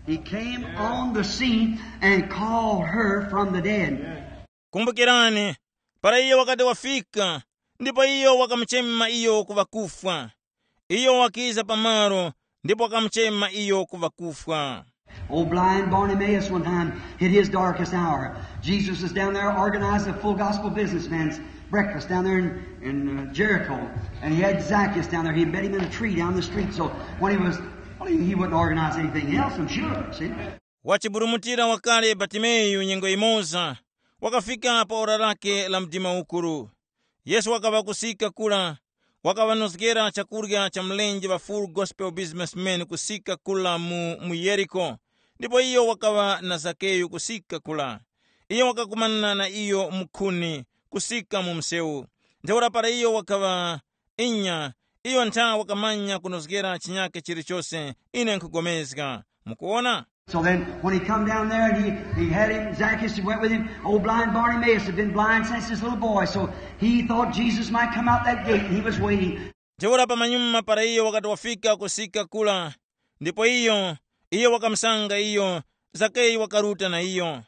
He came on the scene and called her from the dead. Kumbukirani, para iye wakati wafika, Ndipo iyo wakamuchema iyo ku ŵakufwa. Iyo wakiza pamalo ndipo wakamuchema iyo ku ŵakufwa. Old blind Bartimaeus one time hit his darkest hour. Jesus was down there organizing a full gospel businessman's breakfast down there in, in uh, Jericho. And he had Zacchaeus down there. He met him in a tree down the street. So when he was, well, he, he wouldn't organize anything else, I'm sure. See? Wachiburumutira wakale Batimeyu nyengo imoza, wakafika pa ora lake la mdima ukuru. Yesu wakaŵa kusika kura, wakaŵanozgera chakurya cha mlenje ŵa Full Gospel Businessman kusika kura mu, mu Yeriko, ndipo iyo wakaŵa na Zakeyu kusika kura. Iyo wakakumana na iyo mukhuni kusika mu msewu. Ntheura para iyo wakaŵa inya, iyo ntha wakamanya kunozgera chinyake chilichose, ine nkhugomezga. Mukuona? So then, when he come down there and he, he had him, Zacchaeus went with him. Old blind Bartimaeus had been blind since his little boy, so he thought Jesus might come out that gate, and he was waiting. Ntheura pamanyuma para iyo wakati wafika kusika kula, ndipo iyo, iyo wakamusanga iyo, Zakeyu wakaruta na iyo.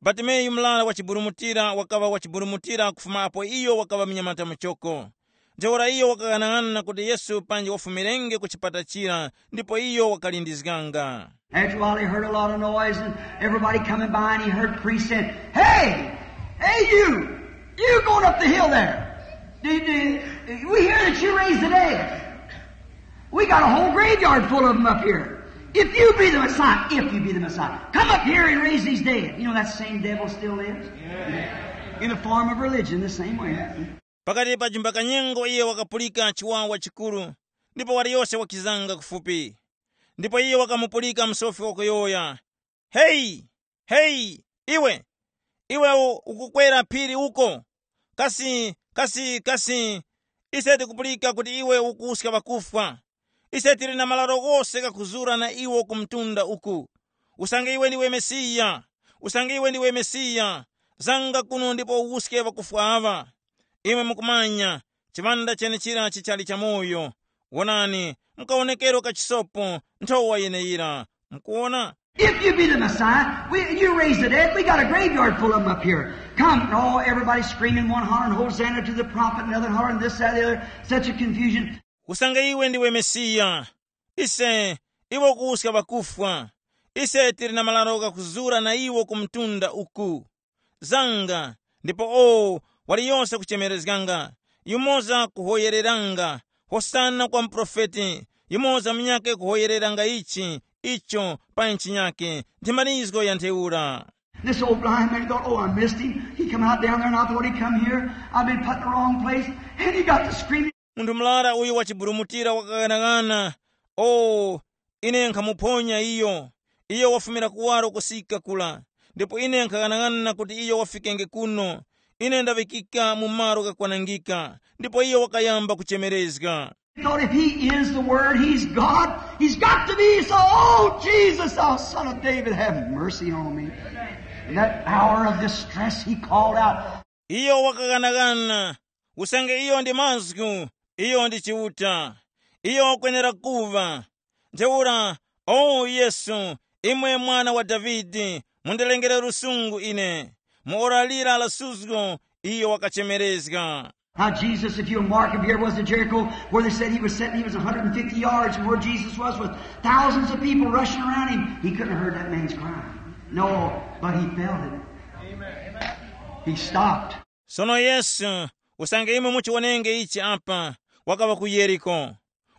Batimeyu murara wa chiburumutira wakaŵa wa chiburumutira kufuma apo iyo wakaŵa munyamata muchoko. Ntheura iyo wakaghanag'ana kuti Yesu panji wafumirenge ku chipata chira, ndipo iyo wakalindizganga. After a while, he heard a lot of noise and everybody coming by, and he heard priests saying, "Hey, hey, you, you going up the hill there? Do, do, we hear that you raised the dead. We got a whole graveyard full of them up here. If you be the Messiah, if you be the Messiah, come up here and raise these dead." You know that same devil still lives in the form of religion, the same way. Pakati pa jumba kanyengo iye wakapulika chiwawa chikuru, ndipo waliyose wakizanga kufupi. Ndipo iye wakamupulika msofi wakuyowoya, "Heyi, heyi, iwe, iwe u- ukukwera phiri uko? Kasi, kasi, kasi, ise tikupulika kuti iwe ukuwuska ŵakufwa. Ise tili na malaro ghose ghakuzura na iwo ku mtunda uku. Usange iwe ndiwe Mesiya, usange iwe ndiwe Mesiya, zanga kuno ndipo uwuske ŵakufwa aŵa. Imwe mukumanya, chiŵanda chenechira chichali chamoyo. Wonani, mukawonekero kachisopo nthowa yeneyira. Mukuwona?" If you be the Messiah, we, you raise the dead. We got a graveyard full of them up here. Come, and all everybody screaming, one hollering, "Hosanna to the prophet," another hollering this, that, the other. Such a confusion. Usange iwe ndiwe Mesiya, ise, iwe ukuwuska ŵakufwa. Ise tili na malaro ghakuzura na iwo ku mtunda uku. Zanga, ndipo o, waliyose kuchemerezganga. Yumoza kuhoyereranga, "Hosana kwa muprofeti." Yumoza munyakhe kuhoyereranga ichi, icho, pa nchinyakhe. Ndi marizgo ya ntheura. This old blind man thought, "Oh, I missed him. He come out down there and I thought he come here. I've been put in the wrong place." And he got to screaming. Munthu murara uyu wachiburumutira wakaghanag'ana, "O, ine nkhamuphonya iyo. Iyo wafumira kuwaro kusika kula. Ndipo ine nkhaghanag'ana kuti iyo wafikenge kuno. Ine ndaŵikika mu malo ghakwanangika." Ndipo iyo wakayamba kuchemerezga. He thought, "If he is the Word, he's God. He's got to be so. Oh, Jesus, thou son of David, have mercy on me." In that hour of distress, he called out. Iyo wakaghanagana, usange iyo ndi mazgu, iyo ndi Chiuta. Iyo wakwenera kuva. Ntheura, o Yesu, imwe mwana wa Davide, mundirengere lusungu ine. Mu ora lira la suzgo, iyo wakachemerezga. Now, Jesus, if you'll mark him, here was in Jericho where they said he was sitting. He was a hundred and fifty yards from where Jesus was, with thousands of people rushing around him. He couldn't have heard that man's cry. No, but he felt it. He stopped. Sono Yesu, usange imwe muchiwonenge ichi apa, wakaŵa ku Yeriko.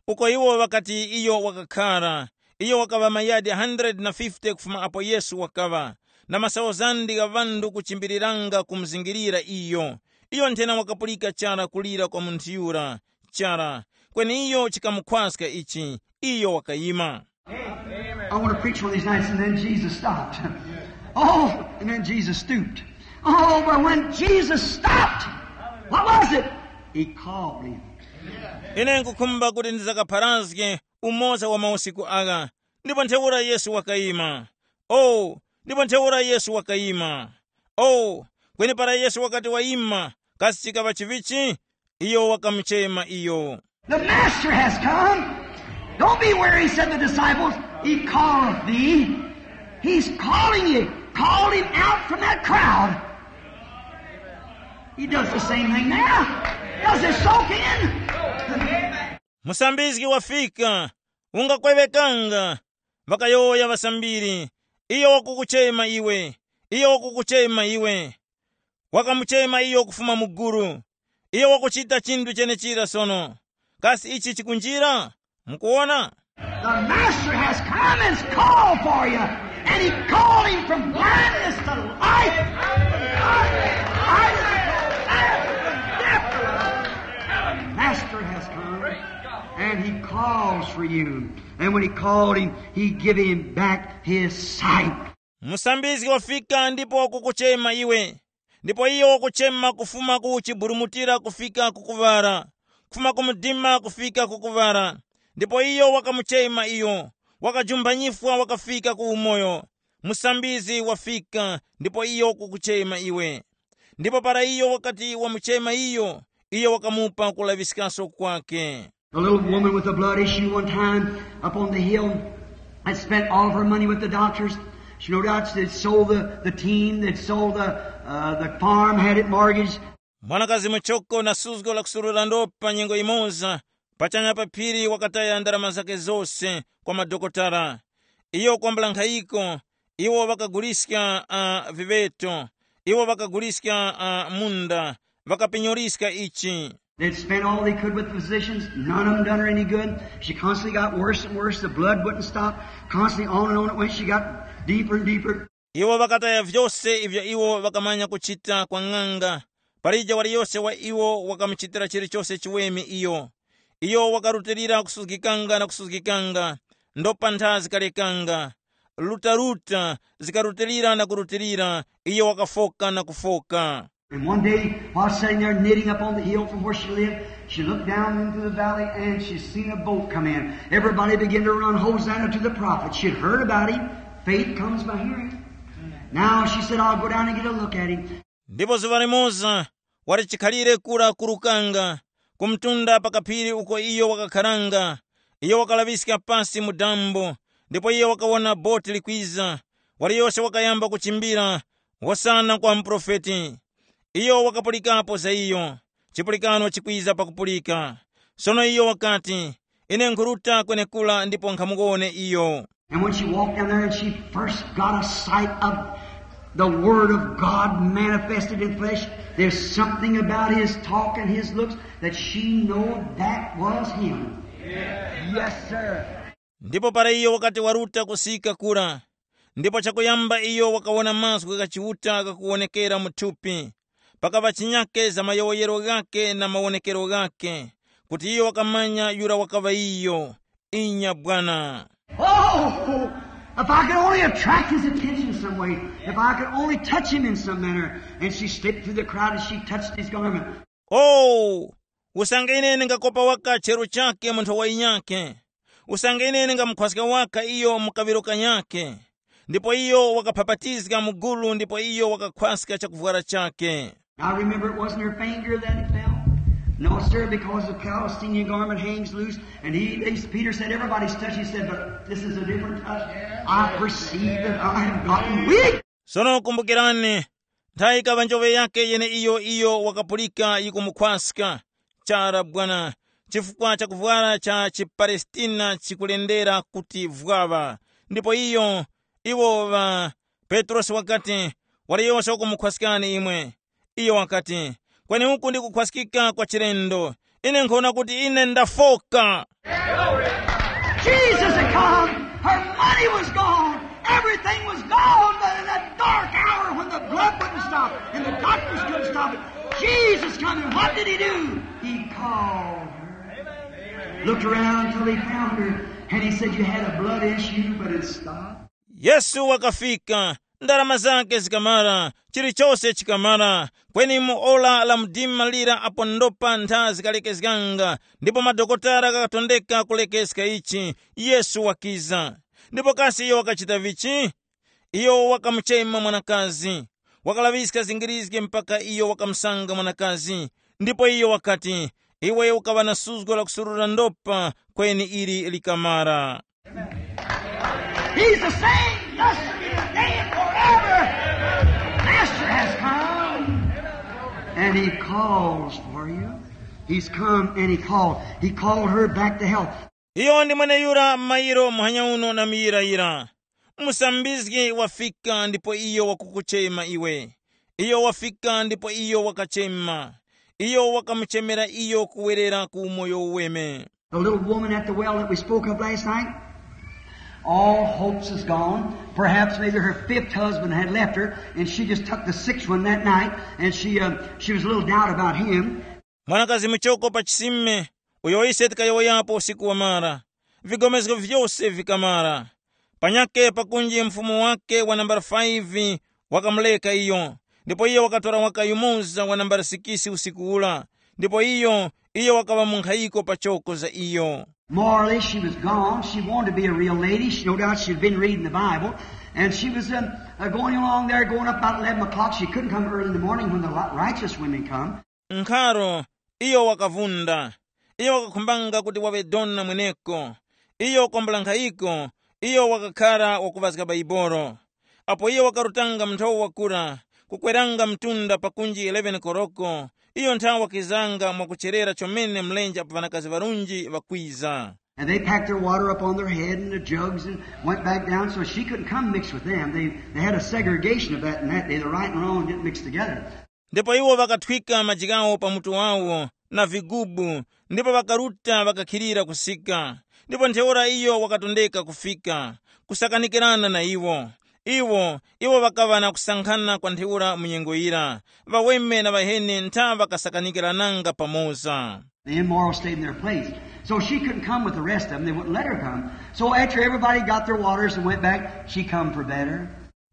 Uko iwo ŵakati iyo wakakhara, iyo wakaŵa mayadi hundred na fifty kufuma apo Yesu wakaŵa, na masauzandi gha ŵanthu kuchimbiriranga kumuzingirira iyo. Iyo nthena wakapulika chara kulira kwa munthu yura, chara, kweni iyo chikamukhwaska ichi, iyo wakayima. I want to preach one of these nights, and then Jesus stopped. Oh, and then Jesus stooped. Oh, but when Jesus stopped, what was it? He called him. Ine nkukhumba kuti ndizakapharazge umoza wa mausiku agha, ndipo ntheura Yesu wakayima. O, ndipo ntheura Yesu wakayima. O, kweni para Yesu wakati wayima, kasi chikaŵa chivichi? Iyo wakamuchema iyo. The master has come. Don't be weary, said the disciples. He calleth thee. He's calling you. Called him out from that crowd. He does the same thing now. Does it soak in? Musambizgi wafika, ungakweŵekanga. Ŵakayowoya ŵasambiri, iyo wakukuchema iwe, iyo wakukuchema iwe. Wakamuchema iyo kufuma mu gulu. Iyo wakuchita chinthu chenechira sono. Kasi ichi chikunjira? Mukuwona? The master has come and called for you. And he called him from blindness to life. From life to life, from death to life. The master has come and he calls for you. And when he called him, he give him back his sight. Musambizgi wafika ndipo wakukuchema iwe. Ndipo iyo wakuchema kufuma ku chiburumutira kufika ku kuŵala, kufuma ku mdima kufika ku kuŵala. Ndipo iyo wakamuchema iyo, wakajumpha nyifwa wakafika ku umoyo. Musambizgi wafika ndipo iyo wakukuchema iwe. Ndipo para iyo wakati wamuchema iyo, iyo wakamupa kulaŵiskaso kwake. A little woman with a blood issue one time up on the hill had spent all of her money with the doctors. She no doubt had sold the, the team, had sold the, uh, the farm, had it mortgaged. Mwanakazi muchoko na suzgo la kusurura ndopa nyengo imoza, pachanya pa phiri wakataya ndarama zake zose kwa madokotala. Iyo kwambula nkhayiko, iwo ŵakaguliska uh, viveto, iwo ŵakaguliska uh, munda, ŵakapenyoliska ichi. They'd spent all they could with the physicians. None of them done her any good. She constantly got worse and worse. The blood wouldn't stop. Constantly on and on it went. She got deeper and deeper. Iwo ŵakataya vyose ivyo iwo ŵakamanya kuchita kwa ng'anga. Palije waliyose wa iwo wakamuchitira chilichose chiweme iyo. Iyo wakarutilira kusuzgikanga na kusuzgikanga, ndopa ntha zikalekanga. Lutaruta, zikarutilira na kurutilira, iyo wakafoka na kufoka. And one day, while sitting there knitting up on the hill from where she lived, she looked down into the valley and she seen a boat come in. Everybody began to run, "Hosanna to the prophet." She had heard about him. Faith comes by hearing. Now she said, "I'll go down and get a look at him." Ndipo zuŵa limoza, wali chikhalire kura kurukanga, ku mtunda pa kaphiri uko iyo wakakharanga, iyo wakalaŵiska pasi mu dambo, ndipo iyo wakawona boti likwiza. Waliyose wakayamba kuchimbira, hosana kwa muprofeti. Iyo wakapulikapo za iyo, chipulikano chikwiza pakupulika. Sono iyo wakati, ine nkhuruta kwenekura ndipo nkhamuwone iyo. And when she walked down there and she first got a sight of the Word of God manifested in flesh, there's something about his talk and his looks that she knowed that was him. Yes, sir. Ndipo para iyo wakati waruta kusika kura, ndipo chakuyamba iyo wakawona mazgu gha Chiuta ghakuwonekera mu thupi, pakaŵa chinyake za mayowoyero ghake na mawonekero ghake, kuti iyo wakamanya yura wakaŵa iyo. Inya bwana. Oh, if I could only attract his attention some way, if I could only touch him in some manner. And she slipped through the crowd and she touched his garment. Oh, usange ine ndingakopa waka chero chake mu nthowa yinyakhe, usange ine ndingamukhwaska waka iyo mu kaŵiro kanyakhe. Ndipo iyo wakaphapatizga mu gulu ndipo iyo wakakhwaska chakuvwara chakhe. Now remember, it wasn't her finger that it fell. No, sir, because the Palestinian garment hangs loose, and he, he Peter said, everybody's touched. He said, but this is a different touch. I perceive that I have gotten weak. Sono kumbukirani, nthawi ikaŵa njoŵe yake yeneiyo iyo wakapulika yikumukhwaska chara bwana, chifukwa cha kuvwara cha chipalestina chikulendera kuti vwaŵa. Ndipo iyo, iwo ŵa Petrosi wakati, wali yose wakumukhwaskani imwe. Iyo wakati, kweni uku ndi kukhwaskika kwa chilendo. Ine nkhona kuti ine ndafoka. Jesus had come. Her money was gone. Everything was gone. But in that dark hour when the blood wouldn't stop and the doctors couldn't stop it, Jesus come. And what did he do? He called her. Looked around till he found her. And he said, you had a blood issue, but it stopped. Yesu wakafika, ndarama zake zikamara, chilichose chikamara. Kweni mu ora la mdima lira apo ndopa ntha zikalekezganga, ndipo madokotala ghakatondeka kulekeska ichi, Yesu wakiza. Ndipo kasi iyo wakachita vichi? Iyo wakamuchema mwanakazi, wakalaŵiska zingirizge mpaka iyo wakamusanga mwanakazi. Ndipo iyo wakati, iwe ukaŵa na suzgo la kusurura ndopa, kweni ili likamara. He's the same yesterday, today, and forever. Master has come, and he calls for you. He's come and he called. He called her back to health. Iyo ndi mweneyura mairo muhanya uno na miyirayira. Musambizgi wafika ndipo iyo wakukuchema iwe. Iyo wafika ndipo iyo wakachema. Iyo wakamuchemera iyo kuwerera ku umoyo uweme. The little woman at the well that we spoke of last night, all hopes is gone. Perhaps maybe her fifth husband had left her, and she just took the sixth one that night, and she, uh, she was a little doubt about him. Mwanakazi muchoko pa chisime, uyo ise tikayowoyapo usiku wamara, vigomezgo vyose vikamara. Panyake pakunji mfumu wake wa nambala five wakamuleka iyo, ndipo iyo wakatora waka yumoza wa nambala sikisi usiku ula, ndipo iyo iyo wakaŵa munkhayiko pachoko za iyo. Morally, she was gone. She wanted to be a real lady. She, no doubt she'd been reading the Bible. And she was um, uh, going along there, going up about eleven o'clock. She couldn't come early in the morning when the li- righteous women come. Nkharo, iyo wakavunda. Iyo wakakhumbanga kuti waŵe dona mweneko. Iyo kwambula nkhayiko, iyo wakakhara wakuŵazga Baibolo. Apo iyo wakarutanga mnthowa wakura, kukweranga mtunda pakunji eleven koroko, iyo nthawe wakizanga mwakucherera chomene mlenje apo ŵanakazi ŵarunji ŵakwiza. And they packed their water up on their head and the jugs and went back down, so she couldn't come mix with them. They, they had a segregation of that in that day. The right and wrong didn't mix together. Ndipo iwo ŵakathwika maji ghawo pa mutu wawo na vigubu, ndipo ŵakaruta ŵakakhilira kusika. Ndipo ntheura iyo wakatondeka kufika, kusakanikirana na iwo. Iwo, iwo ŵakaŵa na kusankhana kwa ntheura mu nyengo yira, ŵaweme na ŵaheni ntha ŵakasakanikirananga pamoza. The immoral stayed in their place. So she couldn't come with the rest of them. They wouldn't let her come. So after everybody got their waters and went back, she come for better.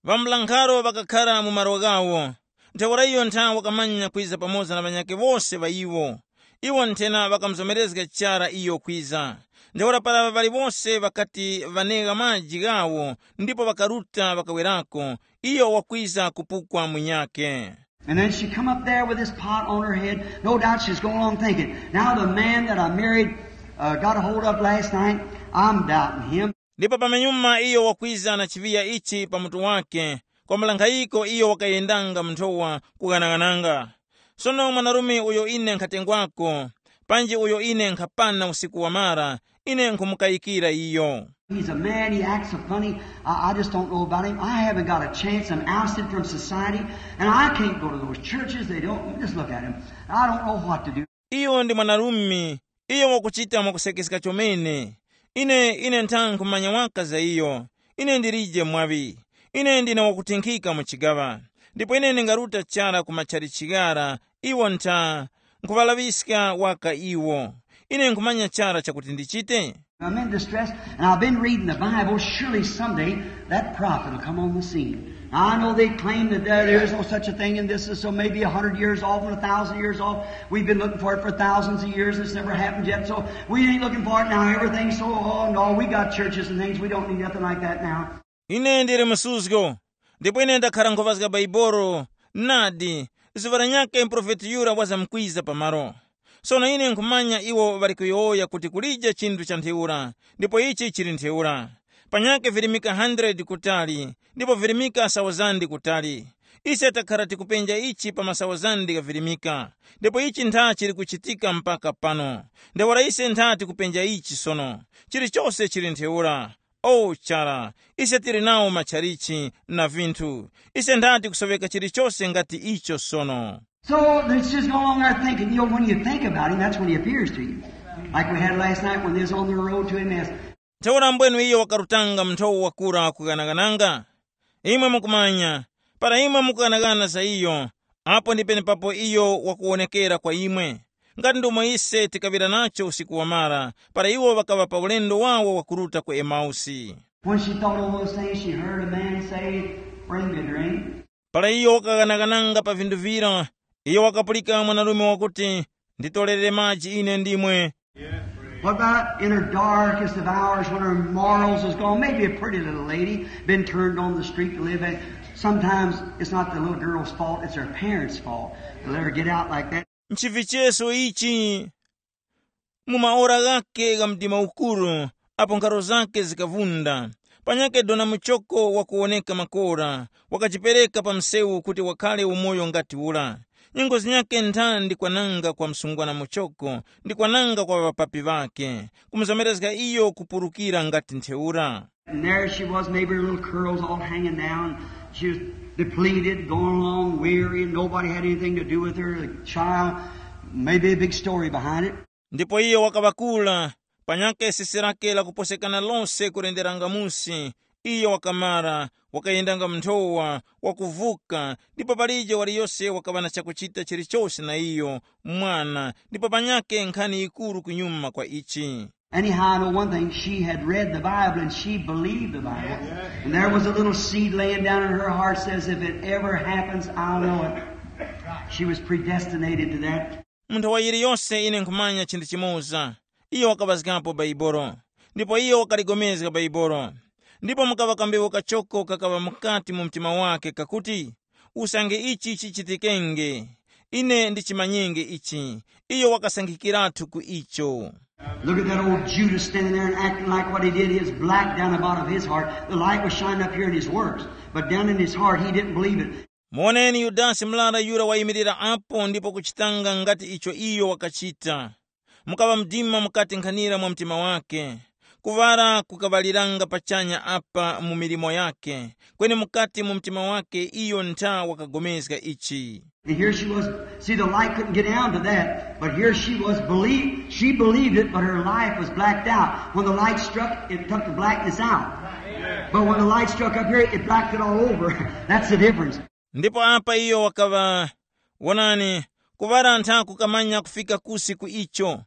Ŵambulankharo ŵakakhara mu malo ghawo. Ntheura iyo ntha wakamanya kwiza pamoza na ŵanyakhe wose ŵa iwo. Iwo nthena ŵakamuzomerezga chara iyo kwiza. Ntheura para ŵaliwose ŵakati ŵanegha maji ghawo ndipo ŵakaruta ŵakawerako, iyo wakwiza kupukwa munyakhe. And then she come up there with this pot on her head. No doubt she's going on thinking, now the man that I married, uh, got a hold of last night, I'm doubting him. Ndipo pamenyuma iyo wakwiza na chiŵiya ichi pa mutu wake, kwambulankhayiko iyo wakayendanga mu nthowa kughanaghananga. Sono mwanarume uyo ine nkhatengwako, panji uyo ine nkhapana usiku wamara, ine nkhumukayikira iyo. He's a man, he acts so funny. I, I just don't know about him. I haven't got a chance. I'm ousted from society, and I can't go to those churches. They don't, just look at him. I don't know what to do. Iyo ndi mwanarume, iyo wakuchita mwakusekeska chomene. Ine, ine ntha nkhumanya waka za iyo. Ine ndilije mwaŵi. Ine ndine wakutinkhika mu chigaŵa. Ndipo ine ndingaruta chara ku matchalichi ghara, iwo ntha, nkhuŵalaŵiska waka iwo. Ine nkhumanya chara chakuti ndichite. I'm in distress, and I've been reading the Bible. Surely someday that prophet will come on the scene. Now, I know they claim that there, there is no such a thing, and this is so maybe a hundred years off and a thousand years off. We've been looking for it for thousands of years. It's never happened yet, so we ain't looking for it now. Everything's so, oh no, we got churches and things. We don't need nothing like that now. Ine ndili msuzgo, ndipo ine ndakhara nkhovazga Baibolo. Nadi, zuŵa lanyakhe muprofeti yura wazamkwiza pamalo. Sono ine nkhumanya iwo ŵali kuyowoya kuti kulije chinthu cha ntheura, ndipo ichi chili ntheura. Panyakhe virimika hundred kutali, ndipo virimika sauzande kutali. Ise takhara tikupenja ichi pa masauzande gha virimika, ndipo ichi ntha chili kuchitika mpaka pano. Ntheura ise ntha tikupenja ichi sono. Chilichose chili ntheura. O chara, ise tili nawo matchalichi na vinthu. Ise ntha tikusoweka chilichose ngati icho sono. So it's just no longer our thinking. You know, when you think about him, that's when he appears to you. Like we had last night when they was on the road to Emmaus. Ntheura mbwenu iyo wakarutanga mnthowo wakura kughanaghananga. Imwe mukumanya, para imwe mukughanagana za iyo, apo ndi penepapo iyo wakuwonekera kwa imwe. Ngati ndomwe ise tikaŵira nacho usiku wamara, para iwo ŵakaŵa pa ulendo wawo wakuruta ku Emausi. When she thought on those things, she heard a man say, "Bring me a drink." Para iyo wakaghanaghananga pa vinthu vira, iyo wakapulika mwanarume wakuti, "Nditorere maji ine ndimwe." What about in her darkest of hours when her morals is gone? Maybe a pretty little lady been turned on the street to live in. Sometimes it's not the little girl's fault, it's her parents' fault to let her get out like that. Nchivicheso ichi, mu maora ghakhe gha mdima ukuru, apo nkharo zakhe zikavunda, panyakhe dona muchoko wakuwoneka makora, wakajipereka pa msewu kuti wakhare umoyo ngati ura. Nyengo zinyakhe nthandi kwananga kwa msungwana muchoko ndi kwananga kwa ŵapapi ŵakhe, kumuzomerezga iyo kupurukira ngati ntheura. And there she was, maybe her little curls all hanging down. She was depleted, going along weary, and nobody had anything to do with her. The child, maybe a big story behind it. Ndipo iyo wakaŵakula, panyakhe sisi lake lakuposekana lose kulenderanga musi. Iyo wakamara, wakayendanga mnthowa, wakuvuka, ndipo palije waliyose wakaŵa na chakuchita chilichose na iyo, mwana, ndipo panyakhe nkhani yikuru kunyuma kwa ichi. Anyhow, I know one thing. She had read the Bible and she believed the Bible. And there was a little seed laying down in her heart says, "If it ever happens, I'll know it." She was predestinated to that. Mu nthawi yiliyose ine nkhumanya chinthu chimoza. Iyo wakaŵazgapo Baibolo, ndipo iyo wakaligomezga Baibolo. Ndipo mukaŵa kambewu kachoko kakaŵa mukati mu mtima wake kakuti, usange ichi chichitikenge, ine ndichimanyenge ichi. Iyo wakasankhikiratu ku icho. Look at that old Judas standing there and acting like what he did. His black down the bottom of his heart. The light was shining up here in his works. But down in his heart, he didn't believe it. Muoneni Yudasi murara yura wayimirira apo ndipo kuchitanga ngati icho iyo wakachita. Mukaŵa mdima mukati nkhanira mwa mtima wake. Kuŵala kukaŵaliranga pachanya apa mu milimo yake, kweni mukati mu mtima wake iyo ntha wakagomezga ichi. And here she was, see, the light couldn't get down to that, but here she was believed, she believed it, but her life was blacked out. When the light struck, it took the blackness out. But when the light struck up here, it blacked it all over. That's the difference. Ndipo apa iyo wakaŵa, wonani, kuŵala ntha kukamanya kufika kusi ku icho.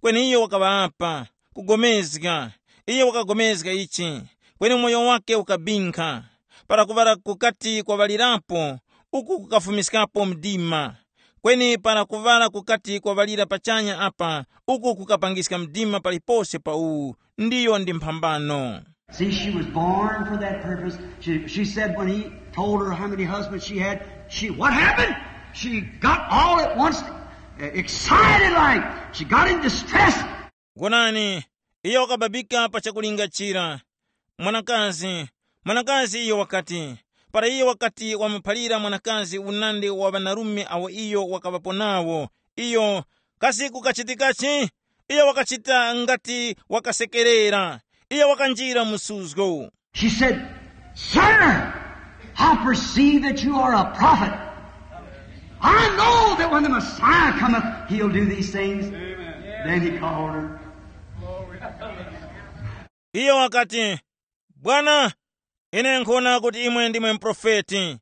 Kweni iyo wakaŵa apa, kugomezga. Iyo wakagomezga ichi, kweni umoyo wake ukabinkha. Para kuŵala kukati kwaŵalirapo, uku kukafumiskapo mdima. Kweni para kuŵala kukati kwaŵalira pachanya apa, uku kukapangiska mdima palipose pa uwu, ndiyo ndi mphambano. See, she was born for that purpose. She, she said when he told her how many husbands she had, she, what happened? She got all at once, uh, excited like. She got in distress. Wonani, iyo wakababika pa chakulingachira. Mwanakazi, mwanakazi iyo wakati, para iyo wakati wamuphalira mwanakazi unandi wa ŵanarume awo iyo wakaŵapo nawo, iyo, kasi kukachitikachi? Iyo wakachita ngati wakasekerera. Iyo wakanjira mu suzgo. She said, "Sir, I perceive that you are a prophet. I know that when the Messiah cometh, he'll do these things." Then he called her. Iyo wakati, "Bwana, ine nkhona kuti imwe ndimwe muprofeti.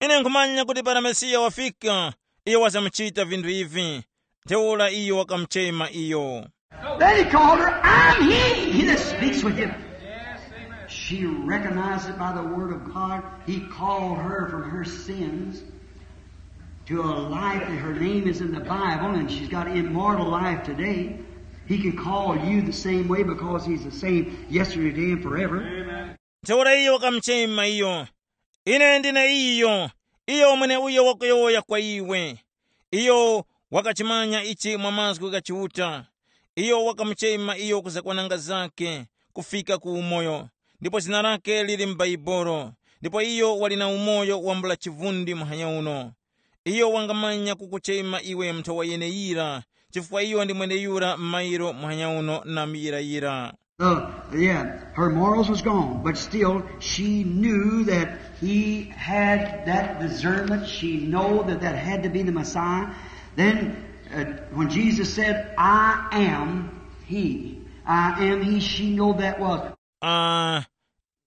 Ine nkhumanya kuti para Mesiya wafika, iyo wazamuchita vinthu ivi." Ntheura iyo wakamuchema iyo. Then he called her, "I'm he, he that speaks with you." She recognized it by the word of God. He called her from her sins to a life that her name is in the Bible, and she's got immortal life today. He can call you the same way because he's the same yesterday, today, and forever. Ntheura iyo wakamuchema iyo, "Ine ndine iyo, iyo mweneuyo wakuyowoya kwa iwe." Iyo wakachimanya ichi mwa mazgu gha Chiuta. Iyo wakamuchema iyo ku zakwananga zakhe, kufika ku umoyo, ndipo zina lakhe lili m'Baibolo, ndipo iyo wali na umoyo wambula chivundi muhanya uno. Iyo wangamanya kukuchema iwe nthowa yeneyira, chifukwa iyo ndi mweneyura mairo muhanya uno na muyirayira. Uh, yeah, her morals was gone, but still she knew that he had that discernment. She know that that had to be the Messiah. Then, uh, when Jesus said, "I am he, I am he," she know that was. Ah,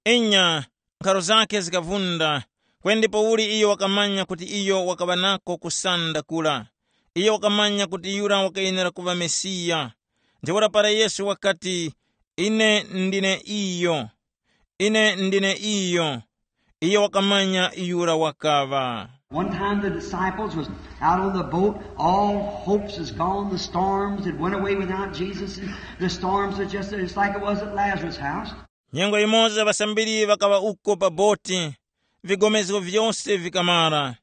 inya, nkharo zakhe zikavunda, kweni ndipo uli iyo wakamanya kuti iyo wakaŵa nako kusanda kura. Iyo wakamanya kuti yura wakayenera kuŵa Mesiya. Ntheura para Yesu wakati, "Ine ndine iyo, ine ndine iyo," iyo wakamanya yura wakaŵa. One time the disciples was out on the boat, all hopes is gone, the storms had went away without Jesus, and the storms was just, it's like it was at Lazarus' house. Nyengo yimoza ŵasambiri ŵakaŵa uko pa boti, vigomezgo vyose vikamara.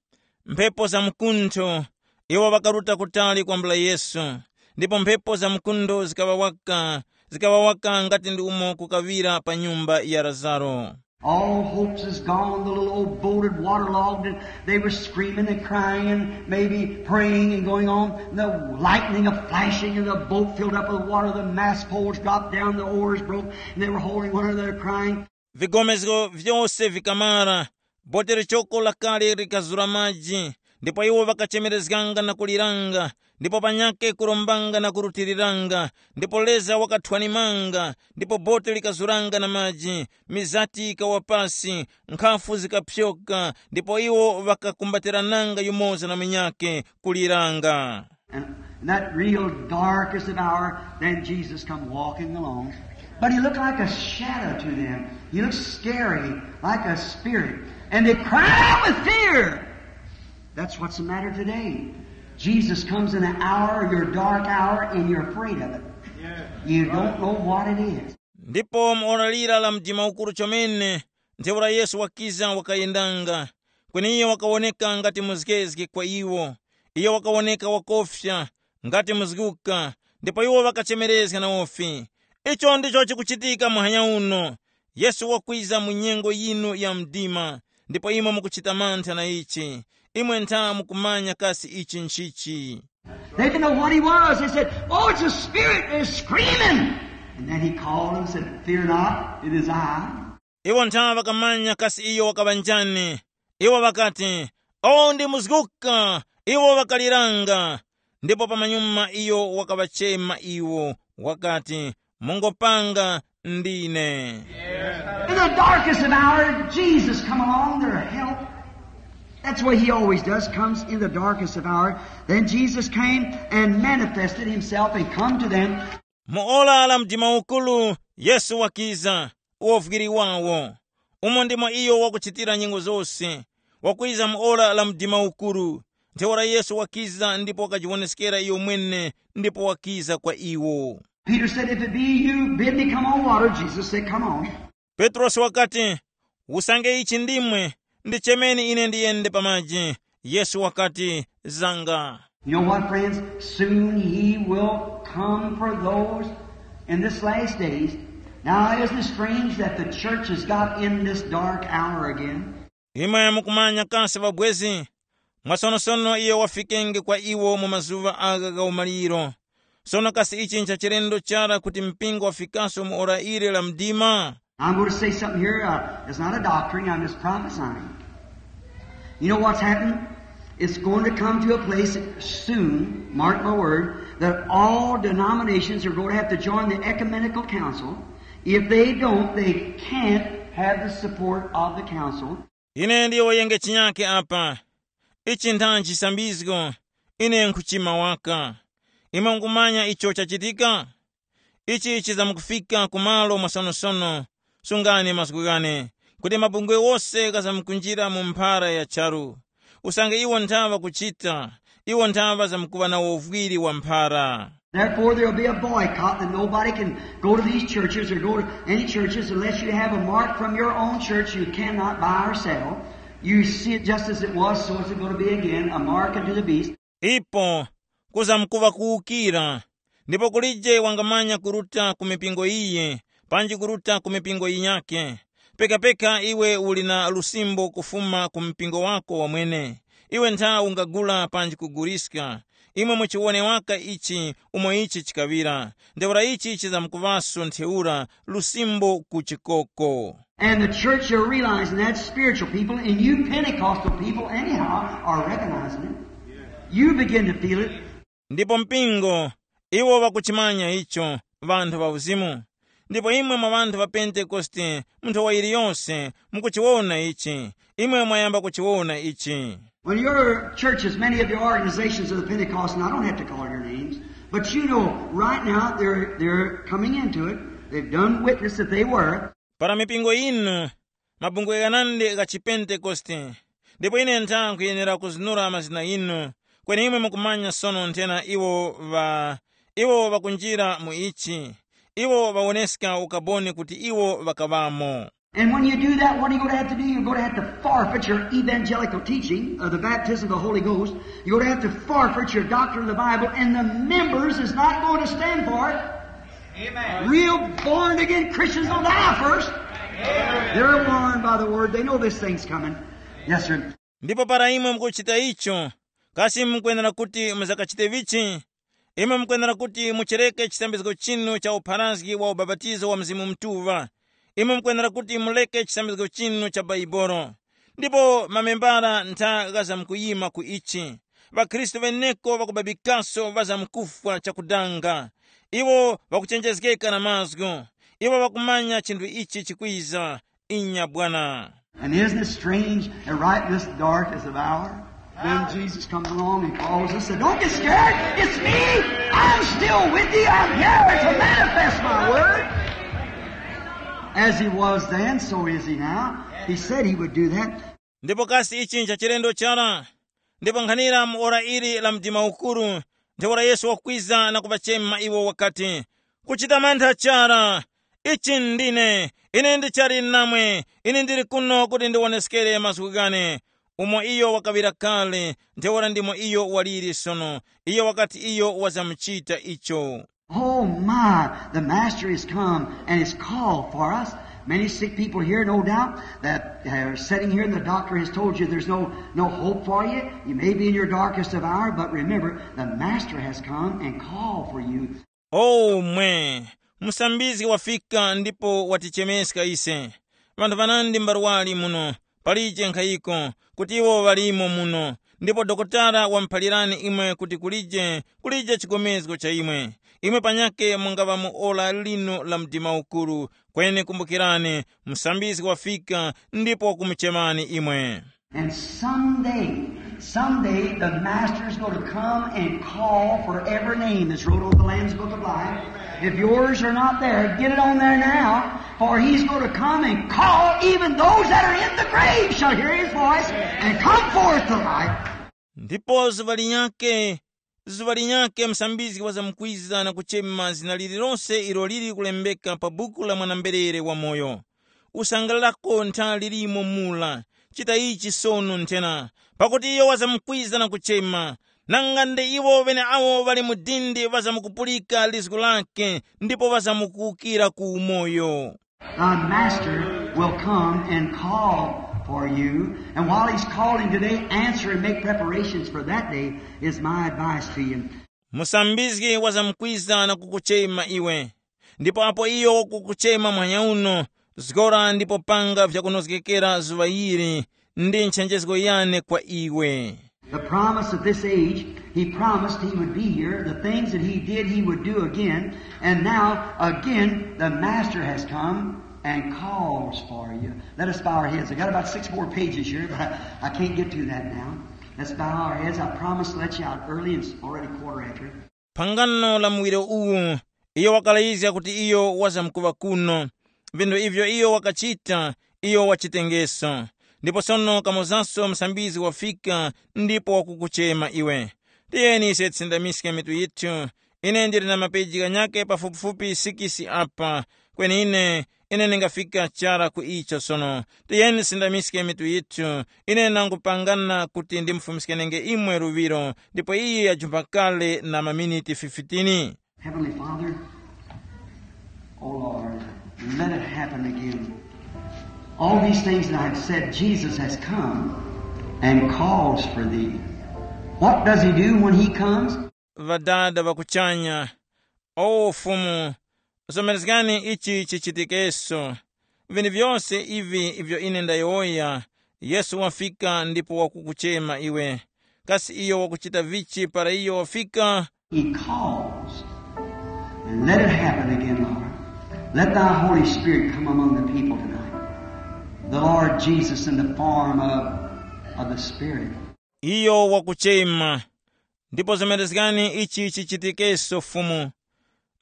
Mphepo za mkuntho, iwo ŵakaruta kutali kwambula Yesu, ndipo mphepo za mkuntho zikaŵa waka, zikaŵa waka ngati ndi umo kukaŵira pa nyumba ya Lazaro. All hopes is gone. The little old boat had waterlogged, and they were screaming and crying and maybe praying and going on. And the lightning a flashing, and the boat filled up with water. The mast poles dropped down, the oars broke, and they were holding one another, crying. Vigomezgo vyose vikamara, bote lichoko lakale likazura maji, ndipo iwo ŵakachemerezganga na kuliranga, ndipo panyakhe kurombanga na kurutiriranga, ndipo leza wakathwanimanga, ndipo bote likazuranga na maji, mizati ikawa pasi, nkhafu zikapyoka, ndipo iwo ŵakakumbatirananga yumoza na munyakhe, kuliranga. And in that real darkest of hour, then Jesus come walking along. But he looked like a shadow to them. He looked scary, like a spirit. And they cried out with fear. That's what's the matter today. Jesus comes in an hour, your dark hour, and you're afraid of it. You don't know what it is. Ndipo mu ora lira la mdima ukuru chomene, ntheura Yesu wakiza wakayendanga, kweni iyo wakawoneka ngati muzgezge kwa iwo. Iyo wakawoneka wakofya, ngati muzguka, ndipo iwo ŵakachemerezga na wofi. Icho ndicho chikuchitika muhanya uno. Yesu wakwiza mu nyengo yinu ya mdima, ndipo imwe mukuchita mantha na ichi. Imwe ntha mukumanya kasi ichi nchichi. They didn't know what he was. They said, "Oh, it's a spirit. They're screaming." And then he called and said, "Fear not, it is I." Iwo ntha ŵakamanya kasi iyo wakaŵa njani. Iwo ŵakati, "Oh, ndi muzguka." Iwo ŵakaliranga. Ndipo pamanyuma iyo wakaŵachema iwo, wakati, "Mungopanga, ndine." In the darkest of hour, Jesus come along their help. That's what he always does, comes in the darkest of hour. Then Jesus came and manifested himself and come to them. Mu ora la mdima ukulu, Yesu wakiza, uwovwiri wawo. Umo ndimo iyo wakuchitira nyengo zose, wakwiza mu ora la mdima ukulu. Ntheura Yesu wakiza ndipo wakajiwoneskera iyo mwene, ndipo wakiza kwa iwo. Peter said, "If it be you, bid me come on water." Jesus said, "Come on." Petrosi wakati, "Usange ichi ndimwe, ndichemeni ine ndiyende pa maji." Yesu wakati, "Zanga." You know what, friends? Soon he will come for those in this last days. Now, isn't it strange that the church has got in this dark hour again? Imwe mukumanya kasi ŵabwezi, mwasonosono iyo wafikenge kwa iwo mu mazuŵa agha gha umaliro. Sono kasi ichi ncha chilendo chara kuti mpingo wafikaso mu ora ili la mdima? I'm going to say something here. Uh, it's not a doctrine. I'm just prophesying. You know what's happened? It's going to come to a place soon, mark my word, that all denominations are going to have to join the ecumenical council. If they don't, they can't have the support of the council. Ine ndiyo yenge chinyake apa. Ichi ntha nchisambizgo. Ine nkhuchima waka. Imwe mukumanya icho chachitika? Ichi chizamkufika kumalo mwasonosono. Sungani mazgu ghane, kuti mabungwe wose ghazamkunjira mu mphara ya charu. Usange iwo nthawa kuchita, iwo nthawa zamkuŵa na uvwiri wa mphara. Therefore, there'll be a boycott that nobody can go to these churches or go to any churches unless you have a mark from your own church you cannot buy or sell. You see it just as it was, so is it going to be again, a mark unto the beast. Ipo kuzamkuŵa kuwukira, ndipo kulije wangamanya kuruta ku mipingo iyi, panji kuruta ku mipingo yinyakhe. Pekapeka iwe uli na lusimbo kufuma ku mpingo wako wamwene. Iwe ntha ungagula panji kuguliska. Imwe muchiwone waka ichi umo ichi chikaŵira. Ntheura ichi chizamkuŵaso ntheura lusimbo ku chikoko. And the church are realizing that, spiritual people, and you Pentecostal people anyhow are recognizing it. You begin to feel it. Ndipo mpingo, iwo wakuchimanya icho, ŵanthu ŵa uzimu. Ndipo imwe mwa ŵanthu ŵa Pentekoste, mu nthowa yiliyonse, mukuchiwona ichi. Imwe mwayamba kuchiwona ichi. Well, your churches, many of your organizations of the Pentecost, and I don't have to call your names, but you know, right now they're, they're coming into it. They've done witness that they were. Para mipingo inu, mabungwe ghanandi gha chipentekoste, ndipo ine ntha nkhuyenera kuzinura mazina inu, kweni imwe mukumanya sono nthena iwo ŵa, iwo ŵakunjira mu ichi, iwo ŵawoneska ukaboni kuti iwo ŵakaŵamo. And when you do that, what are you going to have to do? You're going to have to forfeit your evangelical teaching of the baptism of the Holy Ghost. You're going to have to forfeit your doctrine of the Bible, and the members is not going to stand for it. Amen. Real born again Christians will die first. They're warned by the word. They know this thing's coming. Yes, sir. Ndipo para imwe mukuchita icho, kasi mukwenera kuti muzakachite vichi? Imwe mukwenera kuti muchereke chisambizgo chinu cha upharazgi wa ubapatizo wa Mzimu Mutuŵa. Imwe mukwenera kuti muleke chisambizgo chinu cha Baibolo. Ndipo mamembara ntha ghazamkuyima ku ichi. །ŵakhristu ŵeneko ŵakubabikaso ŵazamkufwa chakudanga. Iwo ŵakuchenjezgeka na mazgu. Iwo ŵakumanya chinthu ichi chikwiza. Inya bwana. And isn't it strange that right in this darkest of hour, then Jesus comes along and calls us, said, "Don't get scared. It's me. I'm still with you. I'm here to manifest my word." As he was then, so is he now. He said he would do that. Ndipo kasi ichi nchachilendo chara? Ndipo nkhanira mu ora ili la mdima ukuru, ntheura Yesu wakwiza na kuŵachema iwo wakati, "Kuchita mantha chara, ichi ndine, ine ndichali namwe, ine ndili kuno kuti ndiwoneskere mazgu ghane." Umo iyo wakaŵira kale, ntheura ndimo iyo waliri sono. Iyo wakati iyo wazamuchita icho. Oh my, the Master has come and has called for us. Many sick people here, no doubt, that are sitting here, and the doctor has told you there's no, no hope for you. You may be in your darkest of hour, but remember, the Master has come and called for you. Oh mwe, musambizgi wafika ndipo watichemeska ise. Vanthu vanandi mbarwali muno, palije nkhayiko, kuti iwo ŵalimo muno. Ndipo dokotala wamuphalirani imwe kuti kulije, kulije chigomezgo cha imwe. Imwe panyake mungaŵa mu ora lino la mdima ukuru. Kweni kumbukirani, musambizgi wafika ndipo wakumuchemani imwe. And someday, someday the Master's going to come and call for every name that's wrote on the Lamb's Book of Life. If yours are not there, get it on there now, for he's going to come and call. Even those that are in the grave shall hear his voice and come forth to life. Ndipo zuŵa linyakhe, zuŵa linyakhe msambizgi wazamkwiza na kuchema zina lililonse ilo lili kulembeka pa buku la mwana-mberere wamoyo. Usangalalako ntha lilimo mura. Chita ichi sono nthena, pakuti iyo wazamkwiza na kuchema. Nanga ndi iwo ŵeneawo ŵali mu dindi ŵazamkupulika lizgu lake, ndipo ŵazamkuwukira ku umoyo. The Master will come and call for you. And while he's calling today, answer and make preparations for that day is my advice to you. Musambizgi wazamkwiza na kukuchema iwe. Ndipo apo iyo wakukuchema mwanya uno, zgora ndipo panga vyakunozgekera zuŵa ili, ndi nchenjezgo yane kwa iwe. The promise of this age, he promised he would be here. The things that he did, he would do again. And now, again, the Master has come and calls for you. Let us bow our heads. I got about six more pages here, but I, I can't get to that now. Let's bow our heads. I promised to let you out early and it's already quarter after. Phangano la muwiro uwu, iyo wakalayizga kuti iyo wazamkuŵa kuno. Vinthu ivyo iyo wakachita, iyo wachitengeso. Ndipo sono kamozanso msambizgi wafika ndipo wakukuchema iwe. Tiyeni ise tisindamiske mitu yithu. Ine ndili na mapeji ghanyakhe pafupifupi sikisi apa. Kweni ine, ine ndingafika chara ku icho sono. Tiyeni tisindamiske mitu yithu. Ine nangupangana kuti ndimufumiskenenge imwe luŵiro, ndipo iye yajumpa kale na maminiti fifteen. Heavenly Father, oh Lord, let it happen again. All these things that I've said, Jesus has come and calls for thee. What does he do when he comes? Ŵadada ŵakuchanya, o Fumu, zomerezgani ichi chichitikeso. Vinthu vyose ivi ivyo ine ndayowoya, Yesu wafika ndipo wakukuchema iwe. Kasi iyo wakuchita vichi para iyo wafika? He calls. And let it happen again, Lord. Let thy Holy Spirit come among the people tonight. The Lord Jesus in the form of, of the Spirit. Iyo wakuchema. Ndipo zomerezgani ichi chichitikeso Fumu.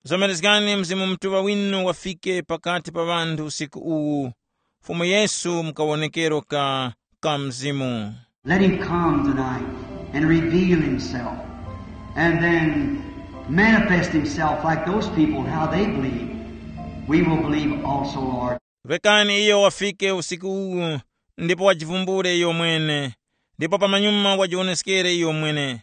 Zomerezgani Mzimu Mutuŵa winu wafike pakati pa ŵanthu usiku uwu. Fumu Yesu mukawonekero ka, ka Mzimu. Let him come tonight and reveal himself and then manifest himself like those people, how they believe. We will believe also, Lord. Rekani iyo wafike usiku uwu, ndipo wajivumbule iyo mwene, ndipo pamanyuma wajiwoneskere iyo mwene.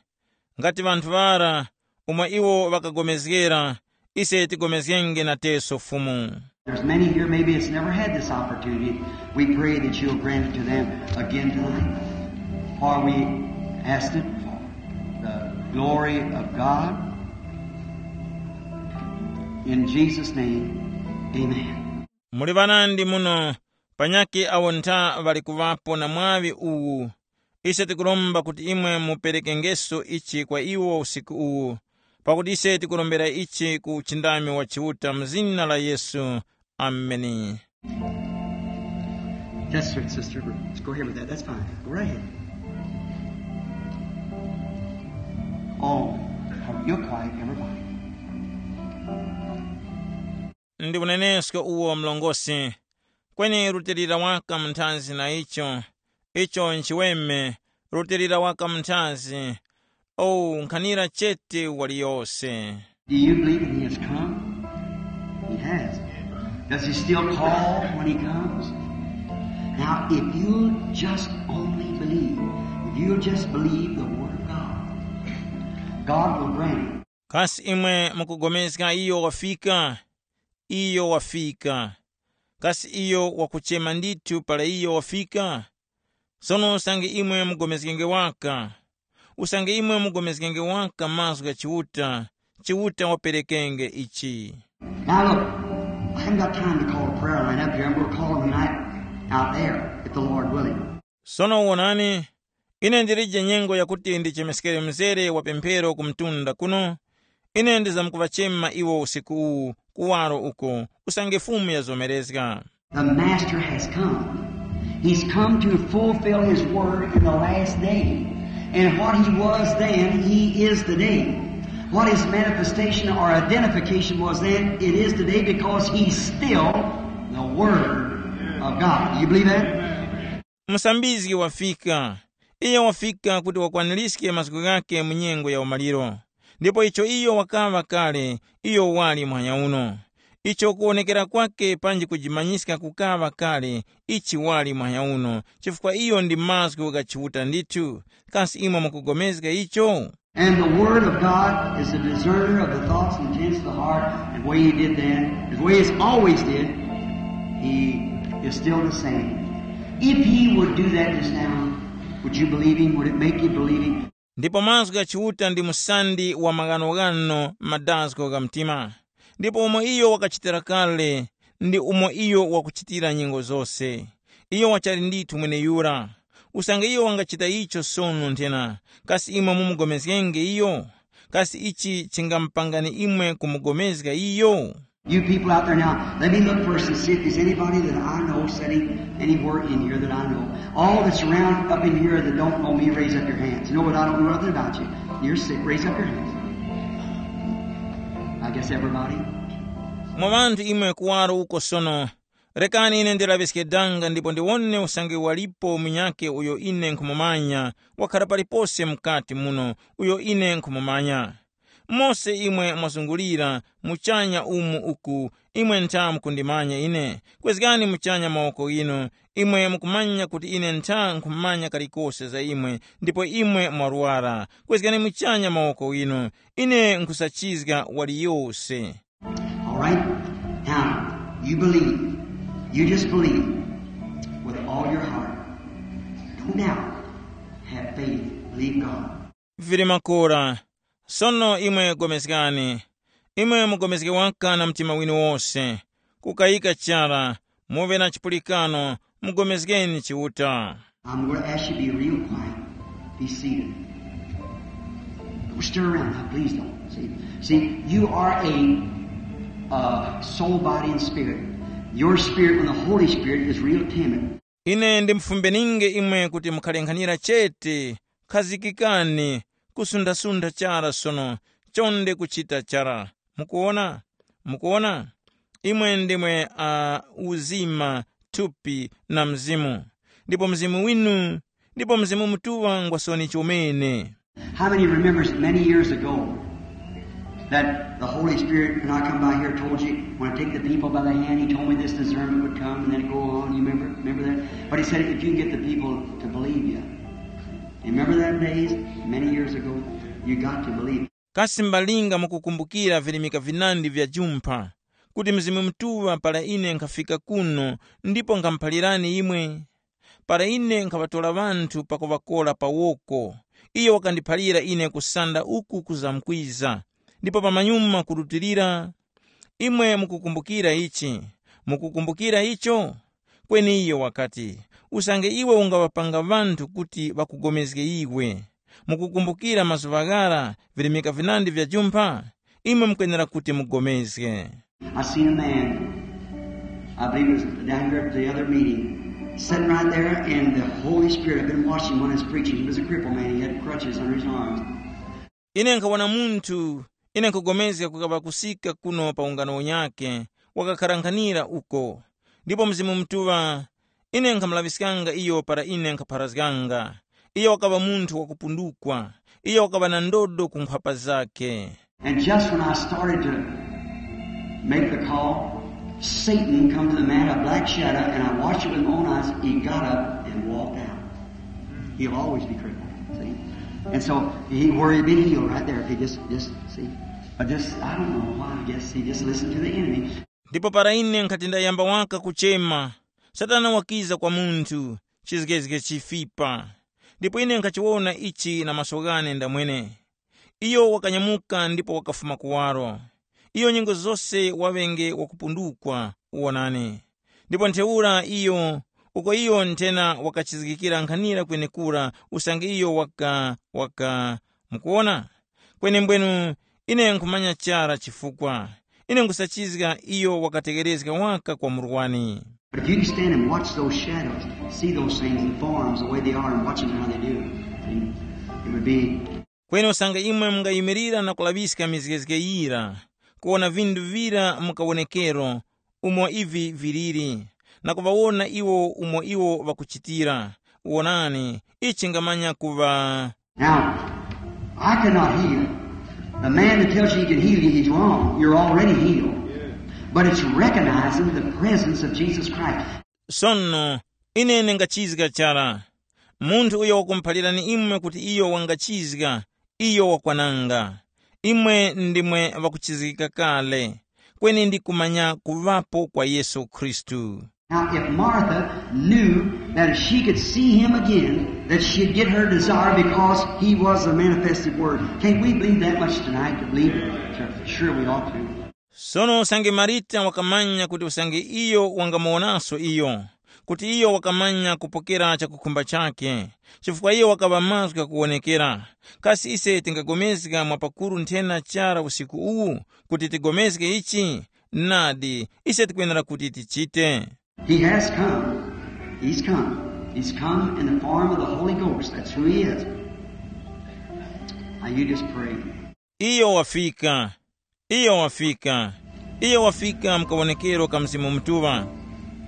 Ngati ŵanthu ŵara, umo iwo ŵakagomezgera, ise tigomezgenge nateso Fumu. There's many here, maybe it's never had this opportunity. We pray that you'll grant it to them again tonight. For we asked it for the glory of God. In Jesus' name, amen. Muli ŵanandi muno, panyakhe awo ntha ŵali kuŵapo na mwaŵi uwu. Ise tikuromba kuti imwe muperekengeso ichi kwa iwo usiku uwu, pakuti ise tikurombera ichi ku uchindami wa Chiuta mu zina la Yesu. Ameni. That's it, sister. Let's go ahead with that. That's fine. Go right ahead. Oh, you're quiet, everybody. Ndi unenesko uwo mlongosi. Kweni rutilira waka mu nthanzi na icho. Icho nchiweme, rutilira waka mu nthanzi. Oh, nkhanira chete waliyose. Do you believe that he has come? He has. Does he still call when he comes? Now, if you'll just only believe, if you'll just believe the word of God, God will grant it. Kasi imwe mukugomezga iyo wafika? Iyo wafika. Kasi iyo wakuchema ndithu para iyo wafika? Sono usange imwe mugomezgenge waka, usange imwe mugomezgenge waka mazgu gha Chiuta, Chiuta waperekenge ichi. Now look, I haven't got time to call a prayer line up here. I'm going to call them tonight out there, if the Lord willing. Sono wonani, ine ndilije nyengo yakuti ndichemeskere mzere wa pemphero ku mtunda kuno. Ine ndizamkuŵachema iwo usiku uwu kuwaro uko, usange Fumu yazomerezga. The Master has come. He's come to fulfill his word in the last day. And what he was then, he is today. What his manifestation or identification was then, it is today, because he's still the Word of God. Do you believe that? Musambizgi wafika. Iyo wafika kuti wakwaniriske mazgu ghake mu nyengo ya umaliro. Ndipo icho iyo wakaŵa kale, iyo wali muhanya uno. Icho kuwonekera kwake panji kujimanyiska kukaŵa kale, ichi wali muhanya uno, chifukwa iyo ndi mazgu gha Chiuta ndithu. Kasi imwe mukugomezga icho? And the Word of God is a discerner of the thoughts and intents of the heart, and the way he did then, the way he's always did, he is still the same. If he would do that just now, would you believe him? Would it make you believe him? Ndipo mazgu gha Chiuta ndi musandi wa maghanoghano madazgo gha mtima. Ndipo umo iyo wakachitira kale, ndi umo iyo wakuchitira nyengo zose. Iyo wachali ndithu mweneyura. Usange iyo wangachita icho sono nthena, kasi imwe mumugomezgenge iyo? Kasi ichi chingamupangani imwe kumugomezga iyo? You people out there now, let me look first and see if there's anybody that I know sitting anywhere in here that I know. All that's around up in here that don't know me, raise up your hands. You know what? I don't know nothing about you. You're sick. Raise up your hands. I guess everybody. Mwa ŵanthu imwe kuwaro uko sono, rekani ine ndilaŵiske danga ndipo ndiwone usange walipo munyakhe uyo ine nkhumumanya, wakhala palipose mukati muno, uyo ine nkhumumanya. Mose imwe mwazungulira muchanya umu uku, imwe ntha mukundimanya ine. Kwezgani muchanya mawoko ghinu, imwe mukumanya kuti ine ntha nkhumanya kalikose za imwe, ndipo imwe mwarwara. Kwezgani muchanya mawoko ghinu, ine nkhusachizga waliyose. All right? Now, you believe. You just believe with all your heart. Don't doubt. Have faith. Believe God. Vili makora. Sono imwe gomezgani. Imwe mugomezge waka na mtima winu wose. Kukayika chara, muve na chipulikano, mugomezgeni Chiuta. I'm going to ask you to be real quiet. Be seated. Don't stir around now, please don't. See, see, you are a uh, soul, body, and spirit. Your spirit and the Holy Spirit is real timid. Ine ndimufumbeninge imwe kuti mukhalenkhanira chete, khazikikani, kusundha-sundha chara sono, chonde kuchita chara. Mukuona? Mukuona? Imwe ndimwe uh, uzima, thupi na mzimu. Ndipo mzimu winu, ndipo Mzimu Mutuŵa ngwa soni chomene. How many remembers many years ago that the Holy Spirit, when I come by here, told you, when I take the people by the hand, he told me this discernment would come and then it go on. You remember? Remember that? But he said, if you can get the people to believe you. You remember that days? Many years ago, you got to believe. Kasi mbalinga mukukumbukira virimika vinandi vya jumpha, kuti Mzimu Mutuŵa para ine nkhafika kuno ndipo nkhamuphalirani imwe? Para ine nkhaŵatora ŵanthu pakuŵakora pa woko, iyo wakandiphalira ine kusanda uku kuzamkwiza, ndipo pamanyuma kurutilira. Imwe mukukumbukira ichi? Mukukumbukira icho? Kweni iyo wakati, usange iwe ungaŵapanga ŵanthu kuti ŵakugomezge iwe, mukukumbukira mazuŵa ghara virimika vinandi vya jumpha? Imwe mukwenera kuti mugomezge. I seen a man, I believe it was down here at the other meeting, sitting right there, and the Holy Spirit, I've been watching when I was preaching. He was a crippled man, he had crutches under his arms. Ine nkhawona munthu, ine nkhugomezga kukaŵa kusika kuno pa ungano unyakhe, wakakharankhanira uko. Ndipo Mzimu Mutuŵa, ine nkhamulaŵiskanga iyo para ine nkhapharazganga. Iyo wakaŵa munthu wakupundukwa. Iyo wakaŵa na ndodo ku nkhwapa zakhe. And just when I started to make the call, Satan come to the man, a black shadow, and I watched it with my own eyes. He got up and walked out. He'll always be crippled, see? And so he where he been healed right there. If he just, just, see? But just, I don't know why, I guess he just listened to the enemy. Ndipo para ine nkhati ndayamba waka kuchema, Satana wakiza kwa munthu, chizgezge chifipa. Ndipo ine nkhachiwona ichi na maso ghane ndamwene. Iyo wakanyamuka ndipo wakafuma kuwaro. Iyo nyengo zose waŵenge wakupundukwa, uwonani. Ndipo ntheura iyo, uko iyo nthena wakachizgikira nkhanira kwenekura usange iyo waka, waka, mukuwona? Kwenembwenu, ine nkhumanya chara chifukwa. Ine nkhusachizga iyo wakategherezga waka kwa murwani. But if you can stand and watch those shadows, see those things in forms the way they are and watch them how they do, see, it would be. Kweni usange imwe mungayimirira na kulaŵiska mizgezge yira, kuwona vinthu vira mu kawonekero umo ivi viliri, na kuŵawona iwo umo iwo ŵakuchitira, wonani, ichi chingamanya kuŵa. Now, I cannot heal. The man that tells you he can heal you, he's wrong. You're already healed. But it's recognizing the presence of Jesus Christ. Sono, ine ndingachizga chara. Munthu uyo wakumuphalirani imwe kuti iyo wangachizga, iyo wakwananga. Imwe ndimwe ŵakuchizgika kale, kweni ndi kumanya kuŵapo kwa Yesu Khristu. Now, if Martha knew that if she could see him again, that she'd get her desire because he was the manifested word. Can't we believe that much tonight to believe it? Sure, sure we ought to. Sono usange Marita wakamanya kuti usange iyo wangamuwonaso iyo, kuti iyo wakamanya kupokera chakukhumba chakhe, chifukwa iyo wakaŵa mazgu ghakuwonekera. Kasi ise tingagomezga mwapakuru nthena chara usiku uwu kuti tigomezge ichi? Nadi, ise tikwenera kuti tichite. He has come. He's come. He's come in the form of the Holy Ghost. That's who he is. Now you just pray. Iyo wafika. Iyo wafika. Iyo wafika mu kawonekero ka Mzimu Mutuŵa.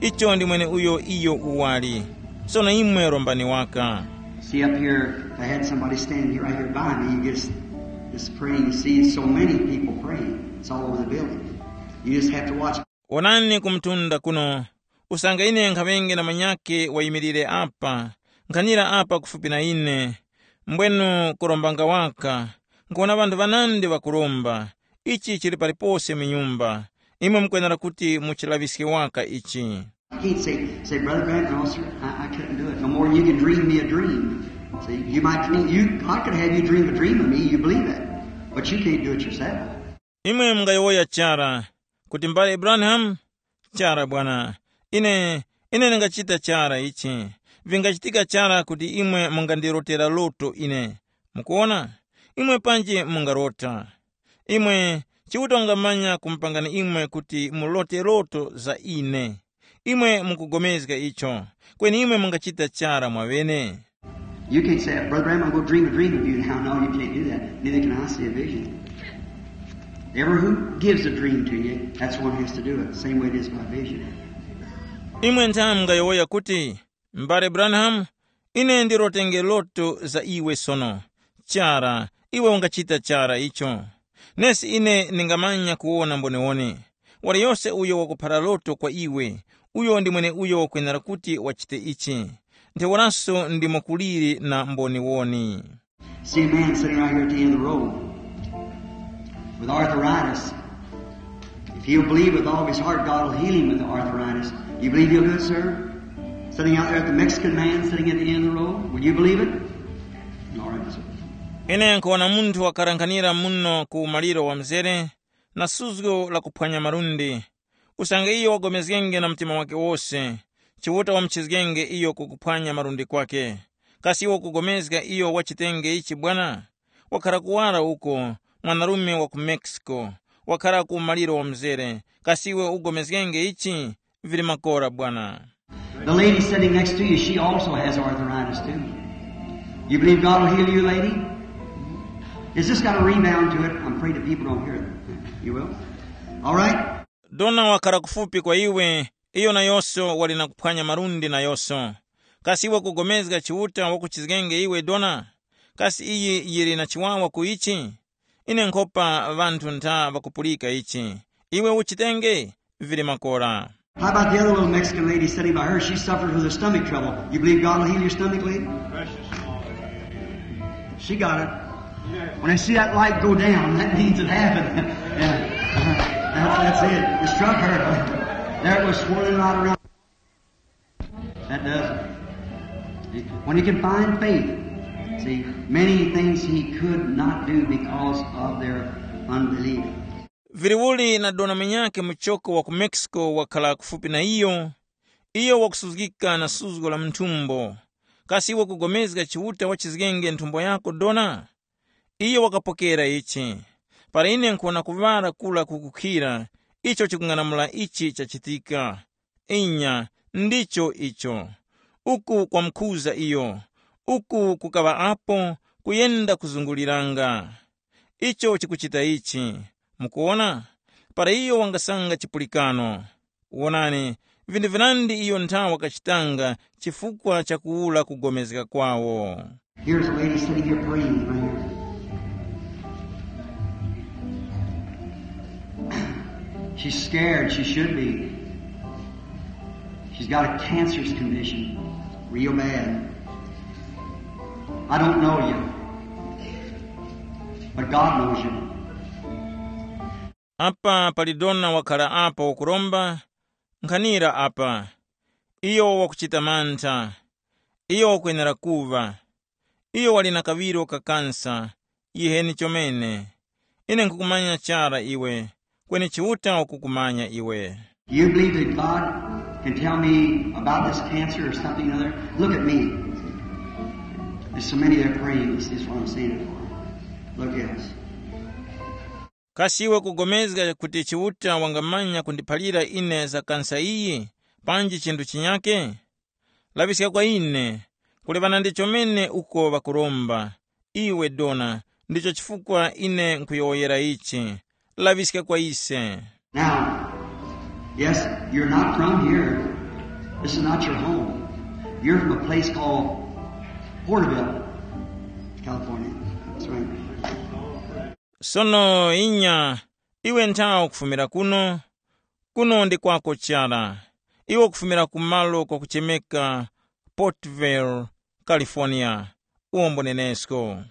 Icho ndi mweneuyo iyo uwali. Sono imwe rombani waka. See up here, if I had somebody standing here right here by me, you just, just praying. You see so many people praying. It's all over the building. You just have to watch. Onani ku mtunda kuno, usange ine nkhaŵenge na manyake wayimirire apa, nkhanira apa kufupi na ine, mbwenu kurombanga waka, nkuwona ŵanthu ŵanandi ŵakuromba. Ichi chili palipose mu nyumba. Imwe mukwenera kuti muchilaŵiske waka ichi. I can't say, say, Brother Branham, no, sir, I, I couldn't do it. No more than you can dream me a dream. See, you might dream, you, I could have you dream a dream of me, you believe that. But you can't do it yourself. Imwe mungayowoya chara kuti, mbale Branham, chara bwana, ine, ine ndingachita chara ichi. Vingachitika chara kuti imwe mungandirotera loto ine. Mukuona? Imwe panji mungarota. Imwe, Chiuta wangamanya kumupangani imwe kuti mulote loto za ine. Imwe mukupulikana icho, kweni imwe mungachita chara mwaŵene. You can't say, Brother Branham, I'm going to dream a dream of you now. No, you can't do that. Neither can I see a vision. Ever who gives a dream to you, that's one has to do it. Same way it is by vision. Imwe nthamu mungayowoya kuti, M'bale Branham, ine ndirotenge loto za iwe sono. Chara, iwe ungachita chara icho. Nesi ine ndingamanya kuwona mboniwoni. Waliyose uyo wakuphara loto kwa iwe, uyo ndi mweneuyo wakwenera kuti wachite ichi. Ntheuraso ndimo kuliri na mboniwoni. See a man sitting right here at the end of the road with arthritis. If he'll believe with all of his heart, God will heal him with the arthritis. You believe he'll do it, sir? Sitting out there at the Mexican man sitting at the end of the road, will you believe it? All right, sir. Ine nkuwona munthu wakarankhanira muno ku maliro wa mzere na suzgo la kuphwanya malundi. Usange iyo wagomezgenge na mtima wake wose, Chiuta wamuchizgenge iyo kukuphwanya malundi kwake. Kasi iwe ukugomezga iyo wachitenge ichi bwana? Wakhara kuwara uko, mwanarume wa ku Mexico, wakhara ku maliro wa mzere. Kasi iwe ugomezgenge ichi? Vili makora bwana. The lady sitting next to you, she also has arthritis too. You believe God will heal you, lady? It's just got a rebound to it. I'm afraid the people don't hear it. You will? All right? Dona wakhala kufupi kwa iwe, iyo nayonso wali na kuphwanya malundi nayonso. Kasi iwe kugomezga Chiuta wakuchizgenge iwe dona? Kasi iyi yili na chiwawa ku ichi? Ine nkhopa ŵanthu ntha ŵakupulika ichi. Iwe uchitenge? Vili makora. How about the other little Mexican lady sitting by her? She suffers with her stomach trouble. You believe God will heal your stomach, lady? She got it. When I see that light go down, that means it happened. Yeah. That's, that's it. It struck her. There it was swirling right around. That does it. When he can find faith, see, many things he could not do because of their unbelief. Viliuli na dona mwenyakhe muchoko wa ku Mexico wakhala kufupi na iyo, iyo wakusuzgika na suzgo la mu nthumbo. Kasi iwe kugomezga Chiuta wachizgenge nthumbo yako dona? Iyo wakapokera ichi. Para ine nkuwona kuŵala kura kukukhira, icho chikung'anamula ichi chachitika. Inya, ndicho icho. Uku kwamukhuza iyo. Uku kukaŵa apo kuyenda kuzunguliranga. Icho chikuchita ichi. Mukuwona? Para iyo wangasanga chipulikano. Wonani, vinthu vinandi iyo nthawa wakachitanga chifukwa cha kuwura kugomezga kwawo. Here's a lady sitting here praying right here. She's scared. She should be. She's got a cancerous condition, real bad. I don't know you, but God knows you. Apa pali dona wakhala apa wakuromba, nkhanira apa. Iyo wakuchita mantha. Iyo wakwenera kuva. Iyo wali na kaŵiro ka kansa. Yiheni chomene. Ine nkhukumanya chara iwe, kweni Chiuta wakukumanya iwe. You believe that God can tell me about this cancer or something or other? Look at me. There's so many that are praying. This is what I'm saying it for. Look at us. Kasi iwe kugomezga kuti Chiuta wangamanya kundiphalira ine za kansa iyi, panji chinthu chinyake? Laŵiska kwa ine, kulebana ndi chomene uko ŵakuromba. Iwe dona, ndicho chifukwa ine nkhuyowoyera ichi. Laŵiska kwa ise. Now, yes, you're not from here. This is not your home. You're from a place called Porterville, California. That's right. Sono inya, iwe nthawe ukufumira kuno, kuno ndi kwako chara. Iwe ukufumira ku malo kwakuchemeka Portville, California. Uwombo nenesko.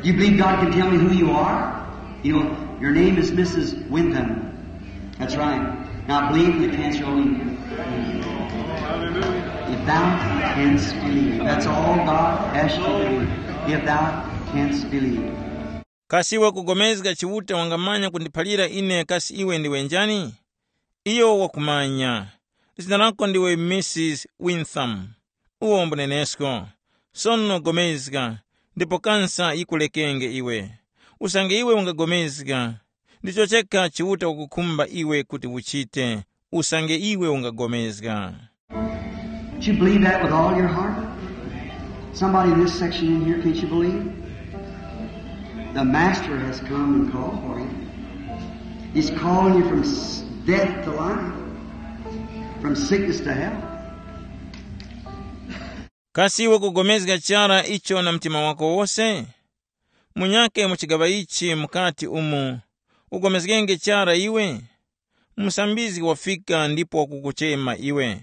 You believe God can tell me who you are? You know, your name is Missus Wyndham. That's right. Now believe in the cancer only. If thou canst believe. That's all God asks you to do. If thou canst believe. Kasi iwe kugomezga Chiuta wangamanya kundiphalira ine kasi iwe ndiwe njani? Iyo wakumanya. Zina lako ndiwe Missus Wintham. Uwombo nenesko. Sono gomezga, ndipo kansa yikulekenge iwe. Usange iwe ungagomezga, ndicho chekha Chiuta wakukhumba iwe kuti uchite, usange iwe ungagomezga. Don't you believe that with all your heart? Somebody in this section in here, can't you believe? The Master has come and called for you. He's calling you from s- death to life, from sickness to health. Kasi iwe kugomezga chara icho na mtima wako wose? Munyake mu chigaŵa ichi mukati umu, ugomezgenge chara iwe? Musambizgi wafika ndipo wakukuchema iwe.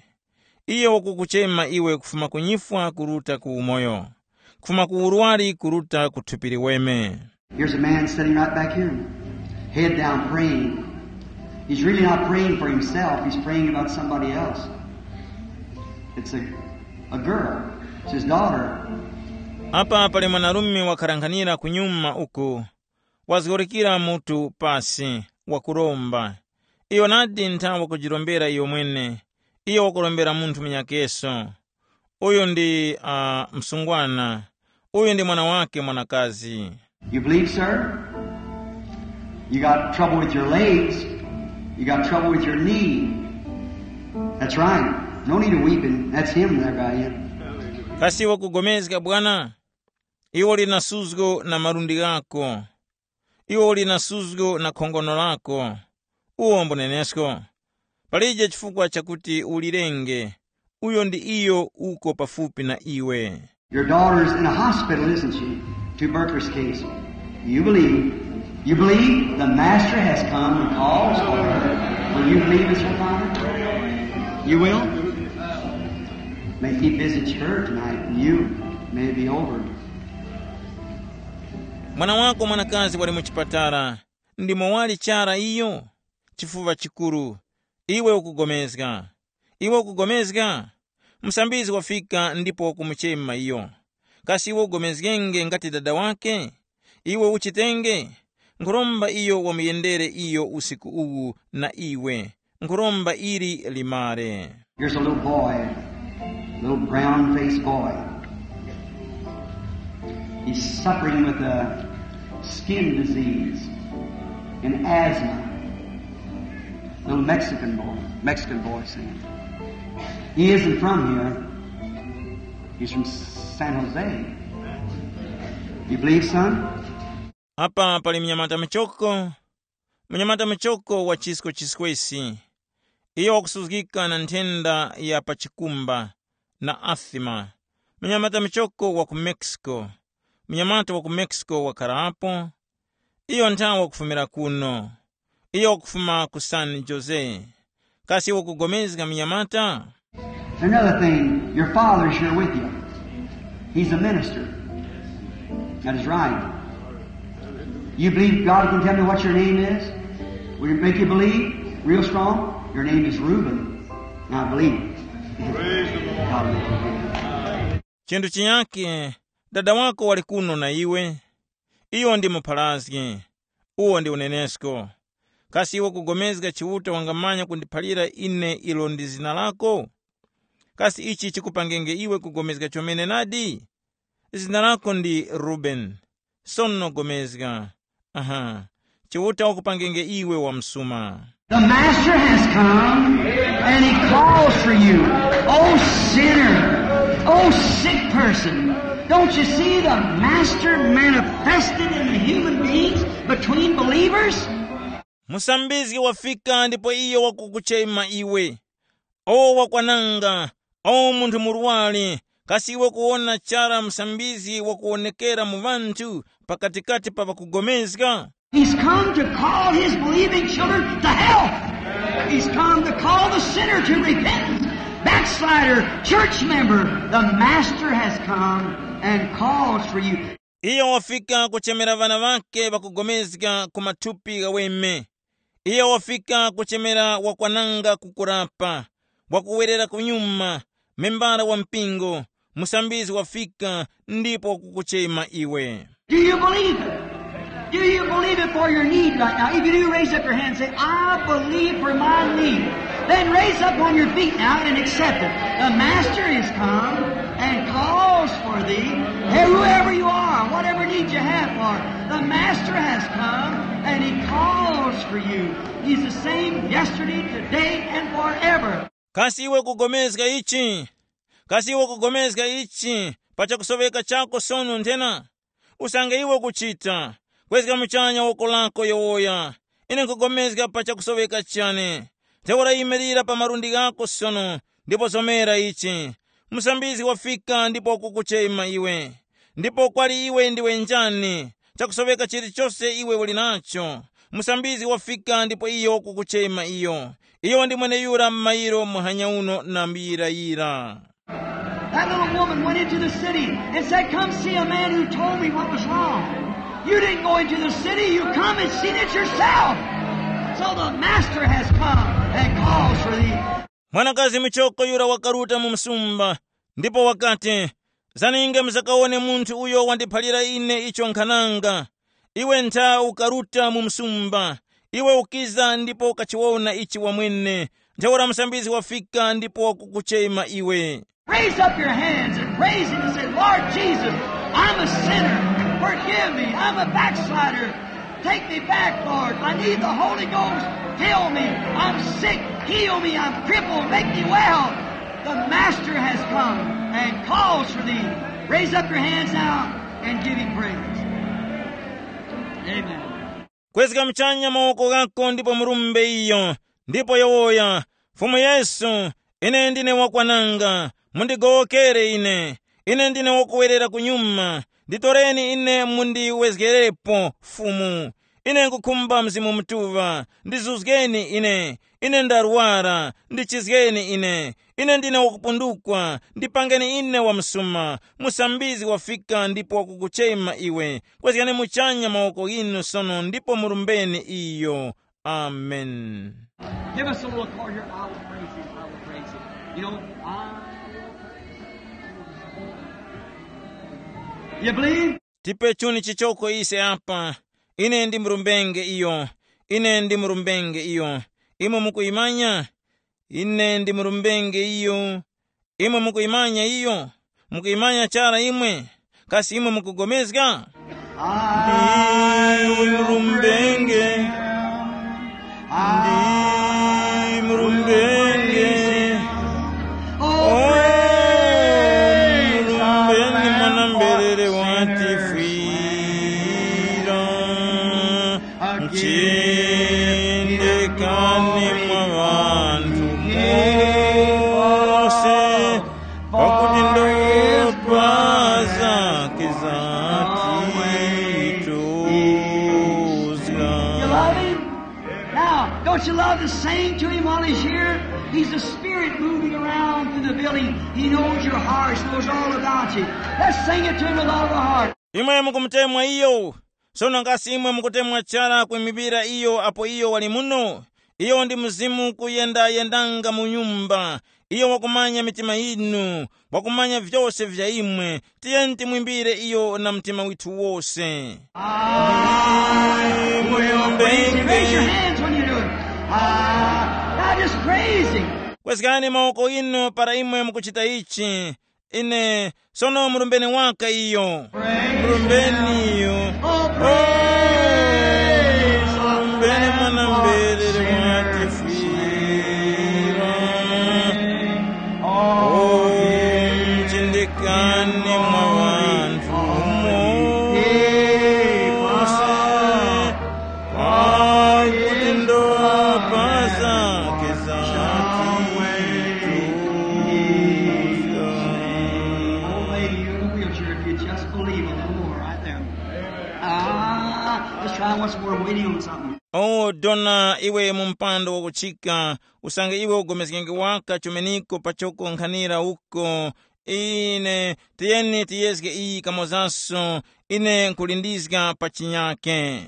Iyo wakukuchema iwe kufuma ku nyifwa kuruta ku umoyo, kufuma ku urwari kuruta ku thupi liweme. Here's a man sitting right back here, head down, praying. He's really not praying for himself, he's praying about somebody else. It's a, a girl, it's his daughter. Apa pali mwanarume wakharanghanira kunyuma uku, wazgorokera mutu pasi, wakuromba. Iyo nadi ntha wakujirombera iyo mwene, iyo wakurombera munthu munyakeso. Uyu ndi uh, msungwana. Uyu ndi mwana wake mwanakazi. You believe, sir? You got trouble with your legs. You got trouble with your knee. That's right. No need of weeping. That's him there by you. Kasi wakugomezga bwana? Iwo lina suzgo na malundi ghako. Iwo lina suzgo na khongono lako. Uwo mbunenesko. Palije chifukwa chakuti ulirenge. Uyo ndi iyo uko pafupi na iwe. Your daughter's in a hospital, isn't she? Tuberculosis case. You believe. You believe the master has come and calls for her. Will you believe, Mister Father? You will? May he visits her tonight and you may be over. Mwana wako mwanakazi wali mu chipatala. Ndimo wali chara iyo? Chifuva chikuru. Iwe ukugomezga. Iwe ukugomezga? Msambizgi wafika ndipo wakumuchema iyo. Kasi iwe ugomezgenge ngati dada wake? Iwe uchitenge? Nkhuromba iyo wamuyendere iyo usiku uwu na iwe. Nkhuromba ili limare. Here's a little boy, little brown-faced boy. He's suffering with a skin disease and asthma. Little Mexican boy, Mexican boy singing. He isn't from here. He's from San Jose. You believe, son? Apa pali mnyamata michoko, mnyamata michoko wa chisko chiskwesi. Iyo wakusuzgika na nthenda ya pa chikumba na asima. Mnyamata michoko wa ku Mexico. Mnyamata wa ku Mexico wakharapo. Iyo nthawe wakufumira kuno. Iyo wakufuma ku San Jose. Kasi wakugomezga mnyamata? Another thing, your father's here with you. He's a minister. That is right. You believe God can tell me what your name is? Will it make you believe real strong? Your name is Reuben. Now believe. Praise the Lord. God will forgive you. Chinthu chinyake, dada wako wali kuno na iwe. Iyo ndi mupharazgi. Uwo ndi unenesko. Kasi iwe kugomezga Chiuta wangamanya kundiphalira ine ilo ndi zina lako? Kasi ichi chikupangenge iwe kugomezga chomene nadi? Zina lako ndi Rubeni. Sono gomezga. Aha. Chiuta wakupangenge iwe wamsuma. The Master has come and he calls for you. Oh sinner, oh sick person, don't you see the Master manifested in the human beings between believers? Musambizgi wafika ndipo iyo wakukuchema iwe. O wakwananga, o munthu murwari, kasi iwe kuwona chara musambizgi wakuwonekera mu ŵanthu pakatikati pa ŵakugomezga? He's come to call his believing children to health. He's come to call the sinner to repentance. Backslider, church member, the Master has come and calls for you. Iyo wafika kuchemera ŵana ŵake ŵakugomezga ku mathupi ghaweme. Iyo wafika kuchemera wakwananga kukurapa, wakuwerera kunyuma, membara wa mpingo, musambizgi wafika ndipo wakukuchema iwe. Do you believe it? Do you believe it for your need right now? If you do, raise up your hand and say, "I believe for my need." Then raise up on your feet now and accept it. The Master has come and calls for thee. Hey, whoever you are, whatever need you have for, the Master has come and he calls for you. He's the same yesterday, today, and forever. Kasi iwe kugomezga ichi? Kasi iwe kugomezga ichi pa chakusoveka chako sono nthena? Usange iwe kuchita, kwezga muchanya woko lako yowoya. Ine nkugomezga pa chakusoveka chane. Ntheura yimirira pa malundi ghako sono, ndipo zomera ichi. Musambizgi wafika ndipo wakukuchema iwe. Ndipo kwali iwe ndiwe njani? Chakusoveka chilichose iwe uli nacho. Musambizgi wafika ndipo iyo wakukuchema iyo. Iyo ndi mweneyura m'mayiro muhanya uno na mbuyirayira. That little woman went into the city and said, "Come see a man who told me what was wrong." You didn't go into the city, you come and seen it yourself. So the master has come and calls for thee. Mwanakazi muchoko yura wakaruta mu msumba, ndipo wakati, "Zaninge muzakawone munthu uyo wandiphalira ine icho nkhananga. Iwe ntha ukaruta mu msumba, iwe ukiza ndipo ukachiwona ichi wamwene. Ntheura musambizgi wafika ndipo wakukuchema iwe." Raise up your hands and praise Him and say, "Lord Jesus, I'm a sinner. Forgive me. I'm a backslider. Take me back, Lord. I need the Holy Ghost. Fill me. I'm sick. Heal me. I'm crippled. Make me well. The Master has come and calls for thee." Raise up your hands now and give Him praise. Amen. Kwezga muchanya mawoko ghako ndipo murumbe iyo, ndipo yowoya, "Fumu Yesu, ine ndine wakwananga, mundigowokere ine. Ine ndine wakuwerera kunyuma, nditoreni ine mundiwezgerepo, Fumu. Ine nkhukhumba Mzimu Mutuŵa, ndizuzgeni ine. Ine ndarwara, ndichizgeni ine. Ine ndine wakupundukwa, ndipangeni ine wamsuma. Musambizgi wafika ndipo wakukuchema iwe. Kwezgani muchanya mawoko ghinu sono ndipo murumbeni iyo." Amen. Give us a little chord here. I will praise him. I will praise him. You know, I will praise him. You believe? Tipe chuni chichoko ise apa. Ine ndimurumbenge iyo. Ine ndimurumbenge iyo. Imwe mukuyimanya? Ine ndimurumbenge iyo. Imwe mukuyimanya iyo? Mukuyimanya chara imwe? Kasi imwe mukugomezga? Ndimurumbenge. Ndimurumbenge. Owe, murumbeni mwana mberere watifwira. Mchindikani mwa ŵanthu mose, pakuti ndopa zake zatituzga. You love him? Now, don't you love to sing to him while he's here? He's the Spirit moving around through the building. He knows your heart, knows all about you. Let's sing it to him with all of our heart. Imwe mukumutemwa iyo, sono kasi imwe mukutemwa chara kwimipira iyo apo iyo wali muno? Iyo ndi Mzimu kuyendayendanga mu nyumba. Iyo wakumanya mitima yinu, wakumanya vyose vya imwe. Tiyeni timwimbire iyo na mtima withu wose. Praise him. Raise your hands when you do it. Ah, now just praise him. Kwezgani mawoko inu para imwe mukuchita ichi. Ine, sono murumbeni waka iyo. Murumbeni iyo. Oh, praise, murumbeni mwana mberere watifwira. Oh, mchindikani mwa ŵanthu mose. Pakuti ndopa zake zatituzga. Old lady, you're in a wheelchair. If you just believe a little more right there. Ah, let's try once more. Waiting on something. O dona, iwe mu mpando wakuchika, usange iwe ugomezgenge waka chumeniko pachoko nkhanira uko. Ine, tiyeni tiyezge iyi kamozaso, ine nkulindizga pa chinyake.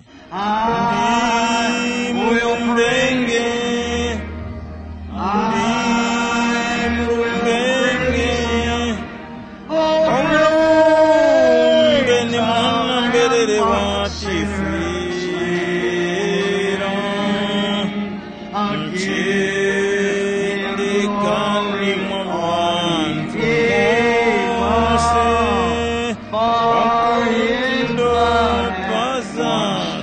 Ndi murumbenge, ndi murumbenge, omulumbe ni mwana mberere wa chifwiro. Mchindikani mwa ŵanthu mose, pakuti ndopa zake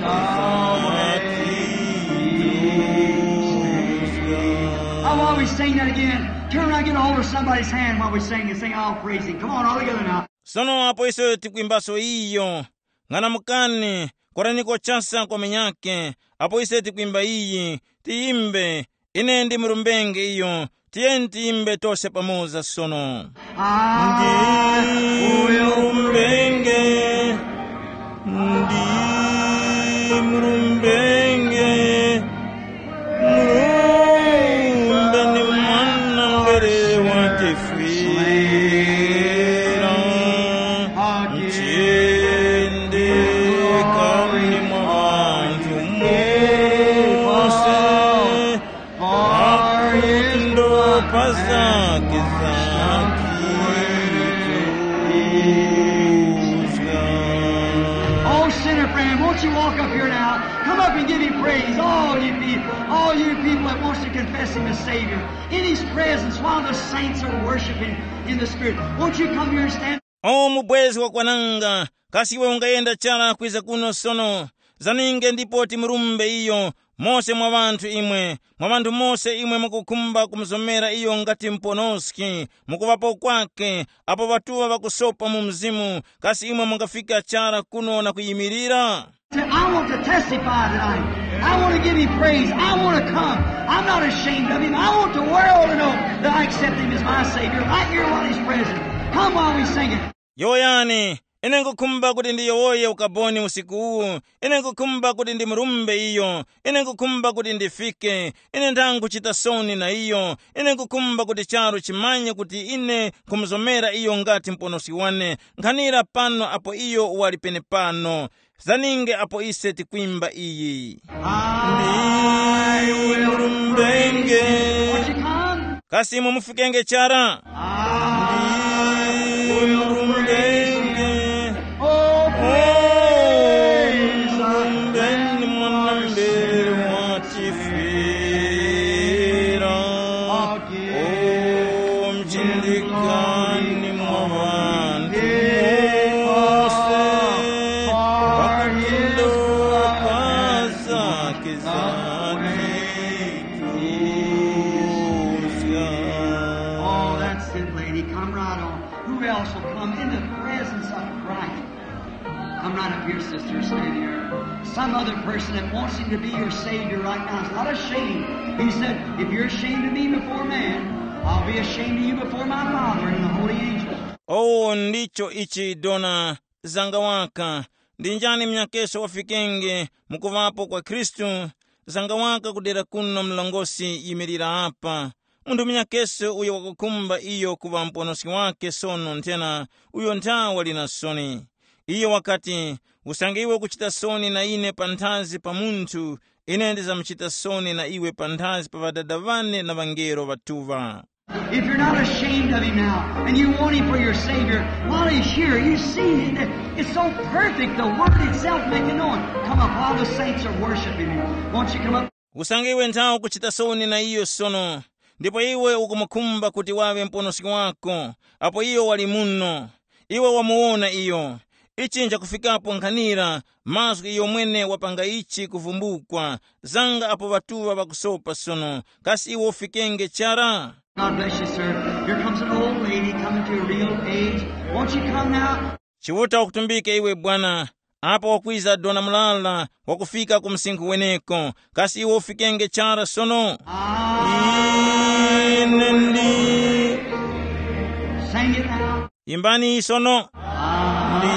zatituzga. Now, while we sing that again, turn around, get a hold of somebody's hand while we sing and sing, "I'll praise him." Come on, all together now. Sono apo ise tikwimbaso iyo, ng'anamukani, koraniko chasa kwa menyake, apo ise tikwimba iyi, tiyimbe, ine ndi murumbenge iyo, tiyeni tiyimbe tose pamoza sono. Ndi murumbenge, ndi murumbenge, Murumbe ni mwana mberere wa chifwira, mchindikani mwa ŵanthu mose. Zake zake. Oh, sinner friend, won't you walk up here now? Come up and give him praise. All you people, all you people that wants to confess him as Savior, in his presence while the saints are worshiping in the Spirit. Won't you come here and stand? O mubwezi wakwananga, kasi iwe ungayenda chara kwiza kuno sono? Zaninge ndipo timurumbe iyo, mose mwa ŵanthu imwe, mwa ŵanthu mose imwe mukukhumba kumuzomera iyo ngati muponoski, mukuŵapo kwake, apo ŵatuŵa ŵakusopa mu mzimu, kasi imwe mungafika chara kuno na kuyimirira? Say, I want to testify tonight. I want to give him praise. I want to come. I'm not ashamed of him. I want the world to know that I accept him as my Savior right here while he's present. Come while we sing it. Yowoyani, ine nkukhumba kuti ndiyowoye ukaboni usiku uwu. Ine nkukhumba kuti ndimurumbe iyo. Ine nkukhumba kuti ndifike. Ine ndangachita soni na iyo. Ine nkukhumba kuti charu chimanye kuti ine nkhumuzomera iyo ngati muponoski wane. Nkhanira pano apo iyo wali penepano. Zaninge apo ise tikwimba iyi. I will rumbenge. Won't you come? Kasi imwe mufikenge chara? I will rumbenge. Oh, praise. Rumbenge mwanambe wa chifira. O mchindikani mwa ŵanthu mose, pakutindoka zake zatichuzga. Oh, that's it, lady. Come right on. Who else will come in the presence of Christ? Come right up here, sister. Stand here. Some other person that wants him to be your Savior right now is not ashamed. He said, if you're ashamed of me before man, I'll be ashamed of you before my Father and the holy angels. Owo ndicho ichi dona zanga waka. Ndi njani mnyakeso wafikenge mukuŵapo kwa Khristu? Zanga waka kudera kuno mlongosi yimirira apa. Munthu munyakeso uyo wakukhumba iyo kuŵa muponoski wake sono nthena uyo nthawa wali na soni. Iyo wakati, usange iwe ukuchita soni na ine panthazi pa munthu, ine ndizamuchita soni na iwe panthazi pa ŵadada ŵane na ŵangelo ŵatuŵa. If you're not ashamed of him now and you want him for your Savior, while he's here, you see that it's so perfect, the Word itself making known. Come up while the saints are worshiping him. Won't you come up? Usange iwe nthawe ukuchita soni na iyo sono, ndipo iwe ukumukhumba kuti waŵe muponoski wako, apo iyo wali muno, iwe wamuwona iyo. Ichi nchakufikapo nkhanira, mazgu iyo mwene wapanga ichi kuvumbukwa, zanga apo ŵatuŵa ŵakusopa sono, kasi iwe ufikenge chara? God bless you, sir. Here comes an old lady coming to a real age. Won't you come now? Chiuta wakutumbike iwe bwana, apo wakwiza dona mulala wakufika ku msinkhu weneko, kasi iwe ufikenge chara sono? Ine ndi. Sing it now. Imbani sono. Ndi.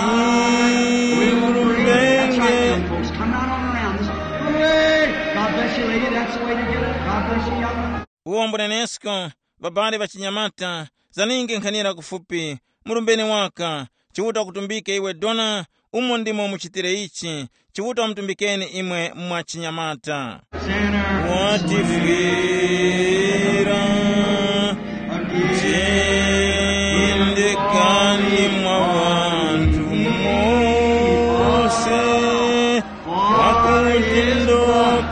That's right, young folks. Come right on around. This, hey, God bless you, lady. That's the way to do it. God bless you, young. Uwo mbunenesko, babali ŵachinyamata, zaninge nkhanira kufupi, murumbeni waka. Chiuta wakutumbike iwe dona, umo ndimo muchitire ichi. Chiuta wamutumbikeni imwe mwa chinyamata. Sinner. Watifwira, jendekani mwa ŵanthu mose. Wakutendo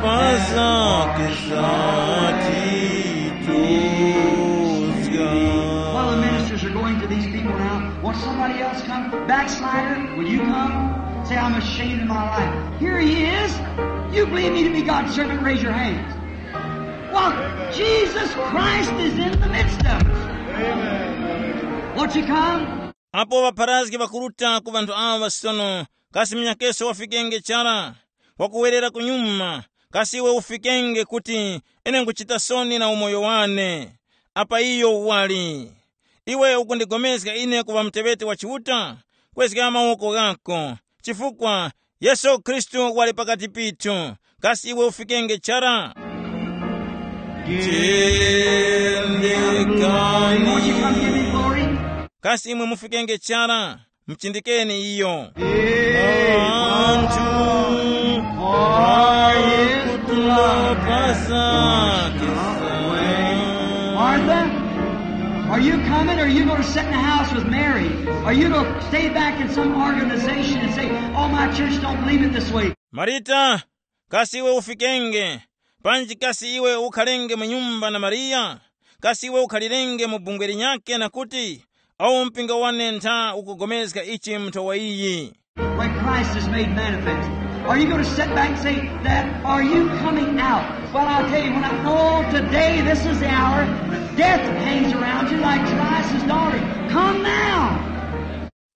pa zake zatituzga. While the ministers are going to these people now, won't somebody else come? Backslider, will you come? Say, I'm ashamed of my life. Here he is. You believe me to be God's servant, raise your hands. Well, Jesus Christ is in the midst of us. Won't you come? Apo ŵapharazgi ŵakuruta ku ŵanthu aŵa sono, kasi munyakeso wafikenge chara? Wakuwerera kunyuma, kasi iwe ufikenge kuti ine nkuchita soni na umoyo wane? Apa iyo wali. Iwe ukundigomezga ine kuŵa muteŵeti wa Chiuta? Kwezga mawoko ghako, chifukwa Yesu Khristu wali pakati pithu, kasi iwe ufikenge chara? Jendekani. Won't you come give me glory? Kasi imwe mufikenge chara? Mchindikeni iyo. Anthu akutula pasakisa. Martha, Are you coming or are you going to sit in the house with Mary? Are you going to stay back in some organization and say, "Oh, my church don't believe it this way"? Marita, kasi iwe ufikenge? Panji kasi iwe ukhalenge mu nyumba na Mariya? Kasi iwe ukhalirenge mu bungwe linyakhe na kuti, "Awu mpingo wane ntha ukupulikana ichi mu nthowa iyi"? When Christ is made manifest, are you going to sit back and say that? Are you coming out? Well, I'll tell you, when I know today this is the hour, death hangs around you like Jairus' daughter. Come now.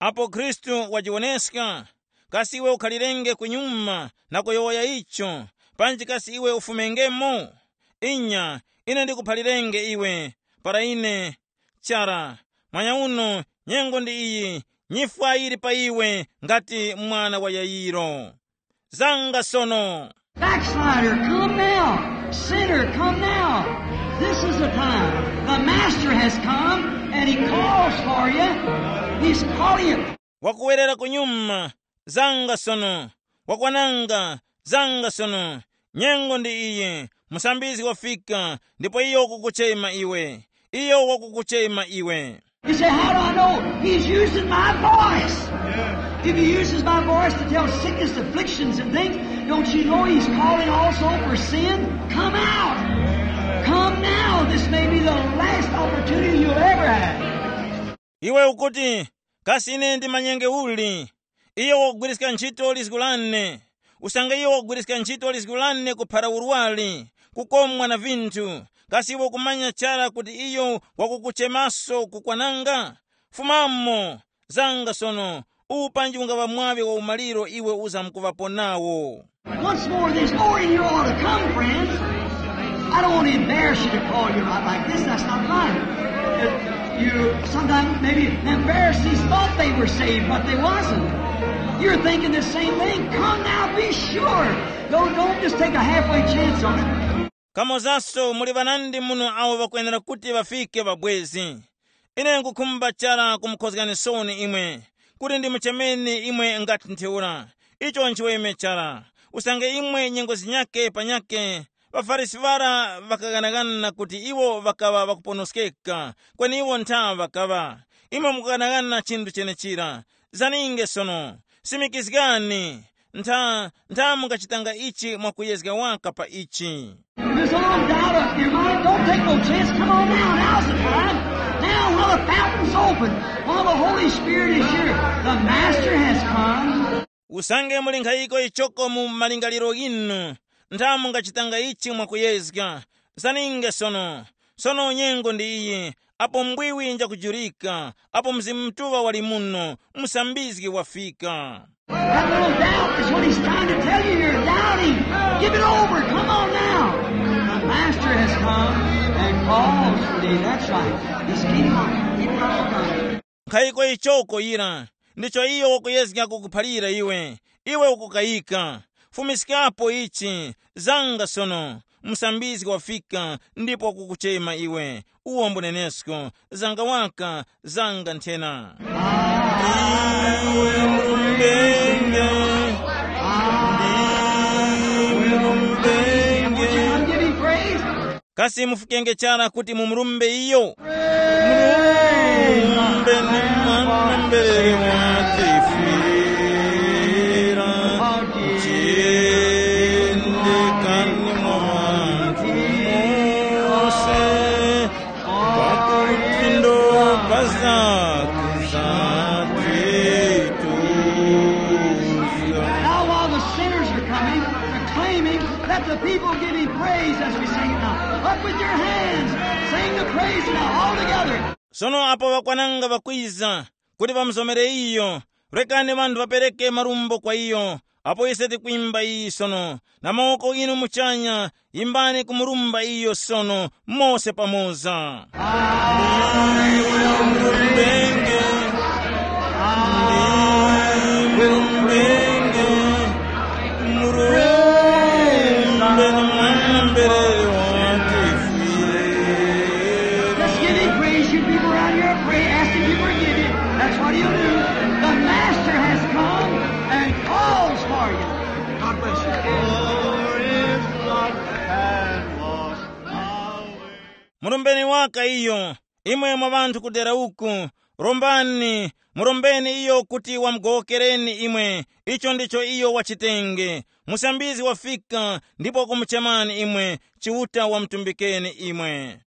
Apo Khristu wajiwoneska, kasi iwe ukhalirenge kunyuma na kuyowoya icho, panji kasi iwe ufumengemo? Inya, ine ndikuphalirenge iwe, para ine, chara, mwanyauno, nyengo ndi iyi, nyifwa yili pa iwe ngati mwana wa Yayiro. Zanga sono. Backslider, come now. Sinner, come now. This is the time. The Master has come and he calls for you. He's calling you. Wakuwerera kunyuma, zanga sono. Wakwananga, zanga sono. Nyengo ndi iyi, musambizgi wafika, ndipo iyo wakukuchema iwe. Iyo wakukuchema iwe. You say, "How do I know?" He's using my voice. If he uses my voice to tell sickness, afflictions, and things, don't you know he's calling also for sin? Come out. Come now. This may be the last opportunity you'll ever have. Iwe ukuti, "Kasi ine ndimanyenge uli?" Iyo wakugwiriska ntchito lizgu lane. Usange iyo wakugwiriska ntchito lizgu lane kuphara urwari, kukomwa na vinthu, kasi iwe ukumanya chara kuti iyo wakukuchemaso kukwananga? Fumamo, zanga sono, uwu panji ungaŵa mwaŵi wa umaliro iwe uzamkuŵapo nawo. Once more, there's more in you ought to come, friends. I don't want to embarrass you to call you out like this. That's not right. Uh, You sometimes maybe the Pharisees thought they were saved, but they wasn't. You're thinking the same thing. Come now, be sure. Don't, don't just take a halfway chance on it. Kamozaso muli ŵanandi muno awo ŵakwenera kuti ŵafike ŵabwezi. Ine nkukhumba chara kumukhozgani sooni imwe, kuti ndimuchemeni imwe ngati ntheura. Icho nchiweme chara. Usange imwe nyengo zinyake panyake, ŵaFarisi ŵara ŵakaghanagana kuti iwo ŵakaŵa ŵakuponoskeka, kweni iwo ntha ŵakaŵa. Imwe mukughanagana chinthu chenechira. Zaninge sono, simikizgani. Ntha, ntha mungachitanga ichi mwakuyezga waka pa ichi. If there's a little doubt up in your mind, don't take no chance. Come on now. Now's the time. Now, while the fountain's open, while the Holy Spirit is here, the Master has come. Usange muli nkhayiko ichoko mu malingaliro ghinu, ntha mungachitanga ichi mwakuyezga. Zaninge sono. Sono nyengo ndi iyi, apo mbwiwi njakujurika, apo Mzimu Mutuŵa wali muno, musambizgi wafika. That little doubt is what he's trying to tell you here. Doubting. Give it over. Come on now. The Master has come and calls for thee. That's right. Just keep on. Keep on. Nkhayiko ichoko yira, ndicho iyo wakuyezga kukuphalira iwe. Iwe ukukayika. Fumiskapo ichi, zanga sono. Musambizgi wafika ndipo wakukuchema iwe. Uwo mbunenesko, zanga waka, zanga nthena. Iwe murumbe, iwe murumbe. Would you come give him praise? Kasi mufukenge chara kuti mumurumbe iyo? Murumbe ni mwana mberere watifira, chiyendekani mwa ŵanthu mose, pakuti ndo pazaku zatituza. Now, while the sinners are coming, proclaiming, let the people give him praise as we sing it now. Up with your hands, sing the praise now, all together. Sono apo ŵakwananga ŵakwiza, kuti ŵamuzomere iyo, rekani ŵanthu ŵapereke marumbo kwa iyo, apo ise tikwimba iyi sono, na mawoko inu muchanya, yimbani kumurumba iyo sono, mose pamoza. Iwe umurenge, iwe umurenge, umurenge, mwana mberere watifira. Let's give him praise. You people around here, pray, ask him to forgive you. That's what he'll do. The Master has come and calls for you. God bless you. For his blood can wash away. Murumbeni waka iyo, Imwe mwa ŵanthu ku dera uku, rombani, murombeni iyo kuti wamugowokereni imwe. Icho ndicho iyo wachitenge. Musambizgi wafika ndipo wakumuchemani imwe. Chiuta wamutumbikeni imwe.